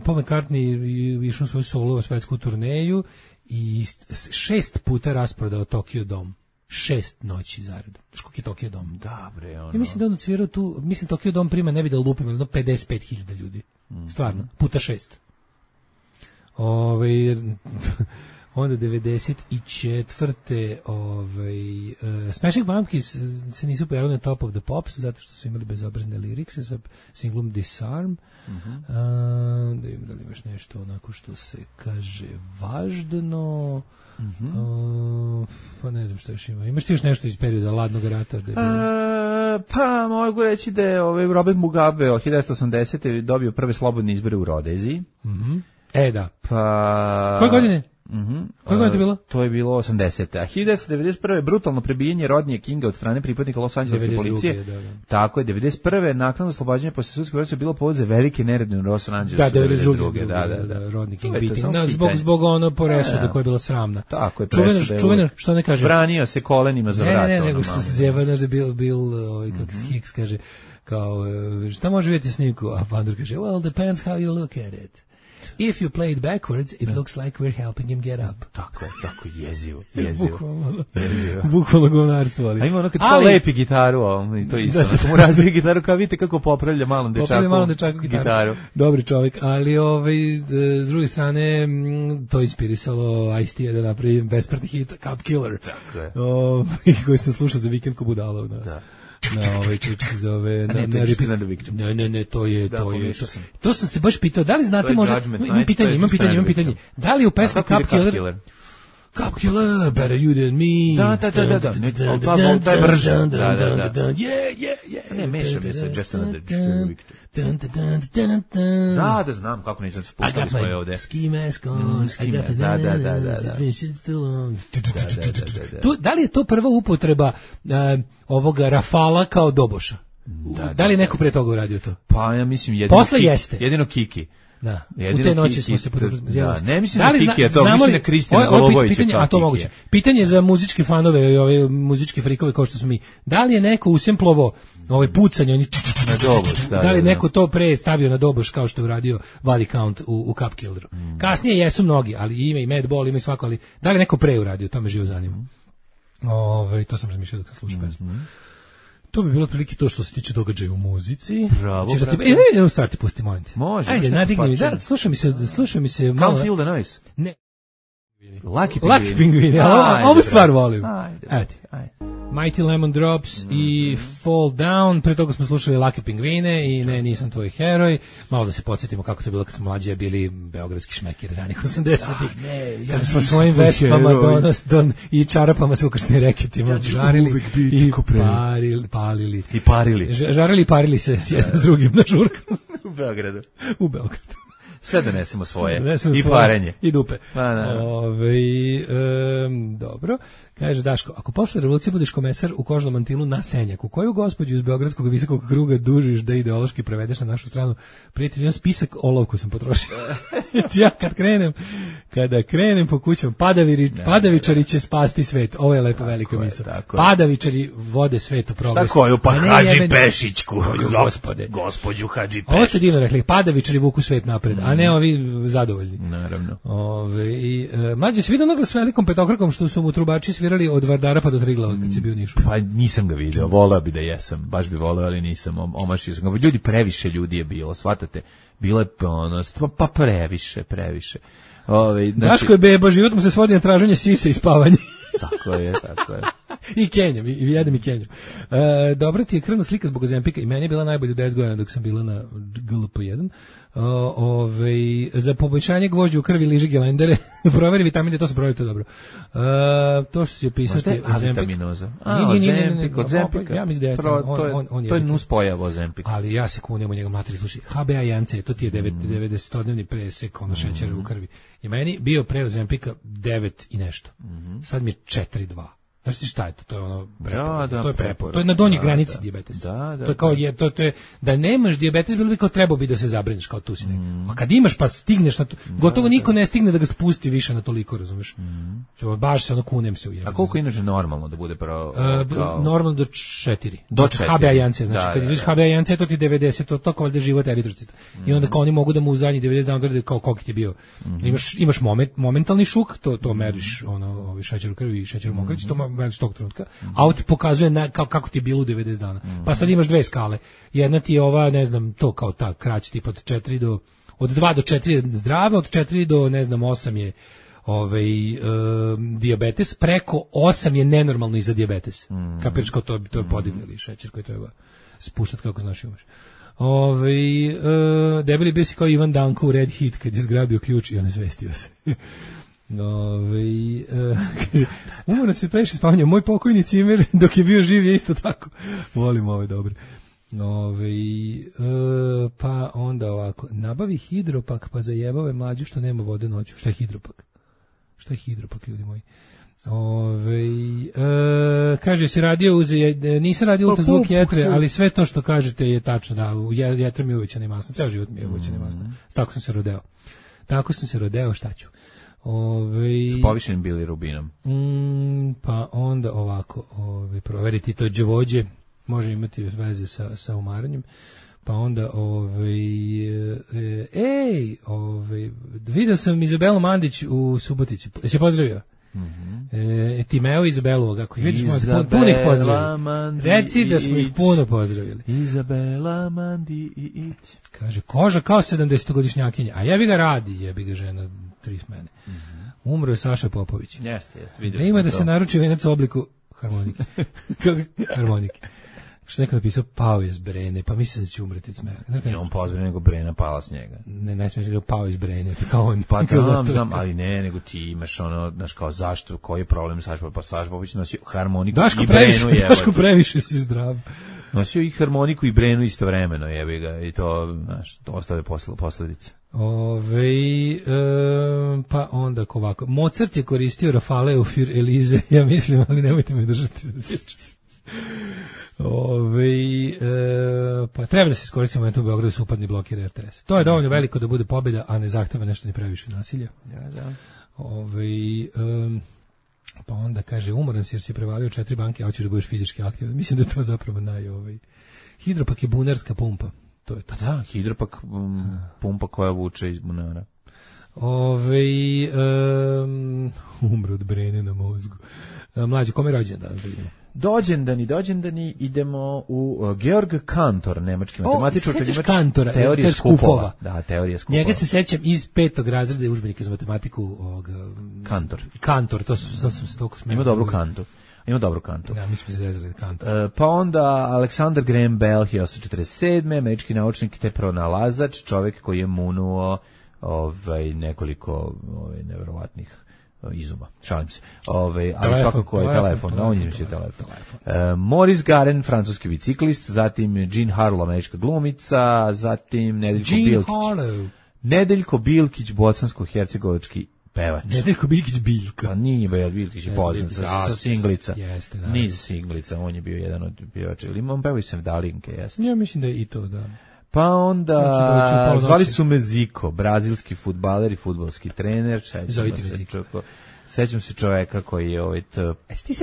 Paul McCartney išao svoju solo svetsku turneju i 6 puta rasprodao Tokyo Dome. 6 noći zaredom. Znaš koliko je Tokyo Dome? Da, bre, Ja mislim da on odsvirao tu, mislim Tokyo Dome prima, ne bi da lupim, ali 55.000 ljudi. Stvarno, puta 6. Onda 94. Smashing Pumpkins se nisu pojavili na Top of the Pops zato što su imali bezobrazne lirikse sa singlom Disarm. Da im da li imaš nešto onako što se kaže važno. Pa ne znam što još ima. Imaš ti još nešto iz perioda Ladnog rata? Pa mogu reći da je Robert Mugabe od 1980. dobio prve slobodne izbore u Rodeziji. Da. Pa... Koje godine? Koje godine je to bilo? To je bilo 80. A 1991. brutalno prebijenje Rodnija Kinga od strane pripadnika Los Angeleske policije. Tako je, 91. naknadno oslobađanje posle sudske procese bilo povod za velike nerede u Los Angelesu. 92. Da, Rodney King beating. Zbog ono presude koja je bila sramna. Tako je, čuvena, što ne kaže? Branio se kolenima za vrat. Ne, nego što se zjeva, znaš da Bill kako Hicks kaže, kao, šta može vidjeti snimku? A Pandor kaže, well, depends how you look at it. If you play it backwards, it looks like we're helping him get up. Tako jezivo. Bukvalno govnarstvo. A ima ono kad kao lepi gitaru, i to isto. Ako mu razbije gitaru, kao vidite kako popravlja malom dečaku gitaru. Dobri čovjek, ali s druge strane, to inspirisalo Ice-T da napravi besmrtni hit Cup Killer. Tako je. Koji sam slušao za vikend ko budala. Da. Kako se zove, ne, to je. To sam se baš pitao, da li znate možda, imam pitanje. Da li u pesmi Cup Killer, better you than me. Da. To je brže. Ne, mešam je sa Just Another Victor. Da, znam kako neću spustali smo je ovde. Ski mask on. Da. Da li je to prva upotreba ovoga Rafala kao doboša? Da li je neko pre toga uradio to? Pa ja mislim jedino Kiki. Da, u te noći smo se da, ne mislim na Kiki, to mislim na Kristina Golobovića. A to moguće. Pitanje za muzičke fanove i ove muzičke frikove kao što smo mi. Da li je neko usemplovo pucanje, oni na doboš, da li neko to pre stavio na doboš kao što je uradio Body Count u Cup Killeru? Kasnije jesu mnogi, ali ima i Madball, ima i svako, ali da li neko pre uradio, to me živo zanima. To sam razmišljao kad slušam pesmu. To bi bilo prilike to što se tiče događaja u muzici. Bravo. Idemo starti, pusti, molim te. Može. Ajde, nadigni mi. Da, slušaj mi se malo. Can't feel the noise. Ne. Lucky Penguin. Ovu stvar volim. Ajde. Mighty Lemon Drops i Fall Down. Pre toga smo slušali Lucky Penguine i Ne, nisam tvoj heroj. Malo da se podsjetimo kako to je bilo kad smo mlađi bili beogradski šmekeri ranih 80-ih. Kada smo svojim vespama i čarapama sa ukršnim reketima žarili i palili. I parili. Žarili i parili se jedan s drugim na žurkama. U Beogradu. Sve donesemo svoje. I parenje. I dupe. Da. Dobro. Kaže Daško, ako posle revolucije budeš komesar u kožnom mantilu na Senjaku, koju gospođu iz Beogradskog visokog kruga dužiš da ideološki prevedeš na našu stranu? Prijatelj, jedan spisak olovku sam potrošio. Ja kada krenem po kućama, padavičari će spasti svet. Ovo je lepo veliko misao. Padavičari vode svet u progres. Šta koju? Pa Hadži Pešićku. Gospođu Hadži Pešić. Ovo ste divno rekli, padavičari vuku svet napred, a ne ovi zadovoljni. Naravno. Mlađe se vidio naglas s velikom petokrakom što su mu trubači svirali od Vardara pa do Triglava kad se bio u Nišu. Pa nisam ga video, voleo bi da jesam, baš bi voleo, ali nisam, omašio sam ga. Ljudi, previše ljudi je bilo, shvatate? Bilo je pa previše. Znači, Daško je beba, život mu se svodi na traženje sise i spavanje. Tako je. I Kenjam, i jedem i Kenjam. Dobra ti je krvna slika zbog Ozempika i meni je bila najbolja 10 godina dok sam bila na GLP-1. Za poboljšanje gvožđa u krvi liži gelendere, proveri vitamine, to se proveri, to je dobro. To što si opisati vitaminoza. Ozempika. Ja mislim da je to je nuspojav Ozempika. Ali ja se kunem u njega materi, slušaj, HbA1c, to ti je 90-dnevni presek šećera u krvi. I meni bio pre Ozempika 9 i nešto. Sad mi je 4,2. Znaš ti šta je to? To je ono to je prepor. To je na donjoj granici dijabetesa. To je kao to je da nemaš dijabetes, bilo bi kao trebao bi da se zabrineš kao tu si nek. A kad imaš pa stigneš na to, gotovo niko ne stigne da ga spusti više na toliko, razumeš? Baš se ono kunem se u jedno. A koliko inače normalno da bude normalno do 4. Do HbA1c, znači kad izviš HbA1c to ti 90, to kao da život eritrocita. I onda kao oni mogu da mu u zadnjih 90 dana odrede kao koliko ti je bio. Imaš momentalni šuk, to meriš ono šećer u krvi i šećer u mokraći, to već tog trenutka, a ovo ti pokazuje kako ti je bilo u 90 dana. Pa sad imaš dve skale. Jedna ti je ova, ne znam, to kao ta krać tipa od 2 do 4 je zdrave, od 4 do, ne znam, 8 je dijabetes, preko 8 je nenormalno i za dijabetes. Kapiraš kao to je podivljali šećer koji treba spuštati kako znaš imaš. Debeli bio si kao Ivan Danko u Red Heat kad je zgrabio ključ i on izvestio se. Umoran se previše spavanja. Moj pokojni cimer dok je bio živ je isto tako. Volim ove dobre. Pa onda ovako, nabavi hidropak pa zajebave mlađu što nema vode noću. Šta je hidropak? Šta je hidropak, ljudi moji? Kaže si radio nisam radio ultrazvuk jetre, ali sve to što kažete je tačno, da, jetra mi je uvećana i masna, ceo život mi je uvećana i masna. Tako sam se rodeo, šta ću? Sa povišenim bilirubinom. Pa onda ovako, proveriti to đavođe, može imati veze sa umaranjem. Pa onda video sam Izabelu Mandić u Subotici. Jesi je pozdravio? Timeo Izabelu, kako vidiš, puno ih pozdravili. Reci da smo ih puno pozdravili. Izabela Mandić. Kaže, koža kao 70-godišnjakinja, a jebi ga žena 3 smene. Umro je Saša Popović. Jeste, vidio. Ima da se naruči venac u obliku harmonike. Što neko napisao, pao je s Brene, pa mislim da će umreti od smeha. I on pozdravio, nego Brena pala s njega. Ne smiješ da pao iz Brene, kao on. Pa znam, ali ne, nego ti imaš ono, znaš kao zašto, koji je problem Saša, pa Saša Popović nosio harmoniku i Brenu. Daško previše si zdrav. Nosio i harmoniku i Brenu istovremeno, jebi ga, i to, znaš, to ostave posljedice. Pa onda ovako. Mozart je koristio Rafaleu für Elize, ja mislim, ali nemojte me držati za riječ. Pa treba da se iskoristimo momentu u Beogradu su upadni blokir RTS. To je dovoljno veliko da bude pobjeda, a ne zahteva nešto ni previše nasilja. Da. Pa onda kaže, umoran si jer si prevalio 4 banke, a hoćeš da budeš fizički aktivan. Mislim da je to zapravo Hidropak je bunarska pumpa. To je to. Pa da, hidropak pumpa koja vuče iz bunara. Umro od Brene na mozgu. Mlađe, kome je rođendan danas da vidimo? Dođendani, idemo u Georg Cantor, nemački matematičar, Kantora, teorije skupova. Da, teorije skupova. Njega se sećam iz 5. razreda udžbenika za matematiku Kantor, to se toliko smeli. Ima dobru kantu. Ja, mi smo se zezali Kantor. Pa onda Alexander Graham Bell, 1847. Američki naučnik te pronalazač, čovjek koji je munuo nekoliko neverovatnih izuma. Šalim se. Ali svakako je telefon. On je telefon. Maurice Garen, francuski biciklist, zatim Jean Harlow, američka glumica, zatim Nedeljko Bilkić. Nedeljko Bilkić, bosansko-hercegovački pevač. Nedeljko Bilkić Biljka. Pa nije Bilkić je poznat sa Singlica. Jeste, da. Niz Singlica, on je bio jedan od pevača. Ili on pevao i Sevdalinke, jeste. Ja mislim da je i to, da. Pa onda, zvali su me Ziko, brazilski fudbaler i fudbalski trener. Sećam se čoveka koji je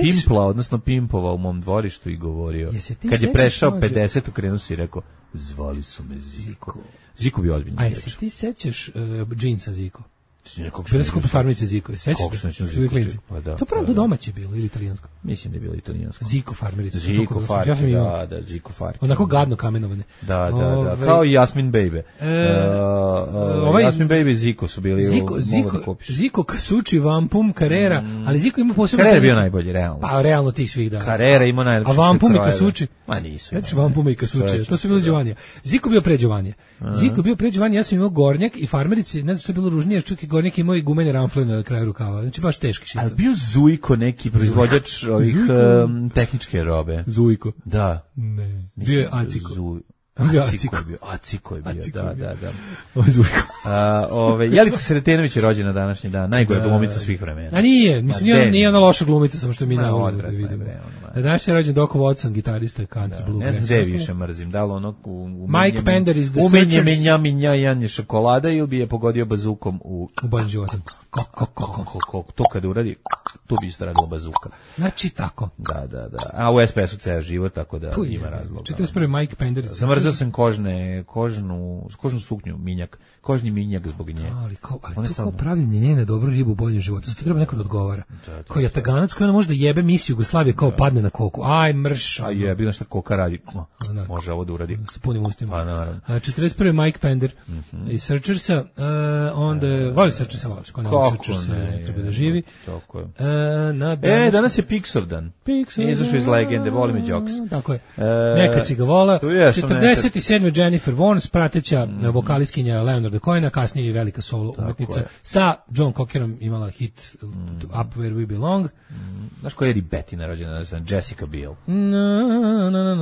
pimpla, odnosno pimpovao u mom dvorištu i govorio. Kad je prešao 50, ukrenuo se i rekao, zvali su me Ziko. Ziko bi ozbiljno. A jesi ti sećaš džinsa Ziko? Bila skupa farmice Ziko, sećaš se? Pa da. To pravo domaće bilo ili italijansko? Mislim da je bilo italijansko. Ziko farmerice. Ziko farke, da, Ziko farke. Onako gadno kamenovane. Da, kao i Jasmin Baby. Jasmin Baby i Ziko su bili Ziko, Kasuči, Vampum, Carrera, ali Ziko ima posebno... Carrera je bio najbolji, realno. Pa realno tih svih, da. Carrera ima najlepši. A Vampum i Kasuči? Ma nisu. Znači Vampum i Kasuči, to su bili Đovanija. Ziko bio pre Đovanija. Ja sam imao Gornjak i farmerici, ne znam što je bilo ružnije, čak i Gornjak imao i gumene ramfle na kraju rukava. Znači baš teški šit. Ali bio Zujko neki proizvođač ovih tehničke robe. Zujko? Da. Ne. Bio je Aciko. Aciko je bio, da. Jelica Sretenović je rođena današnji dan, najgore glumica svih vremena. A nije, mislim, nije ona loša glumica, samo što mi ne volimo da vidimo. Danas je rođen Doko Watson, gitarista country bluegrass. Ne znam gde više mrzim, da li ono Mike Pender iz The Searchers. Minja Jan je šokolada ili bi je pogodio bazukom u boljem životu. To kada uradi, tu bi isto radila bazuka. Znači tako. Da. A u SPS-u ceo život, tako da ima razloga. 41. Mike Pender. Zamrzao sam kožnu suknju, minjak, kožni minjak zbog nje. Ali to kao pravljenje njene dobru ribu u boljem životu. Zato treba neko da odgovara. Koji je Taganac koji ona može da jebe misiju Jugoslavije kao padne na koku. Aj, mrš. A jebi na šta koka radi. Može ovo da uradi. Sa punim ustima. Pa naravno. 41. Mike Pender i Searchersa. Onda, voli Searchersa, voliš. Kako ne. Treba da živi. Tako je. Danas je Pixar dan. Izašao iz legende, voli me Jokes. Tako je. Nekad si ga vola. 47. Jennifer Warnes, prateća vokalistkinja Leonarda Cohena, kasnije i velika solo umetnica. Sa John Cockerom imala hit Up Where We Belong. Znaš koja je Ribetina rođena? Jessica Biel.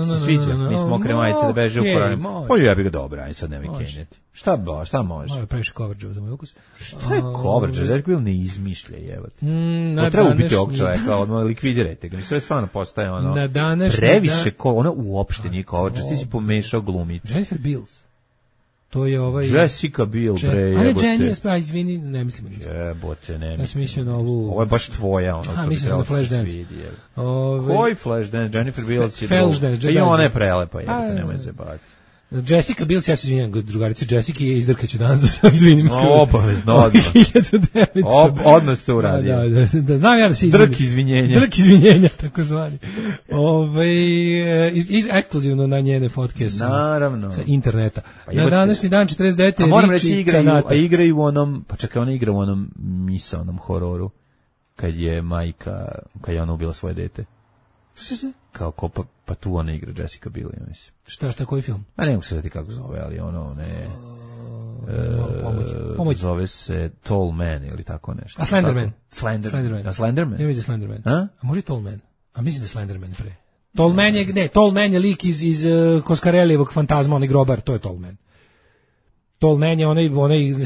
Se sviđa? Mi smo okre majice da beže u koranim. Pa ja bi ga dobra, aj sad nemoj kenjati. Šta može? Malo previše coverage za moj ukus. Šta je coverage? Jessica Biel ne izmišlja, jevati. Treba ubiti ovog čoveka, odmah likvidirajte ga. Mi sve stvarno postaje ono previše, ona uopšte nije coverage. Ti si pomešao glumice. Jennifer Beals. To je Jessica Biel, bre, jebote. Ali Jenny, pa izvini, ne mislim ništa. Jebote, ne mislim. Ja sam mislio na ovu... Ovo je baš tvoja, ono što bi trebalo se svidi. Koji Flashdance? Jennifer Beals je druga. I ona je prelepa, jebote, nemoj se baviti. Jessica Biel, ja se izvinjam, drugarice Jessica je izdrkaću danas da se izvinim. Obavezno, odmah ste uradio. Da, znam ja da se izvinim. Drk izvinjenja, tako zvani. Ekskluzivno na njene fotke sa interneta. Na današnji dan 49. A moram reći, igraju u onom, pa čekaj, ona igra u onom misaonom hororu, kad je majka, kad je ona ubila svoje dete. Što se? Kao pa tu ona igra Jessica Biel, ja mislim. Šta, koji film? A ne mogu se dati kako zove, ali ono ne... Pomoć. Zove se Tall Man ili tako nešto. A Slenderman? Slenderman. A Slenderman? Ja mislim Slenderman. A može Tall Man? A mislim da Slenderman pre. Tall Man je gde? Tall Man je lik iz Coscarellijevog Fantazma, onaj grobar, to je Tall Man. Tall Man je onaj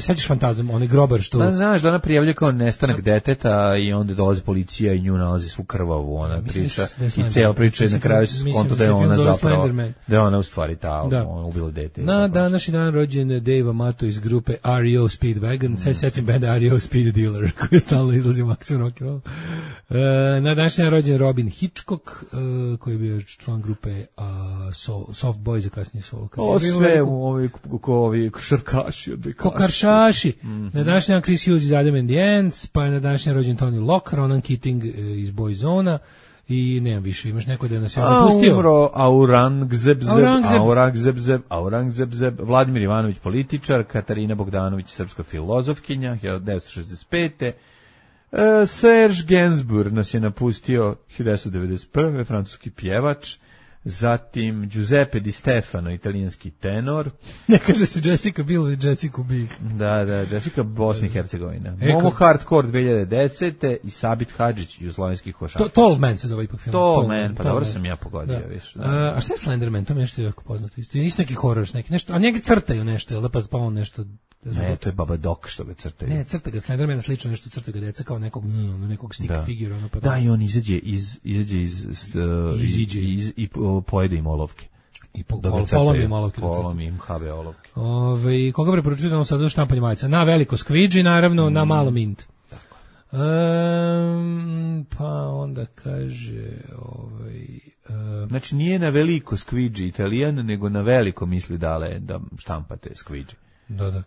sećaš Fantazam, onaj grobar što... Da, znaš da ona prijavlja kao nestanak deteta i onda dolazi policija i nju nalazi svu krvavu, ona priča i cijela priča je na kraju se skonto da je ona zapravo, da je ona u stvari ona ubila dete. Na današnji dan rođen Dave Amato iz grupe REO Speedwagon, sad setim benda REO Speed Dealer, koji stalno izlazi u Maximum Rock'n'Roll. Na današnji dan rođen Robin Hitchcock, koji je bio član grupe Soft Boys, a kasnije Soul. O sve ovi Kokaršaši. Na današnji dan Chris Hughes iz Adam and the Ants, pa je na današnji dan rođen Tony Locke, Ronan Keating iz Boyzona i nemam više, imaš neko da nas je napustio. Umro Aurangzeb, Vladimir Ivanović političar, Katarina Bogdanović srpska filozofkinja, 1965. Serge Gainsbourg nas je napustio 1991. francuski pjevač. Zatim Giuseppe Di Stefano, italijanski tenor. Ne kaže se Jessica Biel ili Jessica Biel. Da, Jessica Bosna i Hercegovina. Momo Hardcore 2010. i Sabit Hadžić, jugoslovenski košarkaš. Tall Man se zove ipak film. Tall Man, pa dobro sam ja pogodio. Više. A šta je Slenderman? To mi nešto jako poznato. Isto neki horor, neki nešto, a njega crtaju nešto, jel pa on nešto... Ne, to je Baba Dok što ga crtaju. Ne, crta ga Slendermana slično nešto, crta ga deca kao nekog stick figura. Ono, pa da, i on izađe i pojede im olovke. I polomi im olovke. Polomi im habe olovke. Koga preporučujemo sad u štampanju majica? Na veliko Squidgy, naravno, na malo Mint. Pa onda kaže... Znači nije na veliko Squidgy Italijan, nego na veliko misli dale da štampate Squidgy. Da.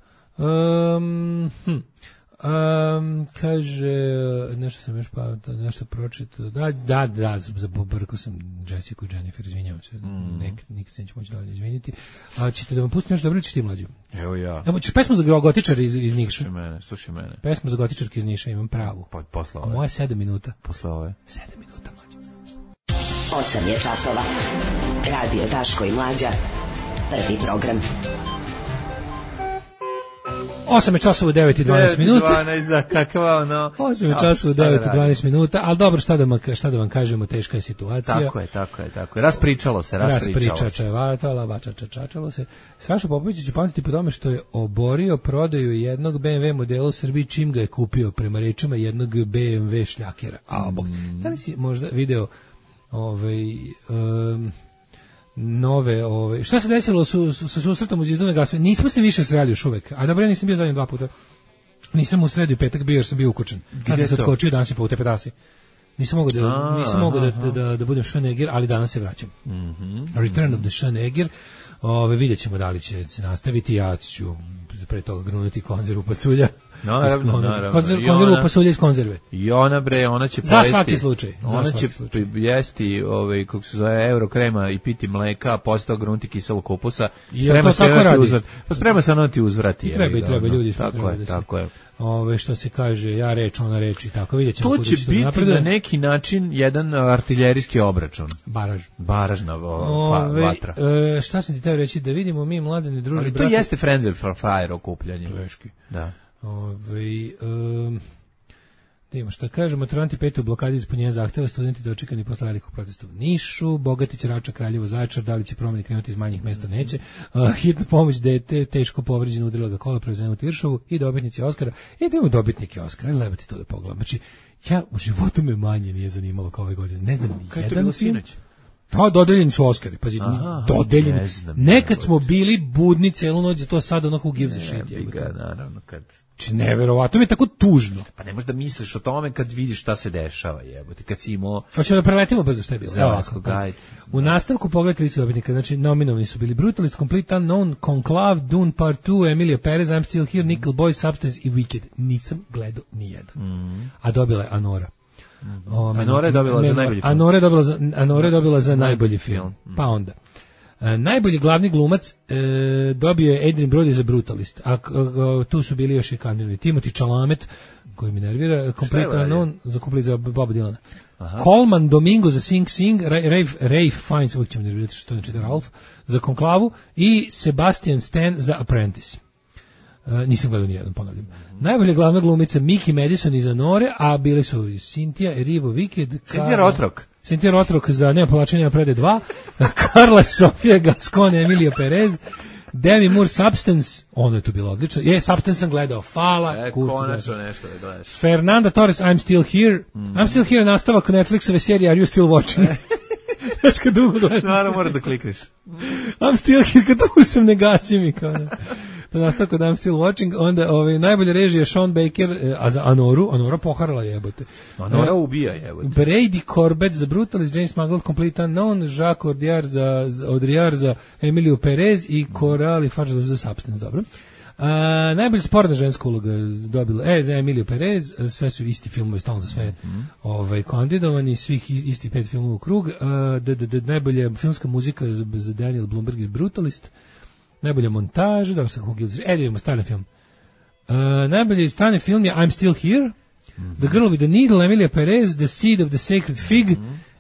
Kaže, nešto sam još nešto pročitao. Da, zabrkao sam Jessica i Jennifer, izvinjavam se. Nikad se neću moći dalje izviniti. A ćete da vam pustim nešto dobro, ćeš ti mlađu? Evo ja. Evo, ćeš pesmu za gotičara iz Niša. Slušaj mene. Pesmu za gotičarke iz Niša, imam pravu. Posle ove. A moja 7 minuta. Posle ove. 7 minuta, mlađu. 8 je časova. Radio Daško i Mlađa. Prvi program. 8 je časova u 9 i 12 minuta. 12, da, kakva ono. 8 je časova u 9 i 12 minuta, ali dobro, šta da vam kažemo, teška je situacija. Tako je. Raspričalo se. Čačalo se. Saša Popović će pamtiti po tome što je oborio prodaju jednog BMW modela u Srbiji čim ga je kupio, prema rečima jednog BMW šljakera. Da li si možda video nove, šta se desilo sa susretom uz Izduna Gasove? Nismo se više sreli još uvek, a dobro, ja nisam bio zadnjih 2 puta. Nisam u sredu i petak bio jer sam bio ukučen. Kad sam se odkočio, danas je po utepetasi. Nisam mogao da budem Schwarzenegger, ali danas se vraćam. Return of the Schwarzenegger. Vidjet ćemo da li će se nastaviti. Ja ću pre toga grunuti konzervu pasulja. Naravno. Konzervu pasulja iz konzerve. I ona će za svaki slučaj. Ona će jesti kako se zove Eurokrema i piti mleka, a posle toga grunuti kiselog kupusa. Sprema se ono ti uzvrati. Treba ljudi. Tako je. Što se kaže, ja reč, ona reč i tako. Vidjet ćemo. To će biti na neki način jedan artiljerijski obračun. Baražna vatra. Šta sam ti teo reći, da vidimo mi mladene druže. Ali to jeste friendly for fire okupljanje. Teški. Da. Da imamo šta kažemo, maturanti 5. u blokadi ispunjenja zahteva, studenti dočekani posle velikog protesta u Nišu, Bogatić, Rača, Kraljevo, Zaječar, da li će promeni krenuti iz manjih mesta, neće. Hitna pomoć dete, teško povređeno, udrila ga kola, prevezeno u Tiršovu i dobitnici Oskara. I da imamo dobitnike Oskara, leba ti to da pogledam. Znači, ja u životu me manje nije zanimalo kao ove godine. Ne znam, jedan film. Dodeljeni su Oskari, pazi, dodeljeni. Nekad smo bili budni celu noć, za to sad ono who gives a shit. Naravno, kad... Neverovatno, mi je tako tužno. Pa ne možeš da misliš o tome kad vidiš šta se dešava, jebote, kad si imao... Hoćemo da preletimo brzo šta je bilo. Gajde. U nastavku pogledajte listu dobitnika, znači nominovani su bili Brutalist, Complete Unknown, Conclave, Dune Part 2, Emilia Perez, I'm Still Here, Nickel Boy, Substance i Wicked. Nisam gledao nijedan. A dobila je Anora. Anora je dobila za najbolji film. Anora je dobila za najbolji film. Pa onda. Najbolji glavni glumac dobio je Adrien Brody za Brutalist, a tu su bili još i kandidati Timothy Chalamet, koji mi nervira, Complete Unknown za Boba Dylana. Coleman Domingo za Sing Sing, Rafe Fiennes, uvijek ćemo nervirati što znači da Ralph, za Konklavu i Sebastian Stan za Apprentice. Nisam gledao nijedan, ponavljam. Najbolja glavna glumica Mickey Madison iz Anore, a bili su Cynthia Erivo Wicked, Cynthia Rotrok za Nema povlačenja prede 2, Carla Sofia Gascon, Emilia Perez, Demi Moore Substance, ono je tu bilo odlično. Substance sam gledao, hvala. Konačno nešto da gledaš. Fernanda Torres, I'm Still Here. I'm Still Here je nastavak Netflixove serije Are You Still Watching? Znači kad dugo gledam. Naravno moraš da klikneš. I'm Still Here, kad dugo sam ne gasim i kao ne. To nastavak od I'm Still Watching, onda najbolje režije Sean Baker, a za Anora poharala jebote. Anora ubija jebote. Brady Corbett za Brutalist, James Mangold, Complete Unknown, Jacques Audiard za Emiliju Perez i Coralie Farge za Substance, dobro. Najbolje sporna ženska uloga dobila za Emiliju Perez, sve su isti filmovi, stalno za sve kandidovani, svih isti 5 filmova u krug. Najbolja filmska muzika za Daniel Blumberg iz Brutalist. Najbolja montaža, da se idemo strani film. Najbolji strani film je I'm Still Here, The Girl with the Needle, Emilia Perez, The Seed of the Sacred Fig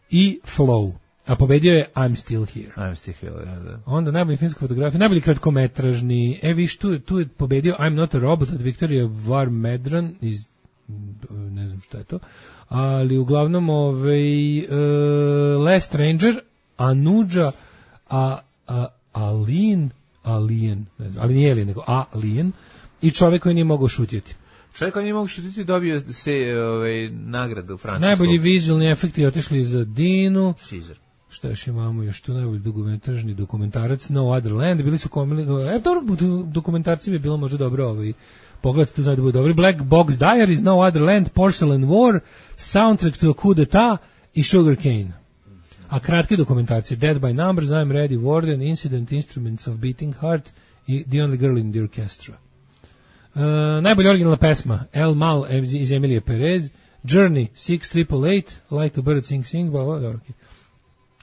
i Flow. a pobedio je I'm Still Here. I'm Still Here, da. Onda najbolji filmska fotografija, najbolji kratkometražni, viš, tu je pobedio I'm Not a Robot od Viktorije Varmedran iz, ne znam šta je to, ali uglavnom Last Stranger, Anuja, Alien, ne znam, ali nije Alien, nego Alien, i čovjek koji nije mogao šutjeti. Čovjek koji nije mogao šutiti dobio se nagradu u Francusku. Najbolji vizualni efekti otišli za Dinu. Caesar. Šta još imamo još tu, najbolji dugometražni dokumentarac No Other Land, bili su dokumentarci bi bilo možda dobro pogledajte, to znaju da bude dobri. Black Box Diaries, No Other Land, Porcelain War, Soundtrack to a Coup d'etat i Sugar Cane. A kratke dokumentacije Dead by Numbers, I'm Ready, Warden, Incident, Instruments of Beating Heart i The Only Girl in the Orchestra. Najbolja originalna pesma El Mal iz Emilije Perez, Journey 6888, Like a Bird Sing, okay.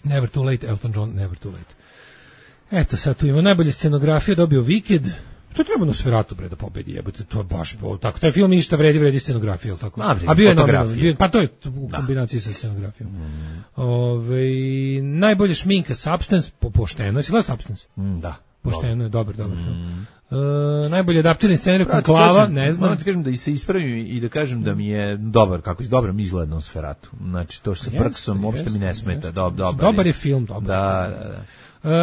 Never Too Late, Elton John, Never Too Late. Eto, sad tu ima najbolje scenografije, dobio Wicked. To treba Nosferatu bre da pobedi, jebote, to je baš tako. Taj film ništa vredi scenografija, al tako. A bio je nominovan, pa to je u kombinaciji sa scenografijom. Najbolje šminka Substance, pošteno, si gledao Substance? Da. Pošteno je, dobar film. Najbolje adaptirani scenarij Konklava, ne znam. Moram ti kažem da se ispravim i da kažem da mi je dobar, kako je dobro mi izgleda Nosferatu. Znači, to što sa Prksom uopšte mi ne smeta. Dobar je film, dobar. Da.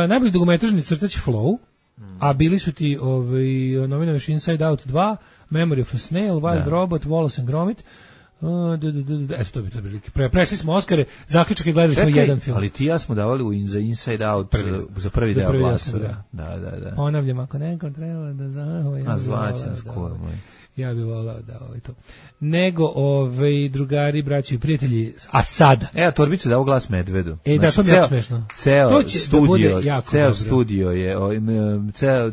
Najbolji dugometražni crtač Flow, a bili su ti nominalni Inside Out 2, Memory of a Snail, Wild Robot, Wallace and Gromit. Eto, to bi to bili. Prešli smo Oskare, zaključak je gledali smo jedan film. Ali ti ja smo davali za Inside Out za prvi deo glasa. Da. Ponavljam, ako nekom treba da zvaćam skoro moj. Ja bih volao da to. Nego drugari, braći i prijatelji, a sada. Torbica dao glas medvedu. Da, to mi je smešno. Ceo studio je,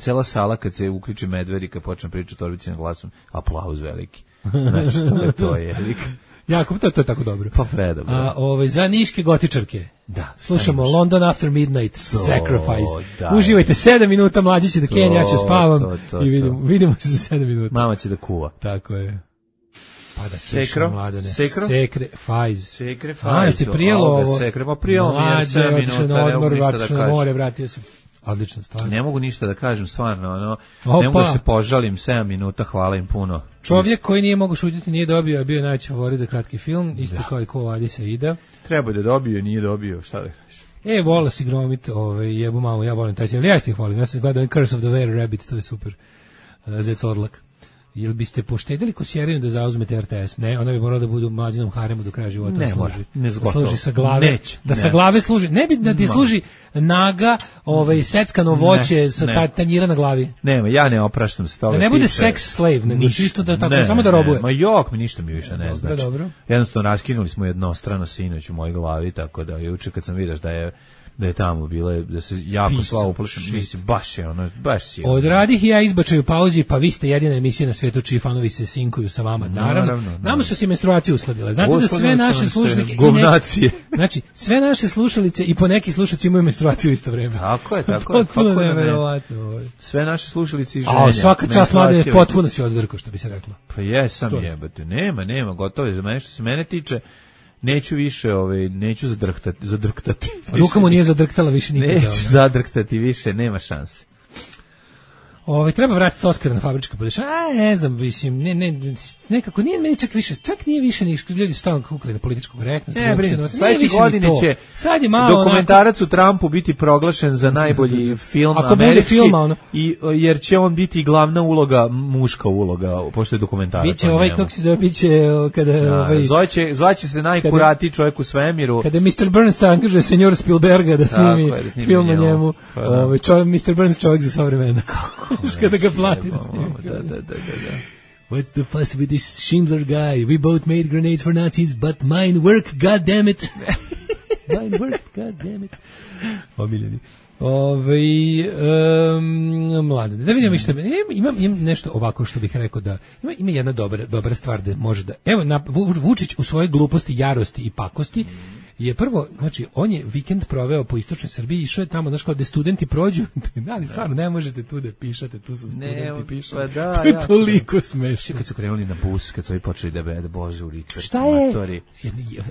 cela sala kad se uključi medved i kad počne pričati Torbicim glasom, aplauz veliki. Znači, to je veliki. Jako, to je tako dobro. Pa predobro. Za niške gotičarke. Da. Slušamo London After Midnight, Sacrifice. Uživajte 7 minuta, mlađi će da kenja, ja ću spavam i vidimo se za 7 minuta. Mama će da kuva. Tako je. Pa da Sekro? Sacrifice. Ti prijelo ovo. Sekre, pa prijelo mi je 7 minuta, ne mogu ništa da kažem. More, vratio se. Odlična stvar. Ne mogu ništa da kažem, stvarno, ne mogu da se požalim, 7 minuta, hvala im puno. Čovjek koji nije mogu šutiti, nije dobio, a bio je najveći favorit za kratki film, isto kao i Ko Adisa Ida. Treba da dobio, nije dobio, šta da kažeš? Wallace i Gromit, jebu mamu, ja volim taj film, ja ih volim, ja sam gledao Curse of the Were Rabbit, to je super, Zec Orlak. Jel biste poštedili Kosjerinu da zauzmete RTS? Ne, ona bi morala da budu u mlađinom haremu do kraja života. Ne mora, ne zgotovo. Služi sa glave. Sa glave služi. Ne bi da ti služi naga, seckano voće sa tanjira na glavi. Nema, ja ne opraštam se toga. Da ne bude sex slave, nego čisto da tako, samo da robuje. Ma ništa mi više ne znači. Jednostavno raskinuli smo jednostrano sinoć u mojoj glavi, tako da juče kad sam vidio da je tamo bile, da se jako sva uplašim, mislim, baš je. Odradih ja izbačaju pauzi, pa vi ste jedina emisija na svijetu čiji fanovi se sinkuju sa vama. Naravno. Nama su se menstruacije uskladile. Znate da sve naše slušalice znači, sve naše slušalice i po neki slušalci imaju menstruaciju u isto vrijeme. Tako je. Potpuno neverovatno. Sve naše slušalice i ženja. A svaka čast mlade, potpuno si odvrko, što bi se reklo. Pa jesam jebate. Nema, gotovo je za mene što se mene tiče. Neću više, neću zadrktati. Ruka mu nije zadrktala više nikada. Neću zadrktati više, nema šanse. Treba vratiti Oskara na fabričko podešanje. Ne znam, mislim, nekako nije meni čak nije više ni ljudi stalno kukali na političku korektnost. Sljedeće godine će dokumentarac u Trumpu biti proglašen za najbolji film američki, jer će on biti glavna uloga, muška uloga, pošto je dokumentarac. Biće kako se zove, biće kada... Zvaće se najkuratiji čovjek u svemiru. Kada Mr. Burns angažuje senjor Spielberga da snimi film o njemu, Mr. Burns čovjek za sva vremena. Kada ga plati da snimi. Da. What's the fuss with this Schindler guy? We both made grenades for Nazis, but mine work, goddammit. Mine worked, goddammit. Omiljeni. Mlade, da vidimo što imam nešto ovako što bih rekao da ima jedna dobra stvar da može da... Evo, Vučić u svojoj gluposti, jarosti i pakosti je prvo, znači, on je vikend proveo po istočnoj Srbiji, išao je tamo, znaš, kao da studenti prođu, ali stvarno ne možete tu da pišete, tu su studenti pišu. Pa da, to je toliko smešno. Kad su krenuli na bus, kad su ovi počeli da bože u Ričarci, šta je? Matori.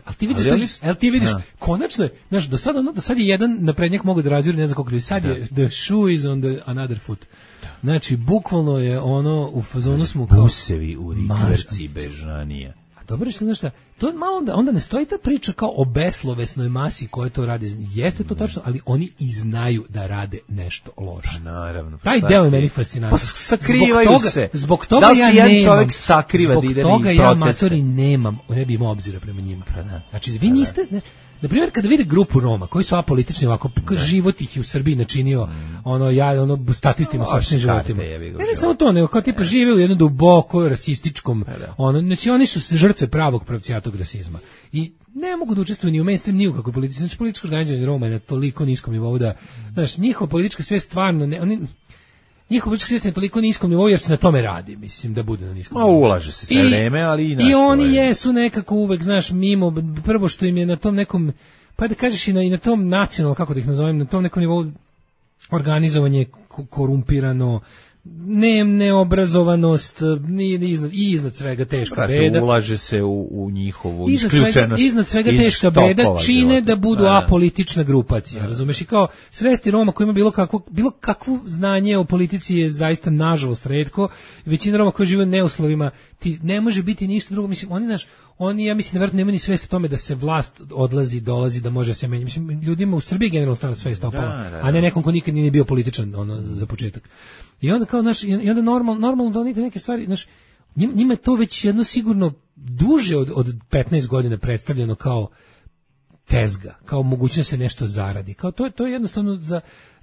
Ali ti vidiš, konačno je, znaš, do sad je jedan naprednjak mogu da razjuri, ne znam koliko ljudi, sad je the shoe is on the another foot. Znači, bukvalno je ono, u fazonu smo kao... Busevi u Ričarci, Bežanija. Dobro što znaš šta, to malo onda ne stoji ta priča kao o beslovesnoj masi koja to radi. Jeste to tačno, ali oni i znaju da rade nešto loše. Pa naravno. Taj deo je meni fascinantan. Pa sakrivaju se. Zbog toga ja jedan čovjek sakriva da ide proteste. Zbog toga ja matori nemam, ne bi imao obzira prema njima. Znači, vi niste... Na primjer, kada vide grupu Roma koji su apolitični, ovako život ih je u Srbiji načinio statistima sopstvenim životima. Ne samo to, nego kao tipa žive u jednom duboko rasističkom, znači oni su žrtve pravog pravcijatog rasizma. I ne mogu da učestvuju ni u mainstream, ni u kakvoj politici. Znači, političko organizovanje Roma je na toliko niskom nivou da, znaš, njihova politička svest stvarno, njihova politička svest je na toliko niskom nivou jer se na tome radi, mislim, da bude na niskom nivou. Ulaže se sve vreme, ali i oni jesu nekako uvek, znaš, mimo, prvo što im je na tom nekom, pa da kažeš i na tom nacionalno, kako da ih nazovem, na tom nekom nivou organizovanje korumpirano, neobrazovanost i iznad svega teška beda. Ulaže se u njihovu isključenost. Iznad svega teška beda čine da budu apolitična grupacija, razumeš? I kao svesti Roma koji ima bilo kakvo znanje o politici je zaista nažalost retko. Većina Roma koji žive u neuslovima, ti ne može biti ništa drugo. Mislim, oni ja mislim da verovatno nemaju ni svest o tome da se vlast odlazi, dolazi, da može se menjati. Mislim, ljudima u Srbiji generalno ta svest opala, a ne nekom ko nikad nije bio političan za početak. I onda kao i onda normalno da oni neke stvari, njima je to već jedno sigurno duže od 15 godina predstavljeno kao tezga, kao mogućnost se nešto zaradi. Kao to je jednostavno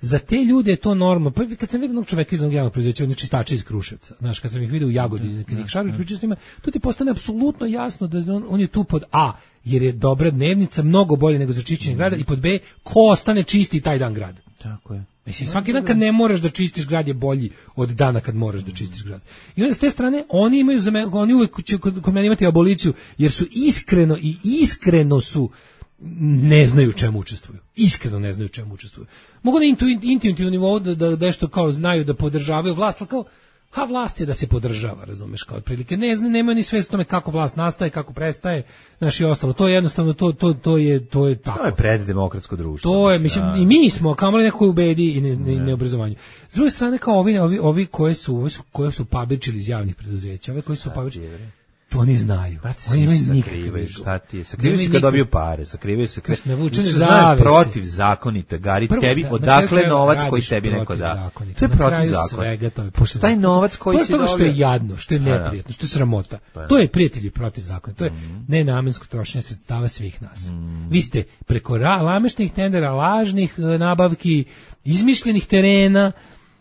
za te ljude je to normalno. Pa kad sam vidio jednog čoveka iz onog javnog preduzeća, oni čistači iz Kruševca, znaš, kad sam ih vidio u Jagodini, kad ih šaruš pričaju s njima, to ti postane apsolutno jasno da on je tu pod A, jer je dobra dnevnica, mnogo bolje nego za čišćenje grada, i pod B, ko ostane čisti taj dan grad. Tako je. Mislim, svaki dan kad ne moraš da čistiš grad je bolji od dana kad moraš da čistiš grad. I onda s te strane, oni uvek će kod mene imati aboliciju, jer su iskreno su ne znaju čemu učestvuju. Iskreno ne znaju čemu učestvuju. Mogu na intuitivnom nivou da nešto kao znaju da podržavaju vlast, ali kao vlast je da se podržava, razumeš, kao otprilike. Nemaju ni svest o tome kako vlast nastaje, kako prestaje, znaš, i ostalo. To je jednostavno, to je tako. To je preddemokratsko društvo. To je, mislim, i mi smo, kamoli nekoj u bedi i neobrazovanju. S druge strane, kao ovi koje su pabičili iz javnih preduzeća, ove koji su pabičili, to oni znaju. Oni imaju nikakve. Šta ti je? Sakrivaju se kad dobiju pare, sakrivaju se kad znaju protivzakonito. Gari tebi, odakle novac koji tebi neko da. To je protivzakonito. Pošto taj novac koji si dobio... što je jadno, što je neprijatno, što je sramota. To je, prijatelji, protivzakonito. To je nenamensko trošenje sredstava svih nas. Vi ste preko lamešnih tendera, lažnih nabavki, izmišljenih terena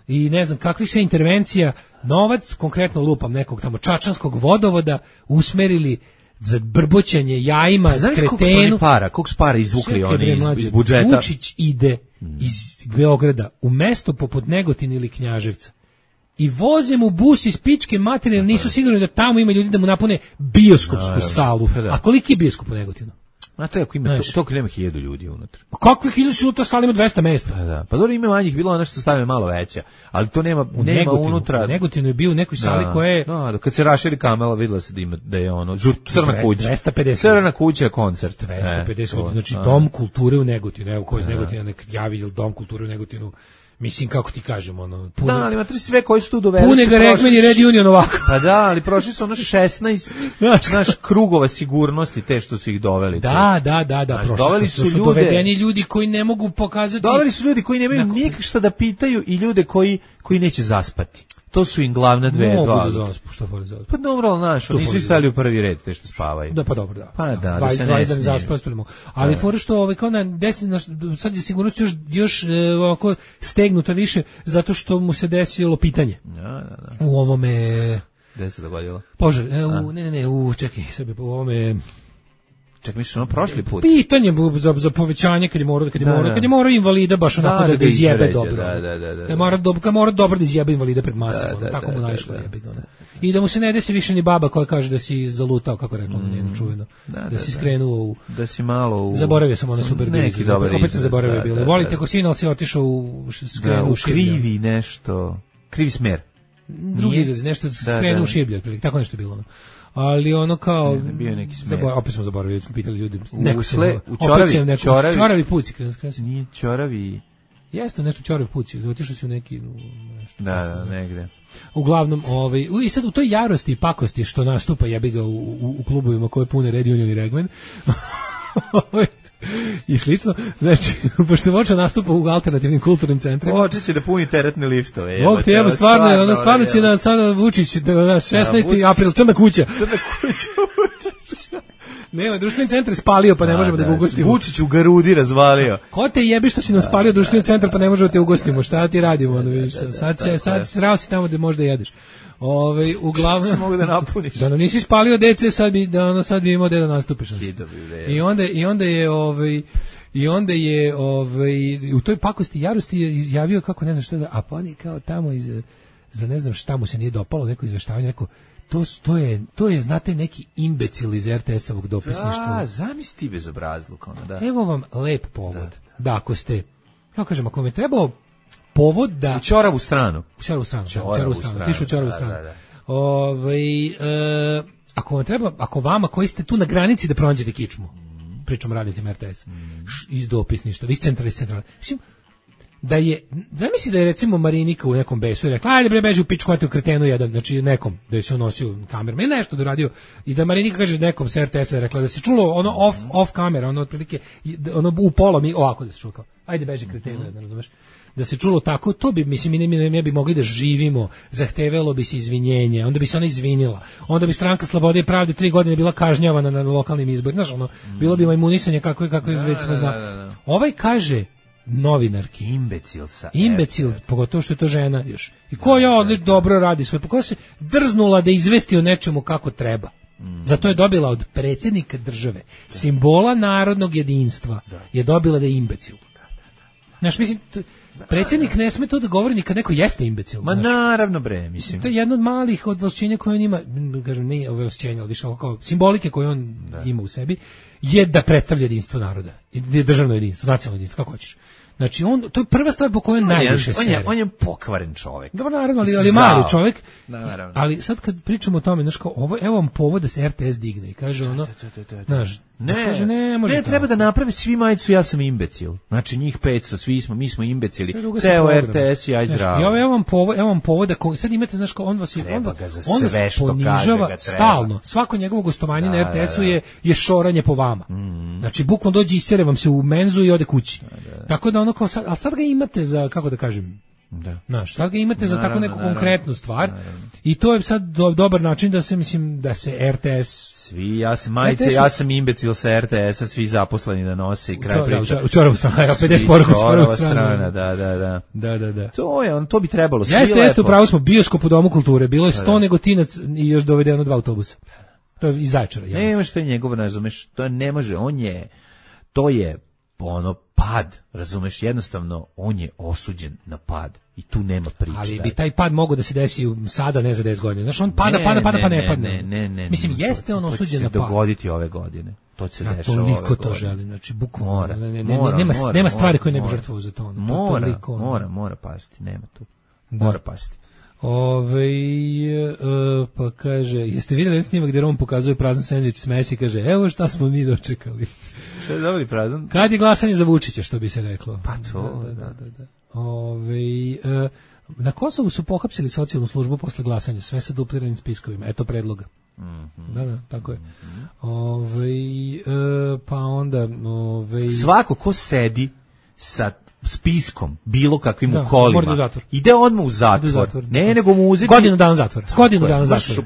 i ne znam kakvih sve intervencija, novac, konkretno lupam nekog tamo čačanskog vodovoda, usmerili za brboćanje jajima, kretenu. Koliko su para izvukli oni iz budžeta? Vučić ide iz Beograda u mesto poput Negotina ili Knjaževca i voze mu bus iz pičke materije, nisu sigurni da tamo ima ljudi da mu napune bioskopsku salu. A koliki je bioskop u Negotinu? Znate, ako ima toliko nema 1000 ljudi unutra. Kakvi 1000 unutra, sala ima 200 mesta? Pa dobro, ima manjih, bilo ono što stave malo veća, ali to nema unutra. U Negotinu je bio u nekoj sali koja je... Da, kad se raširi kamera, vidjelo se da je ono, crna kuća. 250. Crna kuća, koncert. 250, znači Dom kulture u Negotinu, evo ko iz Negotina nek javi Dom kulture u Negotinu. Mislim, kako ti kažem, da, ali matri sve koji su tu doveli. Pune ga Rekmen i Red Union ovako. Pa da, ali prošli su 16 naš krugova sigurnosti te što su ih doveli. Da, prošli su dovedeni ljudi koji ne mogu pokazati. Doveli su ljudi koji nemaju nikak šta da pitaju i ljude koji neće zaspati. To su im glavna dve. Mogu da zaspu, što fali zaspu. Pa dobro, ali znaš, oni su stali u prvi red, te što spavaju. Da, pa dobro, da. Pa da se ne smije. Zaspali. Ali fora što kao na 10, sad je sigurnost još ovako stegnuta više, zato što mu se desilo pitanje. Da. U ovome... Gde se dogodilo? Požar, čekaj, Srbije, u ovome... Čak misliš prošli put. Pitanje za povećanje kad je morao invalida baš onako da izjebe dobro. Da. Kad mora dobro da izjebe invalida pred masama, tako mu naišlo jebi ga. i da mu se ne desi više ni baba koja kaže da si zalutao, kako rekla njeno čuveno, da si skrenuo u... Da si malo u... Zaboravio sam ono super neki dobar opet sam zaboravio bilo. Volite ko sin, ali si otišao u skrenuo u šiblju. Krivi nešto, krivi smer. Drugi izraz, nešto skrenuo u šiblju, tako nešto je bilo. Ali ono kao bio neki smer. Opet smo zaboravili, smo pitali ljudi. U čoravi puci. Nije čoravi. Jeste nešto čorav puci, otišao si u neki nešto. Da, negde. Uglavnom, i sad u toj jarosti i pakosti što nastupa jebi ga u klubovima koje pune Red Union i Regmen. I slično, znači, pošto Voča nastupa u alternativnim kulturnim centrima. Voča će da puni teretne liftove. Bog te jebo, stvarno će na sada Vučić, 16. april, crna kuća. Crna kuća Vučića. Nema, društveni centar spalio, pa ne možemo da ga ugostimo. Vučić u Garudi razvalio. Ko te jebi što si nam spalio društveni centar, pa ne možemo te ugostimo? Šta ti radimo? Sad srao si tamo gde možda jedeš. Uglavnom se mogu da napuniš. Da nisi spalio DC, sad bi imao da nastupiš. I onda je u toj pakosti jarosti je izjavio kako ne znam šta da, a pa on je kao tamo za ne znam šta mu se nije dopalo, neko izveštavanje, neko to je znate neki imbecil iz RTS-ovog dopisništva. Zamisli bezobrazluk ono, da. Evo vam lep povod. Da ako ste, kako kažem, ako vam je trebao povod da... U čoravu stranu. Tišu čoravu stranu. Ako vam treba, ako vama koji ste tu na granici da pronađete kičmu, pričam radnicima RTS, iz dopisništva, iz centrala, mislim, da je, zamisli da je recimo Marinika u nekom besu i rekla, ajde bre, beži u pičku, hajte u kretenu jedan, znači nekom, da je se nosio kamerom, ili nešto da radio, i da Marinika kaže nekom s RTS-a, rekla da se čulo ono off kamera, ono otprilike, ono u pola mi, ovako da se čulo kao, ajde beži kretenu jedan, razumeš? Da se čulo tako, to bi, mislim, mi ne bi mogli da živimo, zahtevalo bi se izvinjenje, onda bi se ona izvinila, onda bi Stranka slobode i pravde 3 godine bila kažnjavana na lokalnim izborima, znaš, ono, bilo bi majmunisanje kako je već smo znali. Ovaj kaže novinarki, imbecil, pogotovo što je to žena još. I koja dobro radi svoj, koja se drznula da izvesti o nečemu kako treba. Zato je dobila od predsjednika države, simbola narodnog jedinstva, je dobila da je imbecil. Znaš, mislim, predsjednik ne sme to da govori ni kad neko jeste imbecil. Ma naravno bre, mislim. To je jedno od malih odvlašćenja koje on ima, kažem, ne ovlašćenja, ali više kao simbolike koje on ima u sebi, je da predstavlja jedinstvo naroda, državno jedinstvo, nacionalno jedinstvo, kako hoćeš. Znači, to je prva stvar po kojoj najviše sere. On je pokvaren čovjek. Dobro, naravno, ali mali čovjek. Ali sad kad pričamo o tome, znaš, kao, evo vam povod da se RTS digne i kaže ono, znaš, ne, treba da naprave svi majicu, ja sam imbecil. Znači, njih 500, mi smo imbecili. Ceo RTS i aj zdravo. I evo vam povod da, sad imate, znaš, on vas ponižava stalno. Svako njegovo gostovanje na RTS-u je šoranje po vama. Znači, bukvalno dođe i istere vam se u menzu i ode kući. Tako da ono kao sad, ali sad ga imate za, kako da kažem, znaš, sad ga imate za tako neku konkretnu stvar i to je sad dobar način da se, mislim, da se RTS... Svi, ja sam imbecil sa RTS-a, svi zaposleni da nose i kraj priča. U čoravu strana, 50 poruka u čoravu strana. Da. To bi trebalo, svi lepo. Jeste, upravo smo, bioskop u Domu kulture, bilo je 100 Negotinac i još dovedeno 2 autobusa. To je iz Zaječara. Ne, što je njegovo, razumeš, to ne može, to je ono pad, razumeš, jednostavno on je osuđen na pad i tu nema priče. Ali bi taj pad mogao da se desi sada, ne za 10 godina. Znaš, on pada pa ne padne. Ne. Mislim, jeste on osuđen na pad. To će se dogoditi ove godine. To će se dešava ove godine. Toliko to želim, znači bukvalno. Nema stvari koje ne bi žrtvovao za to. Mora pasti, nema tu. Mora pasti. Pa kaže, jeste vidjeli snimak gdje Rom pokazuje prazan sendvič s Messi, kaže, evo šta smo mi dočekali. Šta je dobri prazan? Kad je glasanje za Vučića, što bi se reklo. Pa to, da. Na Kosovu su pohapsili socijalnu službu posle glasanja, sve sa dupliranim spiskovima, eto predloga. Da, tako je. Pa onda... Svako ko sedi sa spiskom, bilo kakvim u kolima, ide odmah u zatvor. Ne, nego mu uzeti... Godinu dana zatvora.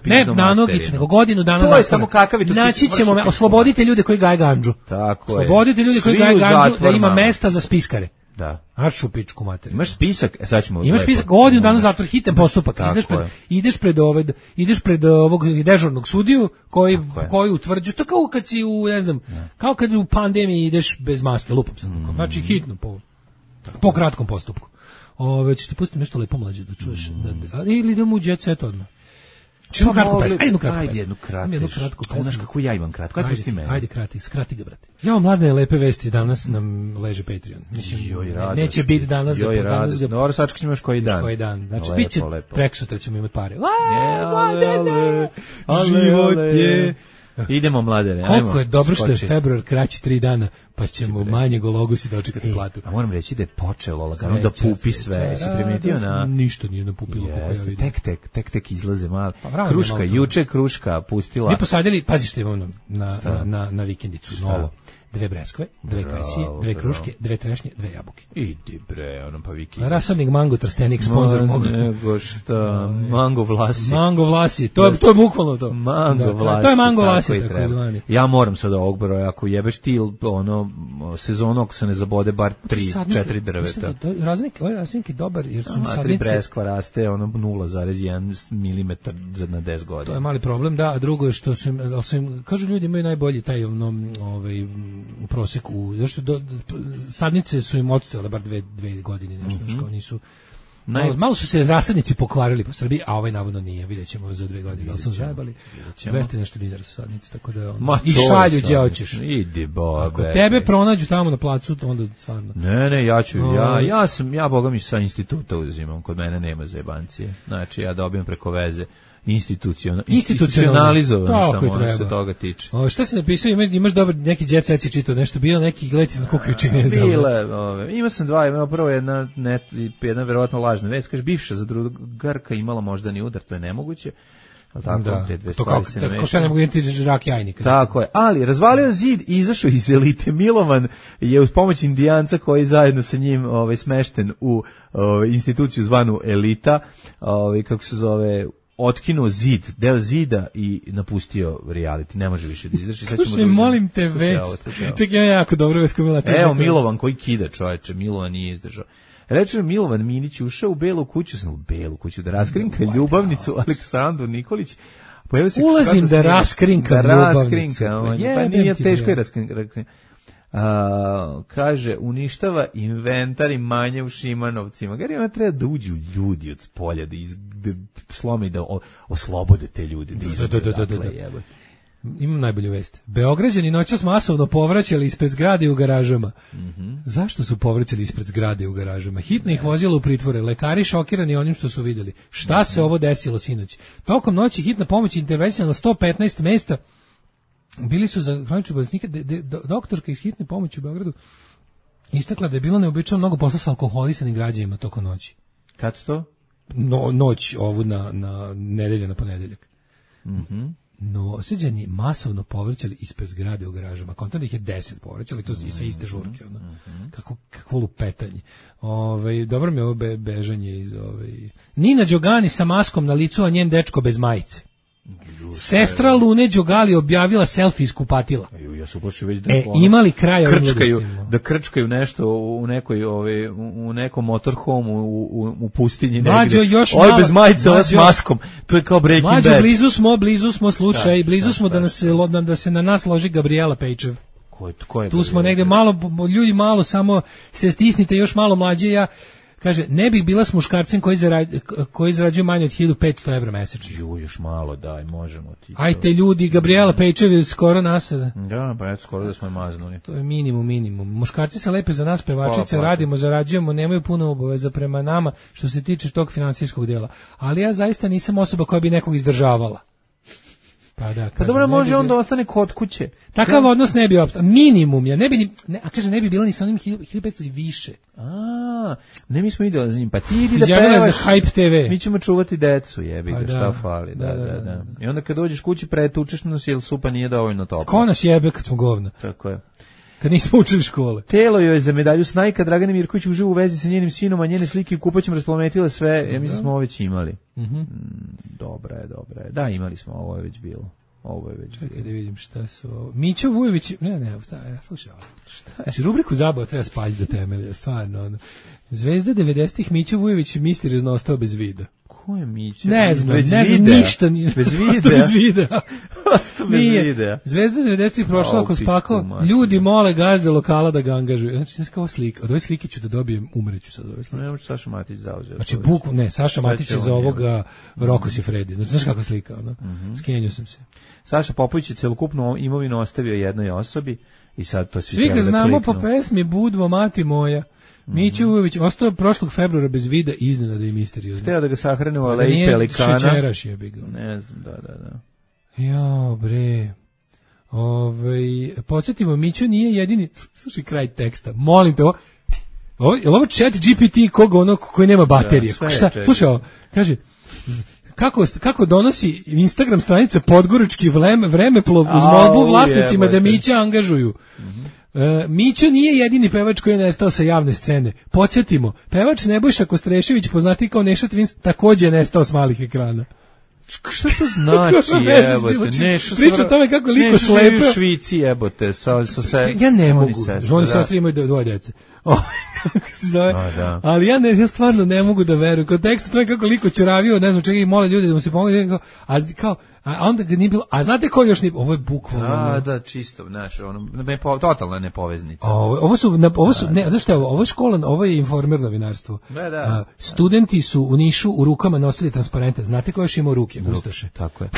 Ne na nogicu, nego godinu dana zatvora. To je samo kakav je to spis. Naći ćemo, oslobodite ljude koji gaje gandžu. Tako je. Oslobodite ljude koji gaje gandžu, da ima mesta za spiskare. Da. Aršu pičku materiju. Imaš spisak, sad ćemo... Imaš spisak, godinu dana zatvor, hitan postupak. Ideš pred ovog dežurnog sudiju koji utvrđuje, to kao kad si u, ne znam, kao kad u pandemiji ideš bez maske, lupam se. Znači hitno po kratkom postupku. Ćeš ti pustiti nešto lepo mlađe da čuješ. Ili idemo u jet set odmah. Ajde jednu kratku. Znaš kako ja imam kratko. Ajde, pusti mene. Ajde, skrati ga, brate. Ja, mladne lepe vesti, danas nam leže Patreon. Mislim, neće biti danas za danas. Dobro, sačekaj ćemo još koji dan. Znači, bit će preksutra ćemo imati pare. Mladene, život je... Idemo, mladene. Koliko je dobro što je februar kraći 3 dana, pa ćemo manje gologusi dočekati platu. A moram reći da je počelo lagano da pupi sve. Si primetio na... Ništa nije napupilo. Tek izlaze malo. Kruška, juče Kruška pustila. Mi posadili, pazi što imamo na vikendicu, novo. 2 breskve, 2 kajsije, 2 kruške, 2 trešnje, 2 jabuke. Idi bre, ono pa vikendica. Rasadnik Mango Trstenik, sponsor moga. Nego šta, Mango Vlasi. Mango Vlasi, to je bukvalno to. Mango Vlasi. To je Mango Vlasi, tako zvani. Ja moram sad ovog broja, ako jebeš ti sezonu, ako se ne zabode bar 3-4 drveta. Ovaj raznik je dobar, jer su mi sadnice... 3 breskva raste, 0,1 milimetar na 10 godina. To je mali problem, da, a drugo je što su im, kažu ljudi imaju najbolji taj u proseku, zašto sadnice su im odstojale bar 2 godine, nešto, kao nisu... Malo su se rasadnici pokvarili po Srbiji, a ovaj navodno nije, vidjet ćemo za 2 godine, ali su zajebali 200 nešto dinara su sadnice, tako da i šalju gdje hoćeš. Idi bobe. Ako tebe pronađu tamo na placu, onda stvarno. Ne, ja boga mi sa instituta uzimam, kod mene nema zajebancije, znači ja dobijem preko veze. Institucionalizovan sam, ono se toga tiče. Šta si napisao, imaš dobar neki jet set si čitao, nešto bio, neki gleti na kukajući, ne znam. Imao sam 2, imao prvo jedna verovatno lažna vest, kaže bivša zadrugarka imala moždani udar, to je nemoguće. Tako, te dve stvari se ne mešaju. Ko šta ne mogu imati rak jajnika. Tako je, ali razvalio zid i izašao iz elite. Milovan je uz pomoć indijanca koji zajedno sa njim smešten u instituciju zvanu Elita, kako se zove, otkinuo deo zida i napustio reality. Ne može više da izdrži. Slušaj, molim te vest. Čekaj, ja jako dobro vest komila. Evo, Milovan koji kida, čoveče. Milovan nije izdržao. Reče Milovan Minić ušao u Belu kuću da raskrinka ljubavnicu Aleksandru Nikolić. Ulazim da raskrinkam ljubavnicu. Pa nije teško je raskrinkati. Kaže, uništava inventar i manje u Šimanovcima. Gari, ona treba da uđu ljudi od spolja, da slome i da oslobode te ljude. Imam najbolju vest. Beograđani noćas masovno povraćali ispred zgrade u garažama. Zašto su povraćali ispred zgrade u garažama? Hitno ih vozilo u pritvore. Lekari šokirani onim što su vidjeli. Šta se ovo desilo sinoć? Tokom noći hitna pomoć intervencija na 115 mesta. Bili su za hronične bolesnike, doktorka iz hitne pomoći u Beogradu istakla da je bilo neobično mnogo posla sa alkoholisanim građanima tokom noći. Kad to? Noć ovu na nedelje na ponedeljak. No, osuđeni masovno povraćali ispred zgrade u garažama. Kontam da ih je 10 povraćali, to i sa iste žurke. Kako lupetanje. Dobro mi je ovo bežanje iz Nina Đogani sa maskom na licu, a njen dečko bez majice. Sestra Lune Đogali objavila selfie iz kupatila. Ja se uplašio već imali kraj da krčkaju nešto u nekom motorhome u pustinji negdje. Ovo bez majice, ovo s maskom. To je kao Breaking Bad. Mađo, blizu smo, slušaj, blizu smo da se na nas loži Gabriela Pejčev. Tu smo negdje ljudi malo samo se stisnite, još malo mlađe. Kaže, ne bih bila s muškarcem koji zarađuju manje od 1500 evra mesečno. Još malo, daj, možemo ti. Ajte ljudi, Gabriela Pejčev je skoro nasada. Da, pa eto, skoro da smo je maznuli. To je minimum. Muškarci se lepe za nas, pevačice, radimo, zarađujemo, nemaju puno obaveza prema nama što se tiče tog finansijskog dijela. Ali ja zaista nisam osoba koja bi nekog izdržavala. Pa dobro, može onda ostane kod kuće. Takav odnos ne bi opstao. Minimum, ne bi bilo ni sa onim 1500 i više. Ne, mi smo idealni za njim. Pa ti idi da pevaš. Za Hype TV. Mi ćemo čuvati decu, jebi ga, šta fali. Da. I onda kad dođeš kući pretučeš nas, jer supa nije dovoljno topla. Ko nas jebe kad smo govna? Tako je. Kad nismo učili škole. Telo joj je za medalju Snajka. Dragana Mirković uživa u vezi sa njenim sinom, a njene slike u kupaćem rasplametile sve. Ja mislim smo ovo već imali. Dobra je. Da, imali smo, ovo je već bilo. Čekaj da vidim šta su ovo. Mićo Vujović, slušaj ovo. Znači, rubriku zabava treba spaljiti do temelja, stvarno. Zvezda 90-ih Mićo Vujović misteriozno ostao bez vida. Ko je Mića? Ne znam ništa. Bez videa. Bez videa. Nije. Zvezda 90 prošla ako spakao. Ljudi mole gazde lokala da ga angažuju. Znači, znaš kao slika. Od ove slike ću da dobijem, umreću sad od ove slike. Ne može Saša Matić zauzeo. Znači, Saša Matić je za ovoga Rokos i Fredi. Znači, znaš kakva slika, ono? Skenio sam se. Saša Popović je celokupnu imovinu ostavio jednoj osobi i sad to svi ga znamo po pesmi Budvo, mati moja. Mića Vujović ostao prošlog februara bez vida, iznenada i misteriozno. Hteo da ga sahrane u Aleji Pelikana. Šećeraš je bi ga. Ne znam, da. Jao, bre. Podsjetimo, Mića nije jedini... Slušaj kraj teksta. Molim te, ovo chat GPT koji nema baterije. Slušaj ovo, kaže... Kako donosi Instagram stranica Podgorički vremeplov uz molbu vlasnicima da Mića angažuju. Mića nije jedini pevač koji je nestao sa javne scene. Podsjetimo, pevač Nebojša Kostrešević, poznati kao Neša Twins, takođe je nestao s malih ekrana. Šta to znači, jebote? Priča o tome kako liko slepeo. U Švici, jebote. Ja ne mogu. Oni sestri imaju dvoje dece. Ali ja stvarno ne mogu da verujem. Kod teksta to je kako liko ćuravio, ne znam čega i mole ljudi da mu se pomogu. A onda ga nije bilo, a znate ko još nije, ovo je bukvalno. Da, čisto, znaš, totalna nepoveznica. Ovo su, ne, znaš šta je ovo je škola, ovo je informer novinarstvo. Studenti su u Nišu u rukama nosili transparente, znate ko još ima u ruke? Ustaše. Tako je.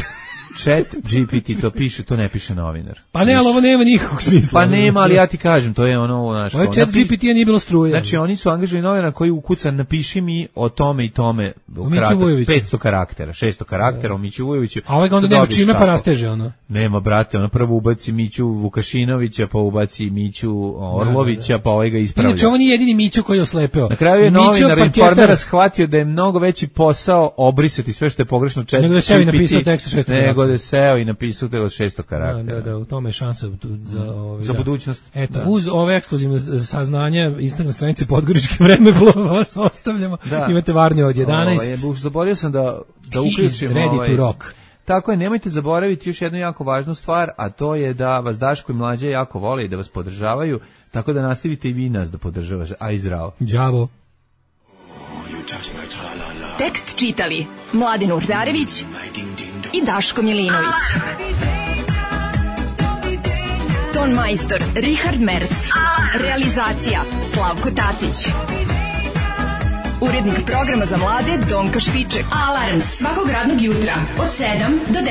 Chat GPT to piše, to ne piše novinar. Pa ne, ali ovo nema nikakvog smisla. Pa nema, ali ja ti kažem, to je ono... Ovo je Chat GPT-a nije bilo struje. Znači, oni su angažili novinara koji ukuca, napiši mi o tome i tome 500 karaktera, 600 karaktera o Miću Vujoviću. A ovaj ga onda nema čime pa rasteže, ono. Nema, brate, ono prvo ubaci Miću Vukašinovića, pa ubaci Miću Orlovića, pa ovaj ga ispravlja. Inače, ovo nije jedini Miću koji je oslepeo. Na kraju je novinar informera shvatio da je mnogo veći posao obrisati sve što je pogrešno Chat GPT. Nego da seo i napisao da je 600 karaktera. Da, u tome je šansa za budućnost. Eto, uz ove ekskluzivne saznanja Instagram stranice Podgoričke vremeplova vas ostavljamo. Imate Varnje od 11. Zaboravio sam da uključim Ready to rock. Tako je, nemojte zaboraviti još jednu jako važnu stvar, a to je da vas Daško i Mlađe jako vole i da vas podržavaju, tako da nastavite i vi nas da podržavaš. Aj zdravo. Đavo. Tekst čitali Mladen Urdarević i Daško Milinović. Ton majstor Richard Merc. Realizacija Slavko Tatić. Urednik programa za mlade Donka Špiček. Alarms svakog radnog jutra od 7 do 10.